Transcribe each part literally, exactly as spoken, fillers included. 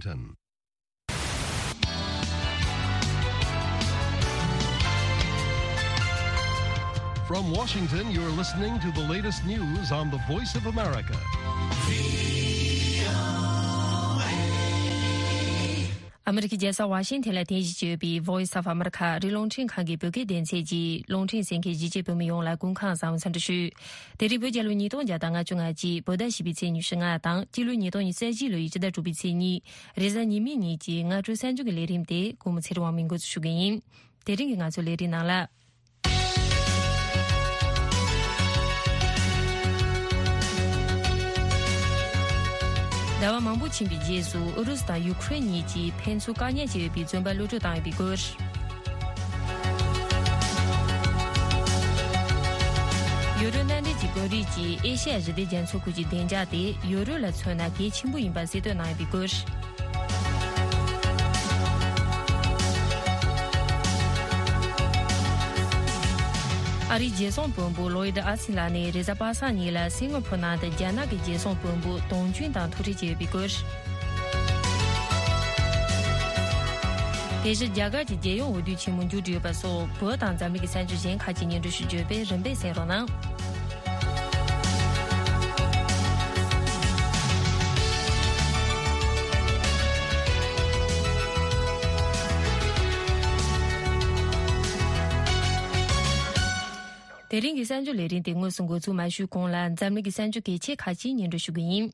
Washington. From Washington, you're listening to the latest news on the Voice of America. ཨ་མི་རི་ཀའི་རྒྱལ་ས་ཝ་ཤིང་ཐན་ལ་རྟེན་གཞི་བྱས་ཡོད་པའི་Voice of America ཨ་རིའི་རླུང་འཕྲིན་ཁང་གི་བོད་སྐད་སྡེ་ཚན་གྱི་རླུང་འཕྲིན་གསན་མཁན་གཞིས་བྱེས་བོད་མི་ཡོངས་ལ་སྐུ་ཁམས་བཟང་བའི་འཚམས་འདྲི་ཞུ། དེ་རིང་བོད་རྒྱལ་ལོ་ཉིས་སྟོང་བརྒྱ་དང་ལྔ་བཅུ་ང་གཅིག་བོད་ཟླ་བཞི་པའི་ཚེས་ཉི་ཤུ་ལྔ་དང་སྤྱི་ལོ་ཉིས་སྟོང་ཉི་ཤུ་རྩ་བཞི་ལོའི་སྤྱི་ཟླ་དྲུག་པའི་ཚེས་གཉིས། རེས་གཟའ་ཉི་མའི་ཉིན་གྱི་སྔ་དྲོའི་གསར་འགྱུར་གྱི་ལས་རིམ་དེ་སྐུ་ངོ་ཚེ་རིང་དབང་མོས་འགོ་འཛུགས་ཞུ་གི་ཡིན། དེ་རིང་གི་ང་ཚོའི་ལས་རིམ་ནང་ལ། ཟླ་བ་མང་པོ་ཕྱིན་པའི་རྗེས་སུ་ཨུ་རུ་སུ་དང་ཡུ་ཁུ་རེན་གཉིས་ཀྱིས་ཕན་ཚུན་བཀག་ཉར་བྱས་ཡོད་པའི་བཙོན་པ་གློད་གྲོལ་བཏང་ཡོད་པའི་སྐོར། ཡུ་རོབ་མནའ་འབྲེལ་གྱི་དཔོན་རིགས་ཀྱིས་ཨེ་ཤ་ཡ་ཞི་བདེ་རྒྱ་མཚོའི་ཁུལ་གྱི་བདེ་འཇགས་དེ་ཡུ་རོབ་ལ་མཚོན་ན་གལ་ཆེན་པོ་ཡིན་པ་གསལ་སྟོན་གནང་ཡོད་པའི་སྐོར། ཨ་རིའི་རྒྱལ་སྲུང་དཔོན་པོ་ལོ་ཡིད་ཨ་སིན་ལགས་ནས་རེས་གཟའ་པ་སངས་ཉིན་ལ་སིང་ག་ཕོར་ནང་དུ་རྒྱ་ནག་གི་རྒྱལ་སྲུང་དཔོན་པོ་ཏོང་ཅུན་དང་ཐུག་འཕྲད་བྱས་ཡོད་པའི་སྐོར། དེ་བཞིན་རྒྱ་གར་གྱི་རྒྱལ་ཡོངས་འོས་བསྡུ་ཆེན་མོ་མཇུག་སྒྲིལ་ཡོད་པ་སོགས་བོད་དང་འཛམ་གླིང་གི་གསར་འགྱུར་གཞན་ཁག་ཅིག་སྙན་སྒྲོན་ཞུ་རྒྱུ་ཡོད་པས་རིམ་པས་གསན་རོགས་གནང་། དེ་རིང་གི་གསར་འགྱུར་ལས་རིམ་དེ་དངོས་སུ་འགོ་འཛུགས་མ་ཞུས་གོང་ལ་འཛམ་གླིང་གི་གསར་འགྱུར་གལ་ཆེ་ཁག་ཅིག་སྙན་སྒྲོན་ཞུ་གི་ཡིན།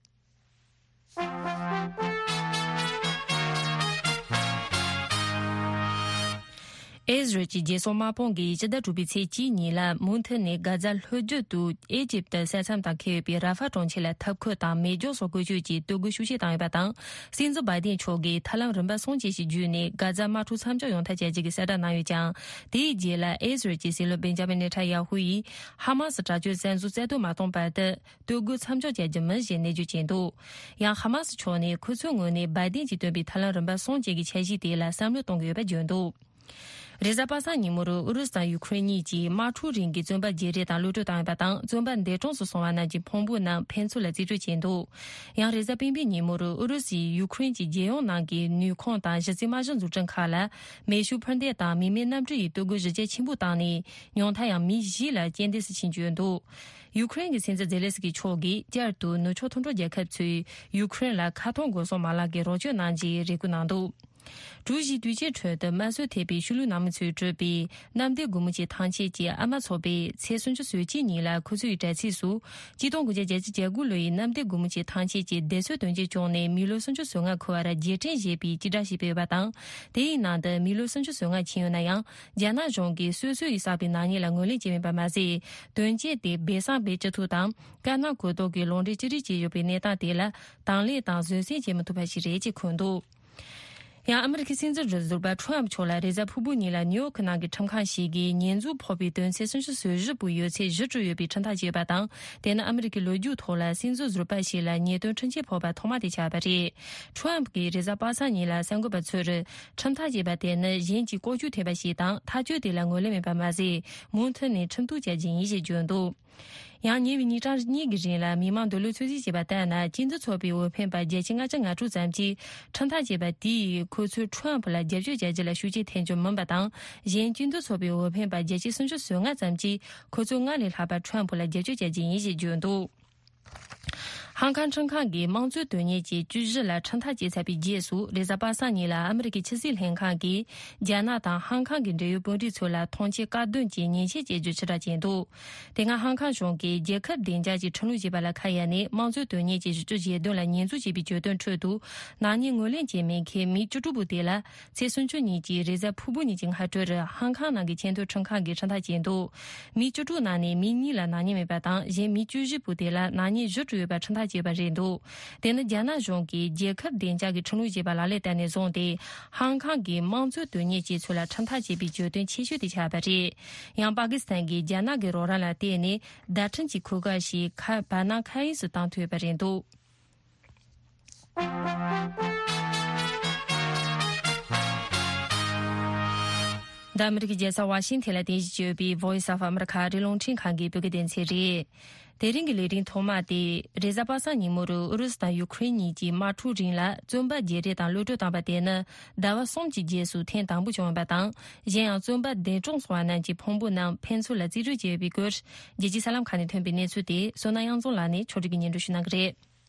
ཨེ་ཟི་རལ་གྱི་རྒྱལ་སྲུང་དམག་དཔུང་གིས་སྤྱི་ཟླ་དྲུག་པའི་ཚེས་གཅིག་ཉིན་ལ་མུ་མཐུད་ནས་གྷ་ཛ་ལྷོ་རྒྱུད་དུ་ཨེ་ཇིབ་ཏི་ས་མཚམས་དང་འཁེལ་ཡོད་པའི་ར་ཧྥ་གྲོང་ཁྱེར་ལ་འཐབ་འཁོད་དང་མེ་སྒྱོགས་སོགས་བཀོལ་སྤྱོད་ཀྱིས་གཏོར་རྒོལ་ཤུགས་ཆེ་བཏང་ཡོད་པ་དང་། སྲིད་འཛིན་བྷའི་ཏིན་མཆོག་གིས་ཐབས་ལམ་རིམ་པ་གསུམ་བཅས་ཤིག་བརྒྱུད་ནས་གྷ་ཛ་དམག་འཁྲུག་མཚམས་འཇོག་ཡོང་ཐབས་བྱ་རྒྱུ་གི་གསལ་བསྒྲགས་གནང་ཡོད་ཀྱང་། དེའི་རྗེས་ལ་ཨེ་ཟི་རལ་གྱི་སྲིད་བློན་བེན་ཇ་མིན་ནེ་ཐན་ཡ་ཧུ་ཡིས་ཧ་མ་སི་དྲག་སྤྱོད་བཙན་བཟུང་རྩ་གཏོར་མ་བཏང་བར་དུ། གཏོར་རྒོལ་མཚམས་འཇོག་བྱ་རྒྱུ་མིན་ཞེས་ནན་བརྗོད་བྱས་འདུག། ཡང་ཧ་མ་སི་ཕྱོགས་ནས་ཁོ་ཚོའི་ངོས་ནས་བྷའི་ཏིན་གྱིས་བཏོན་པའི་ཐབས་ལམ་རིམ་པ་གསུམ་བཅས་ཀྱི་འཆར་གཞི་དེ་ལ་བསམ་བློ་གཏོང་གི་ཡོད་པ་བརྗོད་འདུག། རེས་གཟའ་པ་སངས་ཉིན་མོར་ཨུ་རུ་སུ་དང་ཡུ་ཁུ་རེན་གཉིས་ཀྱིས་དམག་འཁྲུག་རིང་གི་བཙོན་པ་བརྗེ་རེས་དང་གློད་གྲོལ་བཏང་ཡོད་པ་དང་། བཙོན་པ་འདས་གྲོངས་སུ་སོང་བ་རྣམས་ཀྱི་ཕུང་པོ་རྣམས་ཕན་ཚུན་ལ་རྩིས་སྤྲོད་བྱས་འདུག། ཡང་རེས་གཟའ་སྤེན་པའི་ཉིན་མོར་ཨུ་རུ་སུས་ཡུ་ཁུ་རེན་གྱི་རྒྱལ་ཡོངས་ནང་གི་ནུས་ཁུངས་དང་གཞི་རྩའི་དམག་གཞི་འཛུགས་སྐྲུན་ཁག་ལ་མེ་ཤུགས་འཕུར་མདེལ་དང་མི་མེད་གནམ་གྲུ་ཡི་གཏོར་རྒོལ་གཞི་རྒྱ་ཆེན་པོ་བཏང་ནས། ཉུང་མཐར་ཡང་མི་བཞི་ལ་རྐྱེན་འདས་སུ་ཕྱིན་བཅུག་འདུག། ཡུ་ཁུ་རེན་གྱི་སྲིད་འཛིན་ཛེ་ལེ་སི་ཀི་མཆོག་གིས་བསྐྱར་དུ་ནུབ་ཕྱོགས་མཐུན་གྲོགས་རྒྱལ་ཁབ་ཚོས་ཡུ་ཁུ་རེན་ལ་མཁའ་ཐོག་འགོག་སྲུང་མ་ལག་གི་རོགས་སྐྱོར་གནང་རྒྱུའི་རེ་སྐུལ་གནང་འདུག། གྲུ་བཞིའི་དུས་ཆེན་ཁྲོད་དུ་དམར་གསོད་ཐེབས་པའི་ཤུལ་ལུས་ནང་མི་ཚོས་སྤྲོད་པའི་གནམ་བདེ་སྒོ་མོ་ཆེ་ཐང་ཆད་ཀྱི་ཨ་མ་ཚོགས་པས་ཚེས་སུམ་ཅུ་སོ་གཅིག་ཉིན་ལ་ཁོ་ཚོའི་དྲ་ཚིགས་སུ། གཅིག་སྟོང་དགུ་བརྒྱ་བརྒྱད་ཅུ་གྱ་དགུ་ལོའི་གནམ་བདེ་སྒོ་མོ་ཆེ་ཐང་ཆད་ཀྱི་བདེ་སྲུང་དོན་རྐྱེན་བྱུང་ནས་མི་ལོ་སུམ་ཅུ་སོ་ལྔ་འཁོར་བར་རྗེས་དྲན་ཞེས་པའི་སྤྱི་བསྒྲགས་ཤིག་སྤེལ་བ་དང་། དེའི་ནང་དུ་མི་ལོ་སུམ་ཅུ་སོ་ལྔ་ཕྱིན་ཡོད་ན་ཡང་། རྒྱ་ནག་གཞུང་གིས་སོ་སོ་ཡིས་བསགས་པའི་ནག་ཉེས་ལ་ངོས་ལེན་བྱས་མེད་པ་མ་ཟད། དོན་རྐྱེན་དེ་སྦས་གསང་སྦས་བཅུག་ཐུབ་དང་། དཀར་ནག་གོ་རྟོགས་ཀྱི་ལུང་འདྲེན་ཅི་རིགས་བྱས་ཡོད་པའི་གནས་སྟངས་དེ་ལ་དང་ལེན་དང་བཟོད་བསྲན་བྱེད་མི་ཐུབ་པ་ཞིག་རེད་ཅེས་འཁོད་འདུག། ཡང་ཨ་མི་རི་ཁའི་སྲིད་འཛིན་ཟུར་པ་ཁྲོམ་མཆོག་ལ་རེས་གཟའ་ཕུར་བུ་ཉིན་ལ་ནིའུ་ཡོག་གི་ནང་གི་ཁྲིམས་ཁང་ཞིག་གིས་ཉེས་འཛུགས་ཕོག་པའི་དོན་ཚན་སུམ་ཅུ་སོ་བཞི་པོའི་ཡོད་ཚད་གཞི་གྲུབ་ཡོད་པའི་ཁྲིམས་ཐག་བཅད་པ་དང་། དེ་ནི་ཨ་མི་རི་ཀའི་ལོ་རྒྱུས་ཐོག་ལ་སྲིད་འཛིན་ཟུར་པ་ཞིག་ལ་ཉེས་དོན་ཁྲིམས་ཆད་ཕོག་པ་ཐོག་མ་དེ་ཆགས་པ་རེད། ཁྲོམ་གྱིས་རེས་གཟའ་པ་སངས་ཉིན་ལ་གསར་འགོད་པ་ཚོར། ཁྲིམས་ཐག་བཅད་པ་དེ་ནི་གཞན་གྱིས་ལྐོག་གྱུར་ཐེབས་པ་ཞིག་དང་། ཐག་གཅོད་དེ་ལ་ངོས་ལེན་མེད་པ་མ་ཟད། མུ་མཐུད་ནས་ཁྲིམས་གཏུག་བྱ་རྒྱུ་ཡིན་ཞེས་བརྗོད་འདུག། ཡང་ཉེ་བའི་ཉིན་གྲངས་གཉིས་ཀྱི་རིང་ལ་མི་མང་འདོད་བློ་ཚོད་རྩིས་བྱས་པ་ལྟར་ན། སྤྱི་འཐུས་ཚོགས་པའི་འོས་འཕེན་པ་བརྒྱ་ཆ་ལྔ་བཅུ་ང་དྲུག་ཙམ་གྱིས་ཁྲིམས་ཐག་བཅད་པ་དེས་ཁོ་ཚོས་ཁྲོམ་ལ་རྒྱབ་སྐྱོར་བྱ་རྒྱུ་ལ་ཤུགས་རྐྱེན་ཐེབས་རྒྱུ་མིན་པ་དང་། གཞན་སྤྱི་འཐུས་ཚོགས་པའི་འོས་འཕེན་པ་བརྒྱ་ཆ་སུམ་ཅུ་སོ་ལྔ་ཙམ་གྱིས་ཁོ་ཚོས་སྔར་ལས་ལྷག་པར་ཁྲོམ་ལ་རྒྱབ་སྐྱོར་བྱ་རྒྱུ་ཡིན་ཞེས་བརྗོད་འདུག། ཧང་ཀང་ཁྲིམས་ཁང་གིས་དམངས་གཙོའི་དོན་གཉེར་གྱི་བཅུ་བཞི་ལ་ཁྲིམས་ཐག་བཅད་ཚར་བའི་རྗེས་སུ། རེས་གཟའ་པ་སངས་ཉིན་ལ་ཨ་མི་རི་ཀའི་ཕྱི་སྲིད་ལྷན་ཁང་གིས་རྒྱ་ནག་དང་ཧང་ཀང་གི་འབྲེལ་ཡོད་དཔོན་རིགས་ཚོ་ལ་ཐོངས་མཆན་བཀག་སྡོམ་གྱི་ཉེས་ཆད་བཅད་རྒྱུ་ཕྱིར་བསྒྲགས་བྱས་འདུག། དེ་སྔ་ཧང་ཀང་གཞུང་གིས་རྒྱལ་ཁབ་བདེ་འཇགས་ཀྱི་ཁྲིམས་ལུགས་ཅེས་པ་ལ་ཁ་གཡར་ནས། དམངས་གཙོའི་དོན་གཉེར་གྱི་གཞི་བཅུ་ཞེ་བདུན་ལ་ཉེས་འཛུགས་བྱས་པའི་བརྗོད་དོན་ཁྲོད་དུ། ནག་ཉེས་ངོས་ལེན་བྱས་མེད་མཁན་མི་བཅུ་དྲུག་པོ་དེ་ལ། ཚེས་སུམ་ཅུ་ཉིན་གྱི་རེས་གཟའ་ཕུར་བུ་ཉིན་གྱི་སྔ་དྲོར་ཧང་ཀང་ནང་གི་ཆེས་མཐོའི་ཁྲིམས་ཁང་གིས་ཁྲིམས་ཐག་བཅད་འདུག། མི་བཅུ་དྲུག་ནང་ནས་མི་གཉིས་ལ་ནག་ཉེས་མེད་པ་དང་། གཞན་མི་བཅུ་བཞི་པོ་དེ་ལ་ནག་ཉེས་བཞི་བྲོས་ཡོད་པ་ཁྲིམས་ཐག་བཅད་པ་རེད་འདུག། དེ་ནི་རྒྱ་ནག་གཞུང་གིས་རྒྱལ་ཁབ་བདེ་འཇགས་ཀྱི་ཁྲིམས་ལུགས་ཅེས་པ་ལག་ལེན་བསྟར་ནས་བཟུང་སྟེ། ཧང་ཀང་གི་དམངས་གཙོའི་དོན་གཉེར་ཅན་ཚོ་ལ་ཁྲིམས་ཐག་བཅད་པའི་བརྗོད་དོན་ཆེ་ཤོས་དེ་ཆགས་པ་རེད། ཡང་པ་ཀི་སི་ཐན་གྱིས་རྒྱ་ནག་གི་རོགས་རམ་ལ་བརྟེན་ནས་བརྡ་འཕྲིན་གྱི་ཁུག་རྒྱ་ཞིག་ཁ་བར་སྣང་མཁའ་དབྱིངས་སུ་བཏང་ཐུབ་ཡོད་པ་རེད་འདུག། འདི་ཨ་མི་རི་ཀའི་རྒྱལ་ས་ཝ་ཤིང་ཐན་ལ་རྟེན་གཞི་བྱས་ཡོད་པའི་Voice of America ཨ་རིའི་རླུང་འཕྲིན་ཁང་གི་བོད་སྐད་སྡེ་ཚན་རེད། དེ་རིང་གི་ལས་རིམ་ཐོག་མ་དེ་རེས་གཟའ་པ་སངས་ཉིན་མོར་ཨུ་རུ་སུ་དང་ཡུ་ཁུ་རེན་གཉིས་ཀྱིས་དམག་འཁྲུག་རིང་ལ་བཙོན་པ་བརྗེ་རེས་དང་གློད་གྲོལ་བཏང་བ་དེ་ནི་ཟླ་བ་གསུམ་གྱི་རྗེས་སུ་ཐེངས་དང་པོ་བྱུང་ཡོད་པ་དང་། གཞན་ཡང་བཙོན་པ་འདས་གྲོངས་སོང་བ་རྣམས་ཀྱི་ཕུང་པོ་རྣམས་ཕན་ཚུན་ལ་རྩིས་སྤྲོད་བྱས་ཡོད་པའི་སྐོར། རྒྱལ་སྤྱིའི་གསར་ལམ་ཁག་ནས་ཐོན་པའི་གནས་ཚུལ་དེ་བསོད་ནམས་དབྱངས་འཛོམས་ལགས་ནས་ཕྱོགས་སྒྲིག་གིས་སྙན་སྒྲོན་ཞུ་གནང་གི་རེད།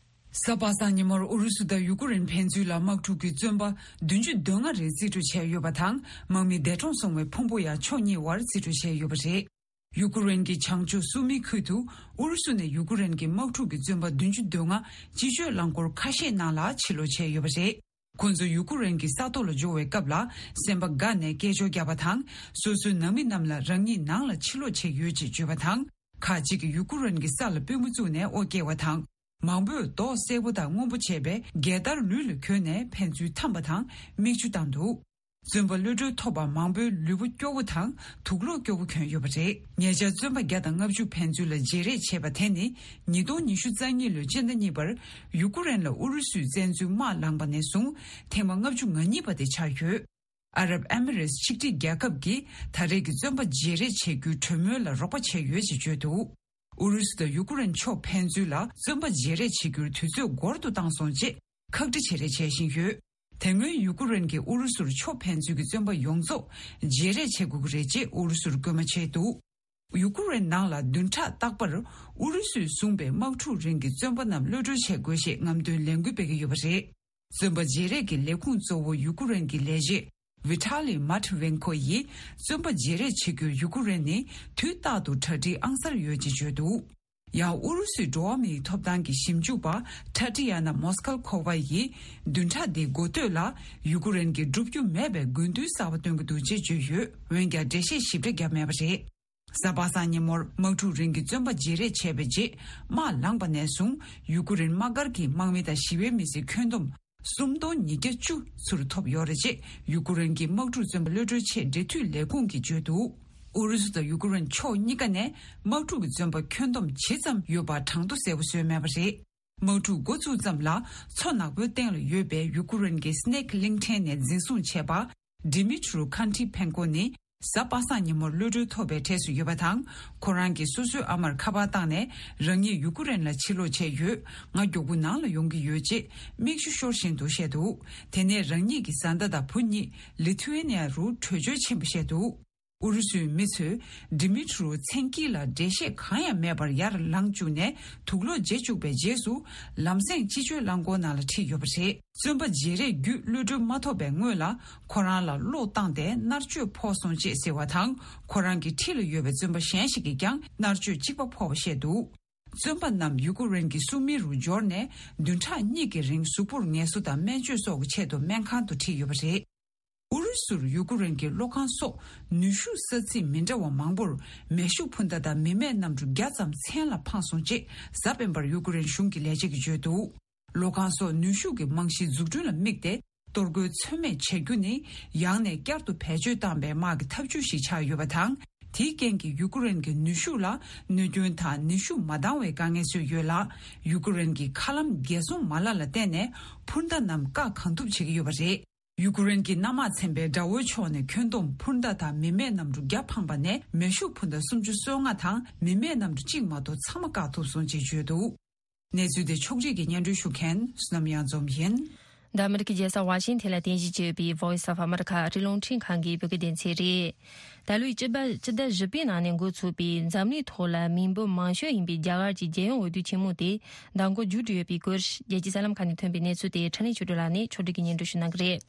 གཟའ་པ་སངས་ཉིན་མོར་ཨུ་རུ་སུ་དང་ཡུ་ཀུ་རེན་ཕན་ཚུན་ལ་དམག་འཁྲུག་གི་བཙོན་པ་བདུན་ཅུ་དོན་ལྔ་རེ་རྩིས་སྤྲོད་བྱས་ཡོད་པ་དང་། དམག་མི་འདས་གྲོངས་སོང་བའི་ཕུང་པོ་ཡང་ཕྱོགས་གཉིས་བར་རྩིས་སྤྲོད་བྱས་ཡོད་པ་རེད། ཡུ་ཀུ་རེན་གྱི་བྱང་ཕྱོགས་སུ་མི་ཁུལ་དུ་ཨུ་རུ་སུ་ནས་ཡུ་ཀུ་རེན་གྱི་དམག་འཁྲུག་གི་བཙོན་པ་བདུན་ཅུ་དོན་ལྔ་སྤྱི་སྤྱོད་རླངས་འཁོར་ཁ་ཤས་ནང་ལ་ཕྱིར་ལོག་བྱས་ཡོད་པ་རེད། ཁོ་ཚོ་ཡུ་ཀུ་རེན་གྱི་ས་ཐོག་ལ་འབྱོར་བའི་སྐབས་ལ་སེམས་པ་དགའ་ནས་སྐད་ཅོར་བརྒྱབ་པ་དང་། སོ་སོའི་ནང་མི་རྣམས་ལ་རང་ཉིད་ནང་ལ་ཕྱིར་ལོག་བྱས་ཡོད་ཅེས་བརྗོད་པ་དང་། ཁག་ཅིག་གིས་ཡུ་ཀུ་རེན་གྱི་ས་ལ་པུས་མོ་བཙུགས་ནས་དབུ་བཀྱེས་པ་དང་། མང་པོས་མདོག་སེར་པོ་དང་སྔོན་པོ་བྱས་པའི་རྒྱལ་དར་ལུས་ལ་གྱོན་ནས་ཕན་ཚུན་འཐམས་པ་དང་མིག་ཆུ་བཏང་འདུག་བཙོན་པ་གློད་གྲོལ་ཐོབ་པ་མང་པོའི་ལུས་པོ་སྐྱོ་བོ་དང་དུག་ལོག་སྐྱོ་བོ་གྱོན་ཡོད་པ་རེད། ཉེ་ཆར་བཙོན་པ་བརྒྱ་དང་ལྔ་བཅུ་ཕན་ཚུན་ལ་བརྗེ་རེས་བྱས་པ་དེ་ནི་ཉིས་སྟོང་ཉི་ཤུ་རྩ་གཉིས་ལོའི་སྤྱི་ཟླ་གཉིས་པར་ཡུ་ཀུ་རེན་ལ་ཨུ་རུ་སུས་བཙན་འཛུལ་དམག་ལངས་པ་ནས་བཟུང་ཐེངས་མ་ལྔ་བཅུ་ང་གཉིས་པ་དེ་ཆགས་ཡོད། ཨ་རབ་ཨེ་མི་རེས་ཆིག་སྒྲིལ་རྒྱལ་ཁབ་ཀྱིས་ད་རེས་ཀྱི་བཙོན་པ་བརྗེ་རེས་བྱེད་རྒྱུའི་གྲོས་མོལ་ལ་རོགས་པ་བྱས་ཡོད་ཅེས་བརྗོད་འདུག་ཨུ་རུ་སུ་དང་ཡུ་ཀུ་རེན་ཕྱོགས་ཕན་ཚུན་ལ་བཙོན་པ་བརྗེ་རེས་བྱེད་རྒྱུར་དུས་ཚོད་འགོར་དུ་བཏང་སོང་ཅེས་ཁག་དཀྲི་བྱེད་རེས་བྱེད་བཞིན་ཡོད། དེ་སྔོན་ཡུ་ཀུ་རེན་གྱིས་ཨུ་རུ་སུར་ཕྱོགས་ཕན་ཚུན་གྱི་བཙོན་པ་ཡོངས་རྫོགས་བརྗེ་རེས་བྱེད་དགོས་ཀྱི་རེད་ཅེས་ཨུ་རུ་སུར་སྐུལ་མ་བྱས་འདུག་ཡུ་ཀུ་རེན་ནང་ལ་བདུན་ཕྲག་རྟག་པར་ཨུ་རུ་སུས་བཟུང་པའི་དམག་འཁྲུག་རིང་གི་བཙོན་པ་རྣམས་གློད་གྲོལ་བྱེད་དགོས་ཞེས་རྔམ་སྟོན་ལས་འགུལ་སྤེལ་གྱི་ཡོད་པ་རེད། བཙོན་པ་བརྗེ་རེས་ཀྱི་ལས་ཁུངས་གཙོ་བོ་ཡུ་ཀུ་རེན་གྱི་ལས་བྱེད་ཝི་ཐ་ལི་མཱ་ཊི་ཝེན་ཁོ་ཡིས་བཙོན་པ་བརྗེ་རེས་བྱེད་རྒྱུར་ཡུ་ཀུ་རེན་ནི་དུས་རྟག་ཏུ་གྲ་སྒྲིག་ཨང་གསར་ཡོད་ཅེས་བརྗོད་འདུག་ཡང་ཨུ་རུ་སུའི་འགྲོ་བ་མིའི་ཐོབ་ཐང་གི་ཞིབ་འཇུག་པ་ཐ་ཏི་ཡ་ན་མོ་སྐལ་ཁོ་ཝ་ཡིས་བདུན་ཕྲག་འདིའི་འགོ་སྟོད་ལ་ཡུ་ཀུ་རེན་གྱིས་བསྒྲུབ་རྒྱུ་མེད་པའི་དགོས་འདུན་གསར་པ་བཏོན་གྱི་འདུག་ཅེས་བརྗོད་ཡོད། འོན་ཀྱང་འགྲེལ་བཤད་ཞིབ་ཕྲ་བརྒྱབ་མེད་པ་རེད། གཟའ་པ་སངས་ཉིན་མོར་དམག་འཁྲུག་རིང་གི་བཙོན་པ་བརྗེ་རེས་བྱས་པའི་རྗེས་དམག་ལངས་པ་ནས་བཟུང་ཡུ་ཀུ་རེན་དམག་སྒར་གྱི་དམག་མི་དང་ཞི་བའི་མི་སེར་ཁྱོན་བསྡོམས་སུམ་སྟོང་ཉིས་བརྒྱ་བཅུ་ཚུར་ཐོབ་ཡོད་རེད་ཅེས་ཡུ་ཀུ་རེན་གྱི་དམག་འཁྲུག་བཙོན་པ་གློད་གྲོལ་ཆེད་འབྲེལ་མཐུད་ལས་ཁུངས་ཀྱིས་བརྗོད་འདུག་ཨུ་རུ་སུ་དང་ཡུ་ཀུ་རེན་ཕྱོགས་གཉིས་ཀ་ནས་དམག་འཁྲུག་གི་བཙོན་པ་ཁྱོན་བསྡོམས་ཇི་ཙམ་ཡོད་པ་གྲངས་ཐོ་གསལ་པོ་བཟོས་མེད་པ་རེད། དམག་འཁྲུག་འགོ་ཚུགས་ཙམ་ལ་མཚོ་ནག་པོའི་སྟེང་ལ་ཡོད་པའི་ཡུ་ཀུ་རེན་གྱི་སི་ནེག་གླིང་ཕྲན་ནས་འཛིན་བཟུང་བྱས་པ། ཌི་མི་ཊི་རུ་ཁན་ཊི་ཕེན་ཀོ་ནི་གཟའ་པ་སངས་ཉིན་མོར་གློད་གྲོལ་ཐོབ་པའི་གྲས་སུ་ཡོད་པ་དང་། ཁོ་རང་གིས་སོ་སོའི་ཨ་མར་ཁ་པར་བཏང་ནས་རང་ཉིད་ཡུ་ཀུ་རེན་ལ་ཕྱིར་ལོག་བྱས་ཡོད། ང་མགྱོགས་པོ་ནང་ལ་ཡོང་གི་ཡོད་ཅེས་མིག་ཆུ་ཤོར་བཞིན་དུ་བཤད་འདུག་དེ་ནས་རང་ཉིད་ཀྱི་བཟའ་ཟླ་དང་བུ་གཉིས་ལི་ཐུ་ཝེ་ནི་ཡ་རུ་བྲོས་བྱོལ་ཕྱིན་པ་བཤད་འདུག་ཨུ་རུ་སུའི་མི་ཚོས་ཌི་མི་ཊི་རུ་མཚན་དཀྱིལ་ལ་འགྲེལ་བཤད་གང་ཡང་མེད་པར་ཡར་ལངས་བཅུག་ནས་དུག་ལོག་བརྗེ་བཅུག་པའི་རྗེས་སུ་ལམ་སེང་སྤྱི་སྤྱོད་རླངས་འཁོར་ནང་ལ་ཁྲིད་ཡོད་པ་རེད། བཙོན་པ་བརྗེ་རེས་བརྒྱུད་གློད་གྲོལ་མ་ཐོབ་པའི་སྔོན་ལ་ཁོ་རང་ལ་གློག་བཏང་སྟེ་མནར་གཅོད་ཕོག་སོང་ཅེས་ཟེར་བ་དང་། ཁོ་རང་གི་འཁྲིས་ལ་ཡོད་པའི་བཙོན་པ་གཞན་ཞིག་གིས་ཀྱང་མནར་གཅོད་གཅིག་པ་ཕོག་པ་བཤད་འདུག་བཙོན་པ་རྣམས་ཡུ་ཀུ་རེན་གྱི་སུ་མི་རུ་འབྱོར་ནས་བདུན་ཕྲག་གཉིས་ཀྱི་རིང་གཟུགས་པོར་ངལ་གསོ་དང་སྨན་བཅོས་སོགས་ཀྱི་ཆེད་དུ་སྨན་ཁང་དུ་ཁྲིད་ཡོད་པ་རེད། ཨུ་རུ་སུར་ཡུ་ཀུ་རེན་གྱི་གློག་ཁང་སོགས་ནུས་ཤུགས་ས་ཚིགས་མི་འདྲ་བ་མང་པོར་མེ་ཤུགས་འཕུར་མདའ་དང་མི་མེད་གནམ་གྲུ་བརྒྱ་ཙམ་མཚན་ལ་འཕངས་སོང་ཅེས་གཟའ་སྤེན་པར་ཡུ་ཀུ་རེན་གཞུང་གི་ལས་བྱེད་ཀྱིས་བརྗོད་འདུག་གློག་ཁང་སོགས་ནུས་ཤུགས་ཀྱི་རྨང་གཞི་འཛུགས་སྐྲུན་ལ་དམིགས་ཏེ་གཏོར་རྒོལ་ཚོད་མེད་བྱེད་རྒྱུ་ནི་ཡང་ནས་བསྐྱར་དུ་བེད་སྤྱོད་བཏང་པའི་དམག་གི་ཐབས་ཇུས་ཤིག་ཆགས་ཡོད་པ་དང་། དེའི་རྐྱེན་གྱིས་ཡུ་ཀུ་རེན་གྱི་ནུས་ཤུགས་ལ་གནོད་སྐྱོན་དང་ནུས་ཤུགས་མ་འདང་བའི་དཀའ་ངལ་བཟོས་ཡོད་ལ། ཡུ་ཀུ་རེན་གྱི་མཁའ་ལམ་རྒྱལ་སྲུང་མ་ལག་ལ་བརྟེན་ནས་འཕུར་མདའ་རྣམས་བཀག་གང་ཐུབ་བྱེད་ཀྱི་ཡོད་པ་རེད། ཡུ་ཀུ་རེན་གྱི་གནམ་དམག་ཚན་པས་དགྲ་བོའི་ཕྱོགས་ནས་ཁྱོན་བསྡོམས་འཕུར་མདའ་དང་མི་མེད་གནམ་གྲུ་བརྒྱ་འཕངས་པ་ནས་མེ་ཤུགས་འཕུར་མདའ་སུམ་ཅུ་སོ་ལྔ་དང་མི་མེད་གནམ་གྲུ་གཅིག་མ་གཏོགས་ཚང་མ་བཀག་ཐུབ་སོང་ཅེས་བརྗོད་འདུག་གནས་ཚུལ་དེ་ཕྱོགས་སྒྲིག་གིས་སྙན་སྒྲོན་ཞུ་མཁན་བསོད་ནམས་གཡང་འཛོམས་ཡིན། འདི་ཨ་མི་རི་ཀའི་རྒྱལ་ས་ཝ་ཤིང་ཐན་ལ་རྟེན་གཞི་བྱས་ཡོད་པའི་Voice of America ཨ་རིའི་རླུང་འཕྲིན་ཁང་གི་བོད་སྐད་སྡེ་ཚན་རེད། ད་ལོའི་སྤྱི་ཟླ་སྤྱི་ཟླ་བཞི་པའི་ནང་ནས་འགོ་ཚུགས་པའི་འཛམ་གླིང་ཐོག་ལ་མི་འབོར་མང་ཤོས་ཡིན་པའི་རྒྱ་གར་གྱི་རྒྱལ་ཡོངས་འོས་བསྡུ་ཆེན་མོ་དེ་མདང་དགོང་མཇུག་སྒྲིལ་ཡོད་པའི་སྐོར། རྒྱལ་སྤྱིའི་གསར་ལམ་ཁག་ནས་ཐོན་པའི་གནས་ཚུལ་དེ་འཕྲིན་ལས་ཆོས་སྒྲོན་ལགས་ནས་ཕྱོགས་སྒྲིག་གིས་སྙན་སྒྲོན་ཞུ་གནང་གི་རེད།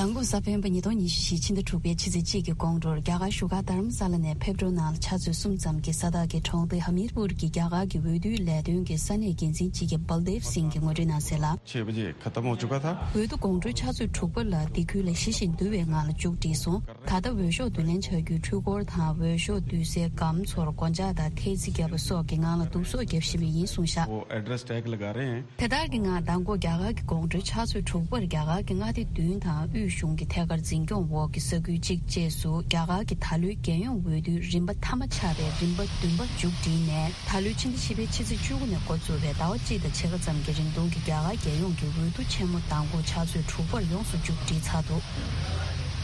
མདང་དགོང་གཟའ་སྤེན་པ་ཉིས་སྟོང་ཉི་ཤུ་བཞི་ཕྱི་ཟླ་དྲུག་པའི་ཕྱི་ཚེས་གཅིག་གི་དགོང་དྲོར་རྒྱ་གར་བཞུགས་སྒར་དྷ་རམ་ས་ལ་ནས་ཕེབས་འགྲོའི་ནང་ལ་ཆུ་ཚོད་གསུམ་ཙམ་གྱི་ས་ཐག་གི་གྲོང་སྡེ་ཧ་མིར་པུར་གྱི་རྒྱ་གར་གྱི་འོས་བསྡུའི་ལས་དོན་གྱི་ས་གནས་འགན་འཛིན་གཅིག་གི་བལ་དེབ་སིང་གིས་ངོ་སྤྲོད་གནང་གསལ་ལ། छह बजे खत्म हो चुका था। འོས་བསྡུ་དགོང་དྲོའི་ཆུ་ཚོད་དྲུག་པ་ལ་འདི་ཁུལ་ལ་ཞི་ཞིང་དུལ་བའི་ངང་ལ་མཇུག་བསྒྲིལ་སོང་། ད་ལྟ་འོས་ཤོག་བསྡུ་ལེན་བྱ་རྒྱུའི་འཕྲུལ་འཁོར་དང་འོས་ཤོག་བསྡུ་སའི་སྒམ་ཚོར་སྒོ་ལྕགས་དང་ཐེལ་ཙེ་བརྒྱབ་པ་སོགས་ཀྱི་ངང་ལ་བསྡུ་གསོག་བརྒྱབ་བཞིན་པ་ཡིན་གསུངས་བཞག། वो address tag लगा रहे हैं। དེ་ལྟར་གྱི་ངང་མདང་དགོང་རྒྱ་གར་གྱི་དགོང་དྲོའི་ཆུ་ཚོད་དྲུག་པར་རྒྱ་གར་གྱི་མངའ་སྡེ་བདུན་དང་དབུས་གཞུང་གི་ཐད་ཀར་འཛིན་སྐྱོང་འོག་གི་ས་ཁུལ་གཅིག་བཅས་སུ་རྒྱ་གར་གྱི་ད་ལོའི་རྒྱལ་ཡོངས་འོས་བསྡུའི་རིམ་པ་མཐའ་མ་ཆགས་པའི་རིམ་པ་བདུན་པ་མཇུག་བསྒྲིལ་ནས། ད་ལོའི་ཕྱི་ཟླ་བཞི་པའི་ཕྱི་ཚེས་བཅུ་དགུ་ནས་འགོ་བཙུགས་པའི་ཟླ་བ་གཅིག་དང་ཕྱེད་ཀ་ཙམ་གྱི་རིང་ཐུང་གི་རྒྱ་གར་རྒྱལ་ཡོངས་ཀྱི་འོས་བསྡུ་ཆེན་མོ་མདང་དགོང་ཆུ་ཚོད་དྲུག་པར་ཡོངས་སུ་མཇུག་སྒྲིལ་ཚར་འདུག་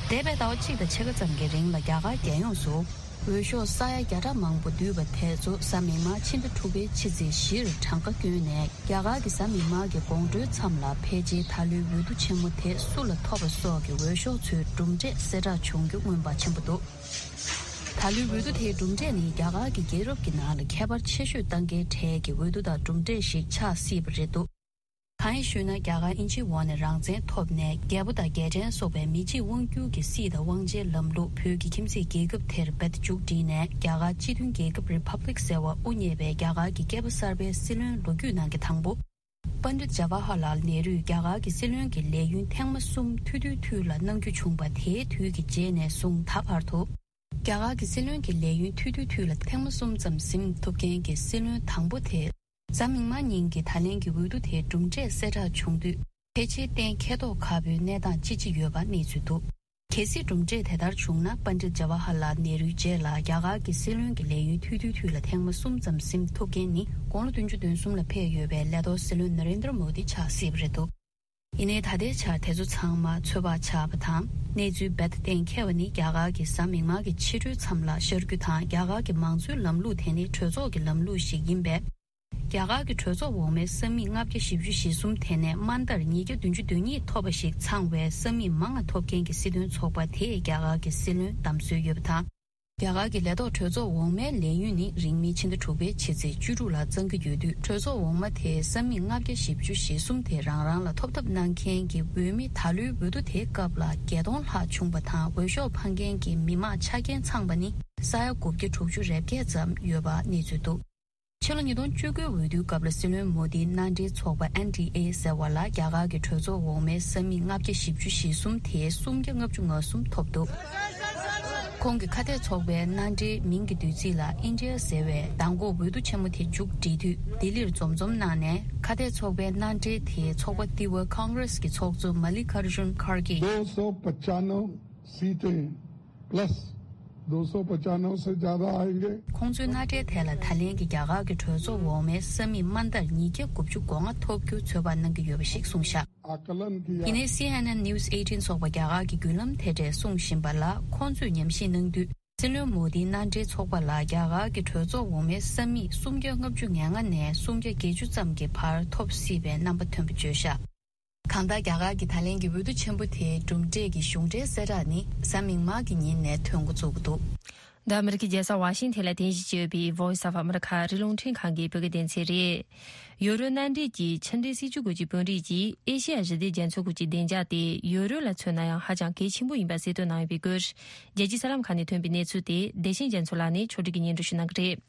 འདས་པའི་ཟླ་བ་གཅིག་དང་ཕྱེད་ཀ་ཙམ་གྱི་རིང་ལ་རྒྱ་གར་རྒྱལ་ཡོངས་སུ་ འོས་ཤོག་ས་ཡ་བརྒྱ་ཕྲག་མང་པོ་བསྡུས་པ་དེ་ཚོ་གཟའ་མིག་དམར་ཕྱི་ཟླ་དྲུག་པའི་ཕྱི་ཚེས་བཞིར་གྲངས་ཀ་བསྐྱོན་ནས། རྒྱ་གར་གྱི་གཟའ་མིག་དམར་གྱི་དགོང་དྲོའི་མཚམས་ལ་ཕལ་ཆེར་ད་ལོའི་འོས་བསྡུ་ཆེན་མོ་དེ་སུ་ལ་ཐོབ་པ་སོགས་ཀྱི་འོས་ཤོག་ཚོའི་གྲུབ་འབྲས་གསལ་བསྒྲགས་བྱུང་རྒྱུ་མངོན་པ་ཆེན་པོ་འདུག་ད་ལོའི་འོས་བསྡུ་དེའི་གྲུབ་འབྲས་ནི་རྒྱ་གར་གྱི་རྒྱལ་རབས་ཀྱི་ནང་ལ་ཁྱད་པར་ཆེ་ཤོས་གཏང་མཁན་གྲས་ཀྱི་འོས་བསྡུ་དང་གྲུབ་འབྲས་ཤིག་ཆགས་སྲིད་པ་རེད་འདུག་གང་ཡིན་ཞུས་ན། རྒྱ་གར་དབྱིན་ཇིའི་འོག་ནས་རང་བཙན་ཐོབ་ནས། རྒྱལ་པོ་དང་རྒྱལ་ཕྲན་སོགས་པའི་མི་གཅིག་དབང་བསྒྱུར་གྱི་སྲིད་དང་དབང་ཆའི་ལམ་ལུགས་བོད་ཀྱི་ཁྱིམ་མཚེས་རྒྱལ་ཁབ་དེར་རྦད་དེ་མཇུག་བསྒྲིལ་ནས། རྒྱ་གར་སྤྱི་མཐུན་རྒྱལ་ཁབ་Republic་ཟེར་བ་དབུ་བརྙེས་པའི་རྒྱ་གར་གྱི་སྐྱེས་པ་གསར་པའི་སྲིད་བློན་ལོ་རྒྱུས་ནང་གི་དང་པོ། པཎྜི་ཏ་ཇ་ཝ་ཧར་ལཱལ་ནེ་རུས་རྒྱ་གར་གྱི་སྲིད་བློན་གྱི་ལས་ཡུན་ཐེངས་མ་གསུམ་ཐུང་ཐུང་ཐུང་ལ་གནང་རྒྱུ་བྱུང་བ་དེའི་དུས་ཀྱི་རྗེས་ནས་བཟུང་ད་བར་དུ། རྒྱ་གར་གྱི་སྲིད་བློན་གྱི་ལས་ཡུན་ཐུང་ཐུང་ཐུང་ལ་ཐེངས་མ་གསུམ་ཙམ་ཟིན་ཐུབ་མཁན་གྱི་སྲིད་བློན་དང་པོ་དེ། གཟའ་མིག་དམར་ཉིན་གྱི་ད་ལན་གྱི་འོས་བསྡུ་དེའི་གྲུབ་འབྲས་གསལ་བསྒྲགས་བྱུང་དུས། ཕལ་ཆེར་གཏན་འཁེལ་མདོག་ཁ་པོའི་གནས་སྟངས་ཅིག་ཅིག་ཡོད་པ་གནས་ཚུལ་འདུག་གལ་སྲིད་གྲུབ་འབྲས་དེ་ལྟར་བྱུང་ན། པཎྜི་ཏ་ཇ་ཝ་ཧར་ལཱལ་ནེ་རུའི་རྗེས་ལ་རྒྱ་གར་གྱི་སྲིད་བློན་གྱི་ལས་ཡུན་ཐུང་ཐུང་ཐུང་ལ་ཐེངས་མ་གསུམ་ཙམ་ཟིན་ཐུབ་མཁན་ནི། དགུང་ལོ་བདུན་ཅུ་དོན་གསུམ་ལ་ཕེབས་ཡོད་པའི་ལས་ཐོག་སྲིད་བློན་ན་རེན་དྲ་མོ་དི་ཆགས་སྲིད་པ་རེད་འདུག་ཡིན་ནའི་ད་ལྟའི་ཆར་དེ་ཚོ་ཚང་མ་ཚོད་དཔག་ཆགས་པ་དང་། གནས་ཚུལ་རྦད་དེ་གཏན་འཁེལ་བ་ནི། རྒྱ་གར་གྱི་གཟའ་མིག་དམར་གྱི་ཕྱི་དྲོའི་མཚམས་ལ་ཤར་རྒྱུ་དང་། རྒྱ་གར་གྱི་མང་གཙོའི་ལམ་ལུགས་དེ་ནི་གྲོས་ཚོགས་ཀྱི་ལམ་ལུགས་ཤིག་ཡིན་པས། རྒྱ་གར་གྱི་གྲོས་ཚོགས་འོག་མའི་ས་མིག་ལྔ་བརྒྱ་བཞི་བཅུ་ཞེ་གསུམ་དེ་ནས་དམའ་མཐར་ཉིས་བརྒྱ་བདུན་ཅུ་དོན་གཉིས་ཐོབ་པ་ཞིག་ཚང་བའི་ས་མིག་མང་ང་ཐོབ་མཁན་གྱི་སྲིད་དོན་ཚོགས་པ་དེས་རྒྱ་གར་གྱི་སྲིད་བློན་བདམས་སྲོལ་ཡོད་པ་དང་། རྒྱ་གར་གྱི་ལས་ཐོག་གྲོས་ཚོགས་འོག་མའི་ལས་ཡུན་ནི་རིང་མིན་ཕྱི་ཟླ་དྲུག་པའི་ཕྱི་ཚེས་བཅུ་དྲུག་ལ་གཙང་གི་ཡོད་དུས། གྲོས་ཚོགས་འོག་མ་དེའི་ས་མིག་ལྔ་བརྒྱ་བཞི་བཅུ་ཞེ་གསུམ་དེ་རང་རང་ལ་ཐོབ་ཐབས་གནང་མཁན་གྱི་འོས་མི་ད་ལོའི་འོས་བསྡུ་དེའི་སྐབས་ལ་བརྒྱད་སྟོང་ལྷག་བྱུང་བ་དང་། འོས་ཤོག་འཕངས་མཁན་གྱི་མི་མང་ཆ་རྐྱེན་ཚང་པ་ནི་ས་ཡ་དགུ་བརྒྱ་དྲུག་ཅུ་རེ་བརྒྱད་ཙམ་ཡོད་པ་གནས་ཚུལ་འདུག་ཕྱི་ལོ་ཉིས་སྟོང་བཅུ་དགུའི་འོས་བསྡུའི་སྐབས་ལ་སྲིད་བློན་མོ་དིའི་མནའ་འབྲེལ་ཚོགས་པ་ཨེན་ཌི་ཨེ་ཟེར་བ་ལ་རྒྱ་གར་གྱི་གྲོས་ཚོགས་འོག་མའི་ས་མིག་ལྔ་བརྒྱ་བཞི་བཅུ་ཞེ་གསུམ་དེའི་སུམ་བརྒྱ་ལྔ་བཅུ་ང་གསུམ་ཐོབ་འདུག་ཁོང་གི་ཁ་གཏད་ཚོགས་པའི་མནའ་འབྲེལ་མིང་གི་བསྡུས་ཚིག་ལ་ཨིན་ཌི་ཡ་ཟེར་བས། མདང་དགོང་འོས་བསྡུ་ཆེན་མོ་དེ་མཇུག་བསྒྲིལ་དུས་ལྡི་ལིར་འཛོམས་འཛོམས་གནང་ནས། ཁ་གཏད་ཚོགས་པའི་མནའ་འབྲེལ་དེའི་ཚོགས་པ་ཏི་ཝ་ཀོང་གྷི་རེས་ཀྱི་ཚོགས་གཙོ་མ་ལི་ཀར་ཇུན་ཁར་གྷི། दो सौ पचानवे सीटें प्लस दो सौ पचानवे से ज्यादा आएंगे। ཁོང་ཚོའི་མནའ་འབྲེལ་དེ་ལ་ད་ལན་གྱི་རྒྱ་གར་གྱི་གྲོས་ཚོགས་འོག་མའི་ས་མིག་དམའ་མཐར་ཉིས་བརྒྱ་དགུ་བཅུ་གོ་ལྔ་ཐོབ་རྒྱུ་ཚོད་དཔག་གནང་གི་ཡོད་པ་ཞིག་གསུངས་བཞག་ཡིན་ནའི་སི་ཨེན་ཨེན་News eighteen་ཚོགས་པ་རྒྱ་གར་གྱི་བརྒྱུད་ལམ་དེ་འདྲས་གསུང་བཞིན་པ་ལ། ཁོང་ཚོས་ཉམས་ཞིབ་གནང་དུས། སྲིད་བློན་མོ་དིའི་མནའ་འབྲེལ་ཚོགས་པ་ལ་རྒྱ་གར་གྱི་གྲོས་ཚོགས་འོག་མའི་ས་མིག་སུམ་བརྒྱ་ལྔ་བཅུ་ང་ལྔ་ནས་སུམ་བརྒྱ་བརྒྱད་ཅུ་ཙམ་གྱི་བར་ཐོབ་སྲིད་པའི་རྣམ་པ་ཐོན་པ་བརྗོད་བཞག་གང་ལྟར། རྒྱ་གར་གྱི་ད་ལན་གྱི་འོས་བསྡུ་ཆེན་པོ་དེའི་གྲུབ་འབྲས་ཀྱི་གཞུང་འབྲེལ་གསལ་བསྒྲགས་ནི་གཟའ་མིག་དམར་གྱི་ཉིན་ནས་ཐོན་འགོ་བཙུགས་ཀྱི་འདུག་འདི་ཨ་མི་རི་ཀའི་རྒྱལ་ས་ཝ་ཤིང་ཐན་ལ་རྟེན་གཞི་བྱས་ཡོད་པའི་Voice of America་ཨ་རིའི་རླུང་འཕྲིན་ཁང་གི་བོད་སྐད་སྡེ་ཚན་རེད། ཡོ་རོབ་མནའ་འབྲེལ་གྱི་ཕྱི་འབྲེལ་སྲིད་ཇུས་སྐོར་གྱི་དཔོན་རིགས་ཀྱིས་ཨེ་ཤེ་ཡ་ཞི་བདེ་རྒྱ་མཚོའི་ཁུལ་གྱི་བདེ་འཇགས་དེ་ཡོ་རོབ་ལ་མཚོན་ན་ཡང་ཧ་ཅང་གལ་ཆེན་པོ་ཡིན་པ་གསལ་སྟོན་གནང་ཡོད་པའི་སྐོར། རྒྱལ་སྤྱིའི་གསར་ལམ་ཁག་ནས་ཐོན་པའི་གནས་ཚུལ་དེ་བདེ་ཆེན་རྒྱ་མཚོ་ལགས་ནས་ཕྱོགས་སྒྲིག་གིས་སྙན་སྒྲོན་ཞུ་གནང་གི་རེད།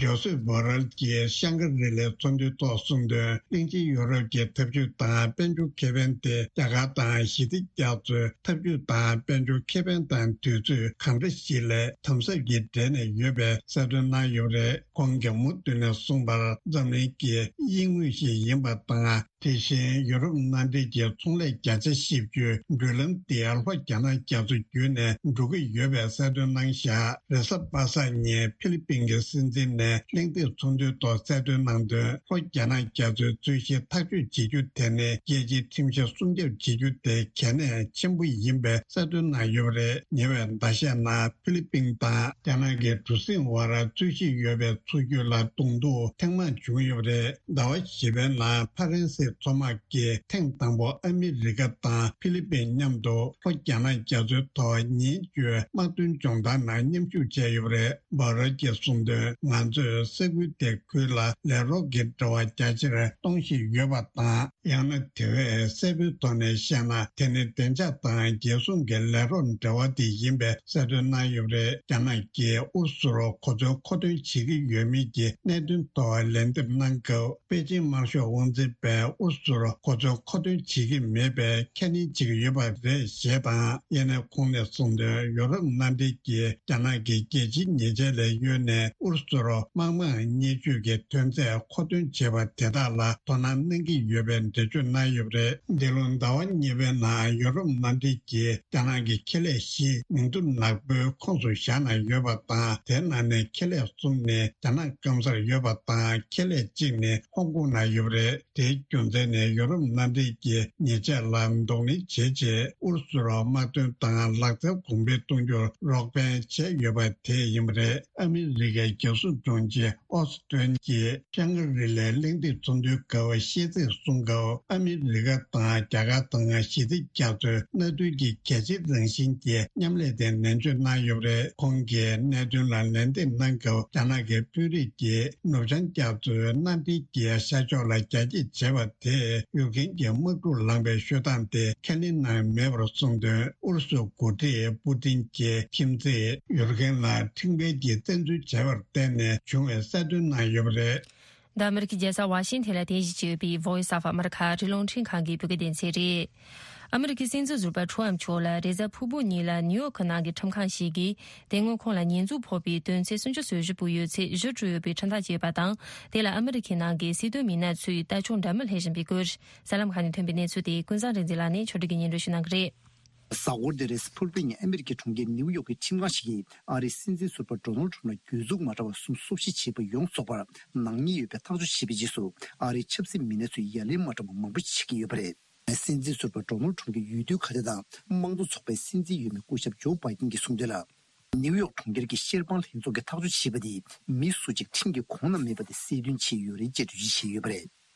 ཇོ་སེབ་བྷོ་རལ་གྱིས་ཤང་ཀི་རི་ལའི་ཚོགས་འདུའི་ཐོག་གསུངས་དོན། གླིང་ཆེན་ཡོ་རོབ་ཀྱི་འཐབ་ཇུས་དང་དཔལ་འབྱོར་ཁེ་ཕན་དེ་རྒྱ་གར་དང་ཞི་བདེ་རྒྱ་མཚོའི་འཐབ་ཇུས་དང་དཔལ་འབྱོར་ཁེ་ཕན་དང་དུས་ཚོད་གང་འདྲ་ཞིག་ལ་དམ་ཟབ་ཀྱིས་འབྲེལ་ནས་ཡོད་པའི་གསལ་སྟོན་གནང་ཡོད་པ་རེད། ཁོང་གིས་མུ་མཐུད་ནས་གསུངས་པར། འཛམ་གླིང་གི་དབྱིངས་དངོས་ཤིག་ཡིན་པ་དང་། དེ་བཞིན་ཡུ་རོབ་མནའ་འབྲེལ་གྱི་ཚོང་ལས་བརྒྱ་ཆ་བཞི་བཅུའི་བགྲོད་ལམ་དེ་ལྷོ་རྒྱ་ནག་རྒྱ་མཚོ་བརྒྱུད་ནས་འགྲོ་གི་ཡོད་པའི་གསལ་སྟོན་གནང་བཞག་རེས་གཟའ་པ་སངས་ཉིན་ཕི་ལི་པིན་གྱི་སྲིད་འཛིན་ནས་གླེང་སྟེགས་ཚོགས་འདུའི་ཐོག་གསལ་སྟོན་གནང་དོན། ལྷོ་རྒྱ་ནག་རྒྱ་མཚོའི་རྩོད་གཞི་ཐག་གཅོད་བྱེད་རྒྱུ་དེ་ནི་རྒྱལ་སྤྱིའི་ཁྲིམས་གཞི་སྲུང་སྐྱོབ་བྱེད་རྒྱུ་དེ་གལ་གནད་ཆེན་པོ་ཡིན་པའི་གསལ་སྟོན་གནང་ཡོད་པ་རེད། ཉེ་བའི་ཟླ་ཤས་ནང་ཕི་ལི་པིན་དང་རྒྱ་ནག་གི་གྲུ་གཟིངས་བར་རྩོད་གཞི་ཡོད་པའི་མཚོ་རྒྱུད་ལ་གདོང་ཐུག་ཐེངས་མང་བྱུང་ཡོད་པ་རེད། ཟླ་བ་བཞི་པའི་ནང་ཕ་རན་སིའི་མཚོ་དམག་གིས་ཐེངས་དང་པོ་ཨ་མི་རི་ཀ་དང་ཕི་ལི་པིན་མཉམ་དུ་ལྷོ་རྒྱ་ནག་རྒྱ་མཚོའི་ཐོག་ཉིན་བཅུའི་དམག་དོན་སྦྱོང་བརྡར་ནང་མཉམ་ཞུགས་བྱས་ཡོད་པ་རེད། བྷ་རལ་གྱིས་གསུངས་དོན། ང་ཚོས་ས་ཁུལ་དེ་ཁུལ་ལ་ལས་རོགས་ཀྱི་འབྲེལ་བ་རྒྱ་ཆེར་གཏོང་བཞིན་ཡོད་པ་དང་། ཡང་ན་དེ་བས་གསལ་པོའི་ཐོག་ནས་བཤད་ན། དེ་ནི་བདེ་འཇགས་དང་རྒྱལ་སྲུང་གི་ལས་རོགས་འབྲེལ་བ་དེ་ཡིན་པའི་གསལ་སྟོན་གནང་ཡོད་པ་རེད། རྒྱ་ནག་གིས་ཨུ་རུ་སུར་གོ་མཚོན་མཁོ་འདོན་བྱེད་ཀྱི་ཡོད་མེད་ཀྱི་གནད་དོན་ཐོག་ལན་འདེབས་གནང་སྐབས། པེ་ཅིང་དམར་ཤོག་དབང་འཛིན་པས་ཨུ་རུ་སུར་གོ་མཚོན་མཁོ་འདོན་བྱེད་ཀྱི་མེད་པའི་ཁས་ལེན་བྱེད་ཀྱི་ཡོད་པ་རེད་ཞེས་དང་། ཡང་ན་ཁོང་ནས་གསུངས་དོན། ཡོ་རོབ་མནའ་འབྲེལ་གྱིས་རྒྱ་ནག་གི་རྒྱལ་སྤྱིའི་ཉེས་ཆད་ལས་གཡོལ་ནས་ཨུ་རུ་སུར་ དམག་དམངས་བརྙས་བཅོས་ཀྱི་ཐོན་རྫས་མཁོ་འདོན་བྱས་པ་དེ་དག་ལ་དོ་སྣང་གནང་གི་ཡོད་པའི་འགྲེལ་བརྗོད་གནང་ཡོད་པ་རེད། འདི་ལོ་ཟླ་བ་གཉིས་པའི་ནང་ཡོ་རོབ་མནའ་འབྲེལ་གྱིས་རྒྱ་ནག་གི་ཁེ་ལས་བཞི་མིང་ཐོ་ནག་པོའི་ཁོངས་སུ་བཞག་ནས་ཡོད་པ་དང་། དེའི་ནང་ནས་ཁེ་ལས་གསུམ་ནི་རྒྱ་ནག་སྐམ་སར་ཡོད་པ་དང་། ཁེ་ལས་གཅིག་ནི་ཧོང་ཀོང་ན་ཡོད་པ་རེད། དེའི་རྒྱུ་མཚན་ནི་ཡོ་རོབ་མནའ་འབྲེལ་གྱིས་ཉེས་ཆད་ལ་གདོང་ལེན་བྱེད་ཆེད་ཨུ་རུ་སུར་དམག་དོན་དང་ལག་རྩལ་གོང་འཕེལ་གཏོང་རྒྱུར་རོགས་ཕན་བྱས་ཡོད་པ་དེ་ཡིན་པ་རེད། ཨ་མི་རི་ཀའི་རྒྱལ་སྲུང་དྲུང་ཆེ་ཨོ་སི་ཏོན་གྱིས་ཤང་ཀི་རི་ལའི་གླེང་སྟེགས་ཚོགས་འདུའི་སྐབས་ཤེས་ཚད་གསུང་སྐབས། ཨ་མི་རི་ཀ་དང་རྒྱ་གར་དང་ཞི་བདེ་རྒྱ་མཚོའི་མནའ་མཐུན་གྱི་གལ་ཆེའི་རང་བཞིན་གྱི་མཉམ་ལས་དེ་ནན་བརྗོད་གནང་ཡོད་པ་རེད། ཁོང་གིས་གནད་དོན་ལ་ལན་འདེབས་གནང་སྐབས། རྒྱ་ནག་གི་དཔོན་རིགས་ཀྱིས་ནུབ་བྱང་རྒྱ་མཚོའི་མནའ་འབྲེལ་གྱི་ཤར་ཕྱོགས་ལ་རྒྱ་སྐྱེད་བྱས་པ་དེས་ཡུལ་དཀོན་གྱི་དམག་འཁྲུག་ལངས་པའི་ཤོད་སྟངས་དེ་ཁས་ལེན་གནང་མེད་པར་གསུངས་དོན། ཨུ་རུ་སུའི་འགོ་ཁྲིད་པུ་ཏིན་གྱི་ཁྱིམ་མཚེས་ཡུལ་དཀོན་ལ་ཁྲིམས་འགལ་གྱི་བཙན་འཛུལ་བྱས་པར་བརྟེན་ནས་བྱུང་བའི་གསལ་སྟོན་གནང་ཡོད་པ་རེད། འདི་ཨ་མི་རི་ཀའི་རྒྱལ་ས་ཝ་ཤིང་ཐན་ལ་རྟེན་གཞི་བྱས་ཡོད་པའི་Voice of America ཨ་རིའི་རླུང་འཕྲིན་ཁང་གི་བོད་སྐད་སྡེ་ཚན་རེད། ཨ་མི་རི་ཀའི་སྲིད་འཛིན་ཟུར་པ་ཁྲོམ་མཆོག་ལ་རེས་གཟའ་ཕུར་བུ་ཉིན་ལ་ནིའུ་ཡོག་གི་ནང་གི་ཁྲིམས་ཁང་ཞིག་གིས་དེ་སྔོན་ཁོང་ལ་ཉེས་འཛུགས་ཕོག་པའི་དོན་ཚན་སུམ་ཅུ་སོ་བཞི་པོ་ཡོད་ཚད་གཞི་གྲོལ་ཡོད་པའི་ཁྲིམས་ཐག་བཅད་པ་དང་། དེ་ལ་ཨ་མི་རི་ཀའི་ནང་གི་སྲིད་དོན་མི་སྣ་ཚོས་ལྟ་སྐྱོང་འདྲ་མིན་སླེབས་བཞིན་པའི་སྐོར། གསར་ལམ་ཁག་ནས་ཐོན་པའི་གནས་ཚུལ་དེ་ཀུན་བཟང་རིག་འཛིན་ལགས་ནས་ཕྱོགས་སྒྲིག་གིས་སྙན་སྒྲོན་ཞུ་གནང་གི་རེད། གཟའ་འཁོར་འདིར་རེས་ཕུར་བུའི་ཉིན་ཨ་མི་རི་ཀའི་གྲོང་ཁྱེར་ནིའུ་ཡོག་གི་ཁྲིམས་ཁང་ཞིག་གིས་ཨ་རིའི་སྲིད་འཛིན་ཟུར་པ་ཌོ་ནལ་ཁྲམ་ལ་གྱོད་འཛུགས་མ་འདྲ་བ་གསུམ་སོ་བཞི་བྱས་པ་ཡོངས་རྫོགས་པར་ནག་ཉེས་ཡོད་པའི་ཐག་གཅོད་བྱས་པའི་རྗེས་སུ། ཨ་རིའི་ཆབ་སྲིད་མི་སྣ་ཚོས་ཡ་ལན་མ་འདྲ་བ་མང་པོ་ཞིག་བྱེད་ཀྱི་ཡོད་པ་རེད། སྲིད་འཛིན་ཟུར་པ་ཌོ་ནལ་ཁྲམ་གྱི་འོས་བསྡུའི་ཁ་བརྡ་དང་། དམངས་གཙོ་ཚོགས་པའི་སྲིད་འཛིན་འོས་མི་སྐུ་ཞབས་ཇོ་བྷའི་ཏིན་གྱིས་གསུངས་དོན་ལ། ནིའུ་ཡོག་གྲོང་ཁྱེར་གྱི་ཤེར་དཔང་ལྷན་ཚོགས་ཀྱིས་ཐག་གཅོད་བྱས་པ་དེ་མི་སུ་གཅིག་ཁྲིམས་ཀྱི་གོང་ན་མེད་པ་དེ་གསལ་སྟོན་བྱས་ཡོད་རེད་ཅེས་འགྲེལ་བརྗོད་བྱས་ཡོད་པ་རེད།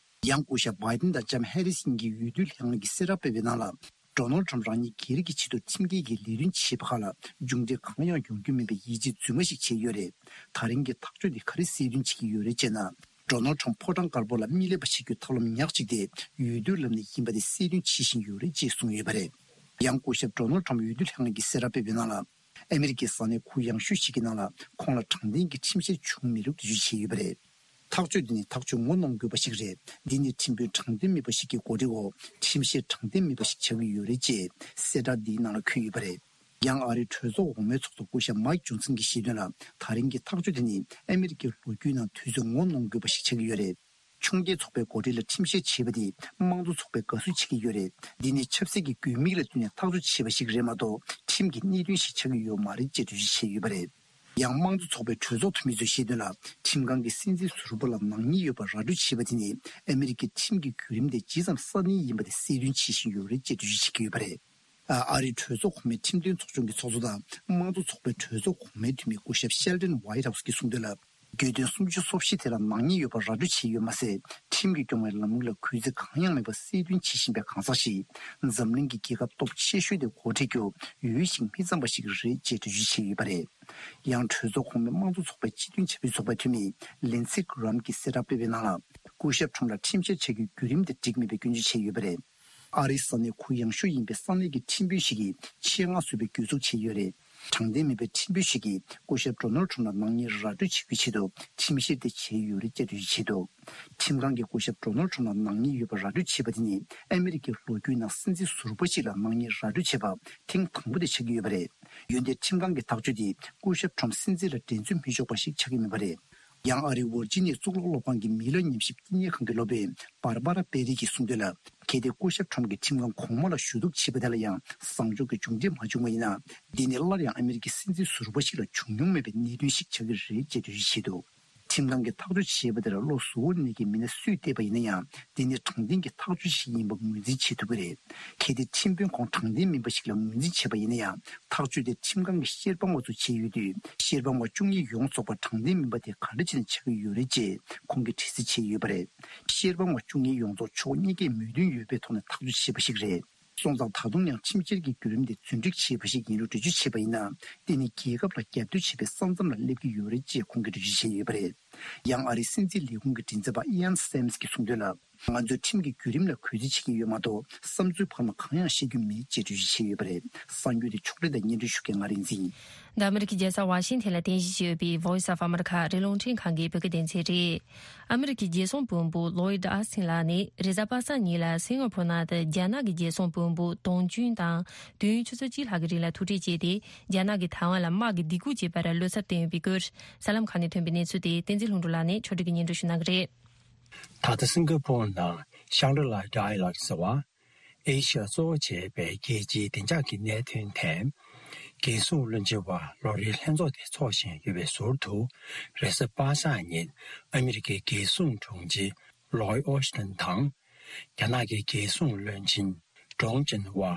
ཡང་སྐུ་ཞབས་བྷའི་ཏིན་དང་ལྕམ་ཧེ་རིས་གཉིས་ཀྱིས་འོས་བསྡུ་ལྷན་ཁང་གིས་གསལ་བསྒྲགས་སྤེལ་བའི་ནང་ལ། ཌོ་ནལ་ཁྲམ་རང་ཉིད་སྒེར་གྱི་ཆེད་དུ་ཁྲིམས་འགལ་གྱི་ལས་དོན་བྱས་པ་ཁག་ལ་མཇུག་འབྲས་གང་ཡང་ཡོང་རྒྱུ་མིན་པའི་ཡིད་ཆེས་རྫུན་མ་ཞིག་བྱས་ཡོད་རེད། ད་རིང་གི་ཐག་གཅོད་འདི་ག་རེ་གསལ་སྟོན་བྱེད་ཀྱི་ཡོད་རེད་ཅེ་ན། ཌོ་ནལ་ཁྲམ་ཕོ་བྲང་དཀར་པོ་ལ་མི་སླེབས་པ་བྱེད་རྒྱུའི་ཐབས་ལམ་ཉག་གཅིག་དེ་འོས་བསྡུའི་ལམ་ནས་ཡིན་པ་དེ་གསལ་སྟོན་བྱེད་བཞིན་ཡོད་རེད་ཅེས་གསུངས་ཡོད་པ་རེད། ཡང་སྐུ་ཞབས་ཌོ་ནལ་ཁྲམ་འོས་བསྡུ་ལྷན་ཁང་གིས་གསལ་བསྒྲགས་སྤེལ་བའི་ནང་ལ། ཨ་མི་རི་ཀའི་ས་གནས་ཁུལ་ཡངས་ཤོས་ཤིག་གི་ནང་ལ་ཁོང་ལ་དྲང་བདེན་གྱི་ཁྲིམས་བཤེར་བྱུང་མེད་ལུགས་འགྲེལ་བརྗོད་བྱས་ཡོད་པ་རེད། ཐག་གཅོད་འདི་ནི་ཐག་གཅོད་ངོ་གནོང་དགོས་པ་ཞིག་རེད། འདི་ནི་ཁྲིམས་དཔོན་དྲང་བདེན་མིན་པ་ཞིག་གི་འགོ་ཁྲིད་འོག་ཁྲིམས་བཤེར་དྲང་བདེན་མིན་པ་ཞིག་ཆགས་ཀྱི་ཡོད་རེད་ཅེས་གསལ་བསྒྲགས་འདིའི་ནང་ལ་འཁོད་ཡོད་པ་རེད། ཡང་ཨ་རིའི་གྲོས་ཚོགས་འོག་མའི་ཚོགས་གཙོ་སྐུ་ཞབས་མའིག་ཇོན་སན་གྱིས་བཤད་དོན་ལ། ད་རིང་གི་ཐག་གཅོད་དེ་ནི་ཨ་མི་རི་ཀའི་ལོ་རྒྱུས་ནང་དུས་ཚོད་ངོ་གནོང་དགོས་པ་ཞིག་ཆགས་ཀྱི་ཡོད་རེད། ཆུང་བརྒྱུད་ཚོགས་པའི་འགོ་ཁྲིད་ལ་ཁྲིམས་བཤེར་བྱས་པ་དེ་དམངས་གཙོ་ཚོགས་པས་དགའ་བསུ་བྱེད་ཀྱི་ཡོད་རེད། འདི་ནི་ཆབ་སྲིད་ཀྱི་དགོས་དམིགས་ལ་བསྟུན་ནས་ཐག་གཅོད་བྱས་པ་ཞིག་རེད་མ་གཏོགས། ཁྲིམས་ཀྱི་གནད་དོན་ཞིག་ཆགས་ཀྱི་ཡོད་མ་རེད་ཅེས་འགྲེལ་བརྗོད་བྱས་ཡོད་པ་རེད། ཡང་དམངས་གཙོ་ཚོགས་པའི་གྲོས་ཚོགས་འཐུས་མི་ཚོས་བཤད་དོན་ལ། ཁྲིམས་ཁང་གིས་སྲིད་འཛིན་ཟུར་པ་ལ་ནག་ཉེས་ཡོད་པ་ར་སྤྲོད་བྱས་པ་དེ་ནི་ཨ་མི་རི་ཀའི་ཁྲིམས་ཀྱི་བརྒྱུད་རིམ་དེ་ཇི་ཙམ་སྲ་བརྟན་ཡིན་པ་དེ་གསལ་སྟོན་བྱེད་བཞིན་ཡོད་རེད་ཅེས་འགྲེལ་བརྗོད་བྱེད་ཀྱི་ཡོད་པ་རེད། ཨ་ཨ་རིའི་གྲོས་ཚོགས་གོང་མའི་ཁྲིམས་དོན་ཚོགས་ཆུང་གི་ཚོགས་གཙོ་དང་དམངས་གཙོ་ཚོགས་པའི་གྲོས་ཚོགས་གོང་མའི་འཐུས་མི་སྐུ་ཞབས་ཤེལ་ཏན་ཝའི་ཊི་ཧའུ་སི་གིས་གསུངས་དོན་ལ། གྱོད་དོན་སུམ་ཅུ་སོ་བཞི་དེ་ལ་ནག་ཉེས་ཡོད་པ་ར་སྤྲོད་བྱས་ཡོད་མ་ཟད། ཁྲིམས་ཀྱིས་སྐྱོང་བའི་ལམ་ལུགས་ལ་གུས་བརྩི་གང་ཡང་མེད་པ་གསལ་སྟོན་བྱེད་བཞིན་པའི་གང་ཟག་ཞིག་འཛམ་གླིང་གི་རྒྱལ་ཁབ་སྟོབས་ཆེ་ཤོས་དེ་འགོ་ཁྲིད་རྒྱུ་འོས་ཤིང་མི་གཙང་བ་ཞིག་རེད་ཅེས་འགྲེལ་བརྗོད་བྱས་ཡོད་པ་རེད། ཡང་གྲོས་ཚོགས་གོང་མའི་དམངས་གཙོ་ཚོགས་པའི་སྤྱི་མཐུན་བྱ་བའི་ཚོགས་པའི་འཐུས་མི་ལིན་སི་གྷི་རམ་གྱིས་གསལ་བསྒྲགས་སྤེལ་བའི་ནང་ལ། སྐུ་ཞབས་ཁྲོམ་ལ་ཁྲིམས་བཤེར་བྱ་རྒྱུའི་བརྒྱུད་རིམ་དེ་འགྲིག་མེད་པའི་སྐྱོན་བརྗོད་བྱས་ཡོད་པ་རེད། ཨ་རིའི་ས་གནས་ཁུལ་ཡངས་ཤོས་ཡིན་པའི་ས་གནས་ཀྱི་ཁྲིམས་དཔོན་ཞིག་གིས་ཆེད་མངགས་བཟོས་པའི་གྱོད་འཛུགས་བྱས་ཡོད་རེད། དྲང་བདེན་མིན་པའི་ཁྲིམས་དཔོན་ཞིག་གིས་སྐུ་ཞབས་ཌོ་ནལ་ཁྲོམ་ལ་ནག་ཉེས་ར་སྤྲོད་བྱེད་རྒྱུའི་ཆེད་དུ་ཁྲིམས་བཤེར་དེ་བྱས་ཡོད་རེད་ཅེས་འགྲེལ་བརྗོད་བྱས་འདུག་ཁྲིམས་ཁང་གིས་སྐུ་ཞབས་ཌོ་ནལ་ཁྲོམ་ལ་ནག་ཉེས་ཡོད་པ་ར་སྤྲོད་བྱས་པ་དེ་ནི་ཨ་མི་རི་ཀའི་ལོ་རྒྱུས་ནང་སྲིད་འཛིན་ཟུར་པ་ཞིག་ལ་ནག་ཉེས་ར་སྤྲོད་བྱས་པ་ཐེངས་དང་པོ་དེ་ཆགས་ཀྱི་ཡོད་པ་རེད། འོན་ཏེ་ཁྲིམས་ཁང་གི་ཐག་གཅོད་དེ་སྐུ་ཞབས་ཁྲོམ་སྲིད་འཛིན་ལ་འགྲན་རྩོད་མི་ཆོག་པ་ཞིག་ཆགས་ཀྱི་མེད་པ་རེད། ཡང་ཨ་རིའི་ཝར་ཇི་ནི་ཡའི་གཙུག་ལག་སློབ་ཁང་གི་མི་ལ་ཉམས་ཞིབ་བསྟི་གནས་ཁང་གི་སློབ་དཔོན་བར་བ་ར་པེ་རི་གིས་གསུངས་དོན་ལ། གལ་ཏེ་སྐུ་ཞབས་ཁྲོམ་གྱིས་ཁྲིམས་ཁང་གོང་མ་ལ་ཞུ་གཏུག་བྱས་པ་དེ་ལ་ཡང་བཟང་ཕྱོགས་ཀྱི་མཇུག་འབྲས་མ་བྱུང་བ་ཡིན་ན། འདི་ནི་སླར་ཡང་ཨ་མི་རི་ཀའི་སྲིད་འཛིན་ཟུར་པ་ཞིག་ལ་བྱུང་མྱོང་མེད་པའི་གནད་དོན་ཞིག་ཆགས་ཀྱི་རེད་ཅེས་འགྲེལ་བརྗོད་བྱས་འདུག་ཁྲིམས་ཁང་གིས་ཐག་གཅོད་བྱས་པ་དེར་བློ་གཟུ་བོར་གནས་ཀྱི་མི་སྣ་སུས་བལྟས་པ་ཡིན་ན་ཡང་། འདི་ནི་དྲང་བདེན་གྱི་ཐག་གཅོད་ཞིག་ཡིན་པ་ངོས་འཛིན་བྱེད་ཐུབ་ཀྱི་རེད། གལ་ཏེ་ཁྲིམས་དཔོན་ཁོང་དྲང་བདེན་མིན་པ་ཞིག་ལ་ངོས་འཛིན་བྱས་པ་ཡིན་ན་ཡང་། ཐག་གཅོད་དེ་ཁྲིམས་ཁང་གི་བཤེར་དཔང་བ་ཚོས་བྱས་ཡོད་དུས། བཤེར་དཔང་བ་བཅུ་གཉིས་ཡོངས་རྫོགས་པ་དྲང་བདེན་མིན་པ་དེ་ག་འདྲ་བྱས་ནས་ཆགས་ཀྱི་ཡོད་རེད་ཅེས་ཁོང་གིས་དྲི་རྩད་བྱས་ཡོད་པ་རེད། བཤེར་དཔང་བ་བཅུ་གཉིས་ཡོངས་རྫོགས་ཕྱོགས་གཉིས་ཀས་མོས་མཐུན་ཡོད་པའི་ཐོག་ནས་ཐག་གཅོད་བྱས་པ་ཞིག་རེད། སོང་ཙང་ད་དུང་ཡང་ཁྲིམས་བཤེར་གྱི་བརྒྱུད་རིམ་དེ་རྫུན་སྒྲིག་བྱས་པ་ཞིག་ཡིན་ལུགས་འགྲེལ་བརྗོད་བྱས་པ་ཡིན་ན། དེ་ནི་རྒྱལ་ཁབ་ལ་རྒྱབ་གཏོད་བྱེད་པའི་ས་མཚམས་ལ་སླེབས་ཀྱི་ཡོད་རེད་ཅེས་ཁོང་གིས་འགྲེལ་བརྗོད་བྱས་ཡོད་པ་རེད། ཡང་ཨ་རིའི་སྲིད་འཛིན་ལས་ཁུངས་ཀྱི་མགྲིན་ཚབ་པ་ཨི་ཡན་སེམས་ཀྱིས་གསུངས་དོན་ལ། ང་ཚོས་ཁྲིམས་ཀྱི་བརྒྱུད་རིམ་ལ་གུས་བརྩི་བྱེད་ཀྱི་ཡོད་མ་གཏོགས། བསམ་ཚུལ་ཕར་མ་གང་ཡང་བཤད་རྒྱུ་མེད་ཅེས་འགྲེལ་བརྗོད་བྱས་ཡོད་པ་རེད། གསར་འགྱུར་དེ་ཕྱོགས་སྒྲིག་དང་སྙན་སྒྲོན་ཞུ་མཁན་ང་རིག་འཛིན། འདི་ཨ་མི་རི་ཀའི་རྒྱལ་ས་ཝ་ཤིང་ཐན་ལ་རྟེན་གཞི་བྱས་ཡོད་པའི་Voice of America རི་ཀླུང་འཕྲིན་ཁང་གི་བོད་སྐད་སྡེ་ཚན་རེད། ཨ་མི་རི་ཀའི་རྒྱལ་སྲུང་དཔོན་པོ་ལོའིད་ཨ་སིན་ལགས་ནི་རེས་གཟའ་པ་སངས་ཉིན་ལ་སིང་ག་ཕོར་ནང་དུ་རྒྱ་ནག་གི་རྒྱལ་སྲུང་དཔོན་པོ་ཏོང་ཅུན་དང་དུས་ཡུན་ཆུ་ཚོད་གཅིག་ལྷག་གི་རིང་ལ་ཐུག་འཕྲད་བྱས་ཏེ། རྒྱ་ནག་གིས་ཐའེ་ཝན་ལ་དམག་གི་སྡིགས་སྐུལ་བྱས་པར་བློ་འཚབ་བསྟན་ཡོད་པའི་སྐོར། གསར་ལམ་ཁག་ནས་ཐོན་པའི་གནས་ཚུལ་དེ་བསྟན་འཛིན་ལྷུན་གྲུབ་ལགས་ནས་ཕྱོགས་སྒྲིག་གིས་སྙན་སྒྲོན་ཞུ་གནང་གི་རེད། ད་ལྟ་སིང་ག་པོར་ནང་ཤང་གྲི་ལ་ཌའི་ལག་ཟེར་བ། ཨེ་ཤི་ཡ་གཙོ་བོ་བྱས་པའི་རྒྱལ་སྤྱིའི་བདེ་འཇགས་ཀྱི་གནད་དོན་ཐད། རྒྱལ་སྲུང་བློན་ཆེན་བར་ལོ་རེའི་ལྷན་ཚོགས་དེ་འཚོགས་བཞིན་ཡོད་པའི་ཟུར་དུ། རེས་གཟའ་པ་སངས་ཉིན་ཨ་མི་རི་ཀའི་རྒྱལ་སྲུང་དྲུང་ཆེ་ལོའི་ཨོ་ཤི་ཏན་དང་། རྒྱ་ནག་གི་རྒྱལ་སྲུང་བློན་ཆེན་ཀྲོང་ཅིན་ཝ།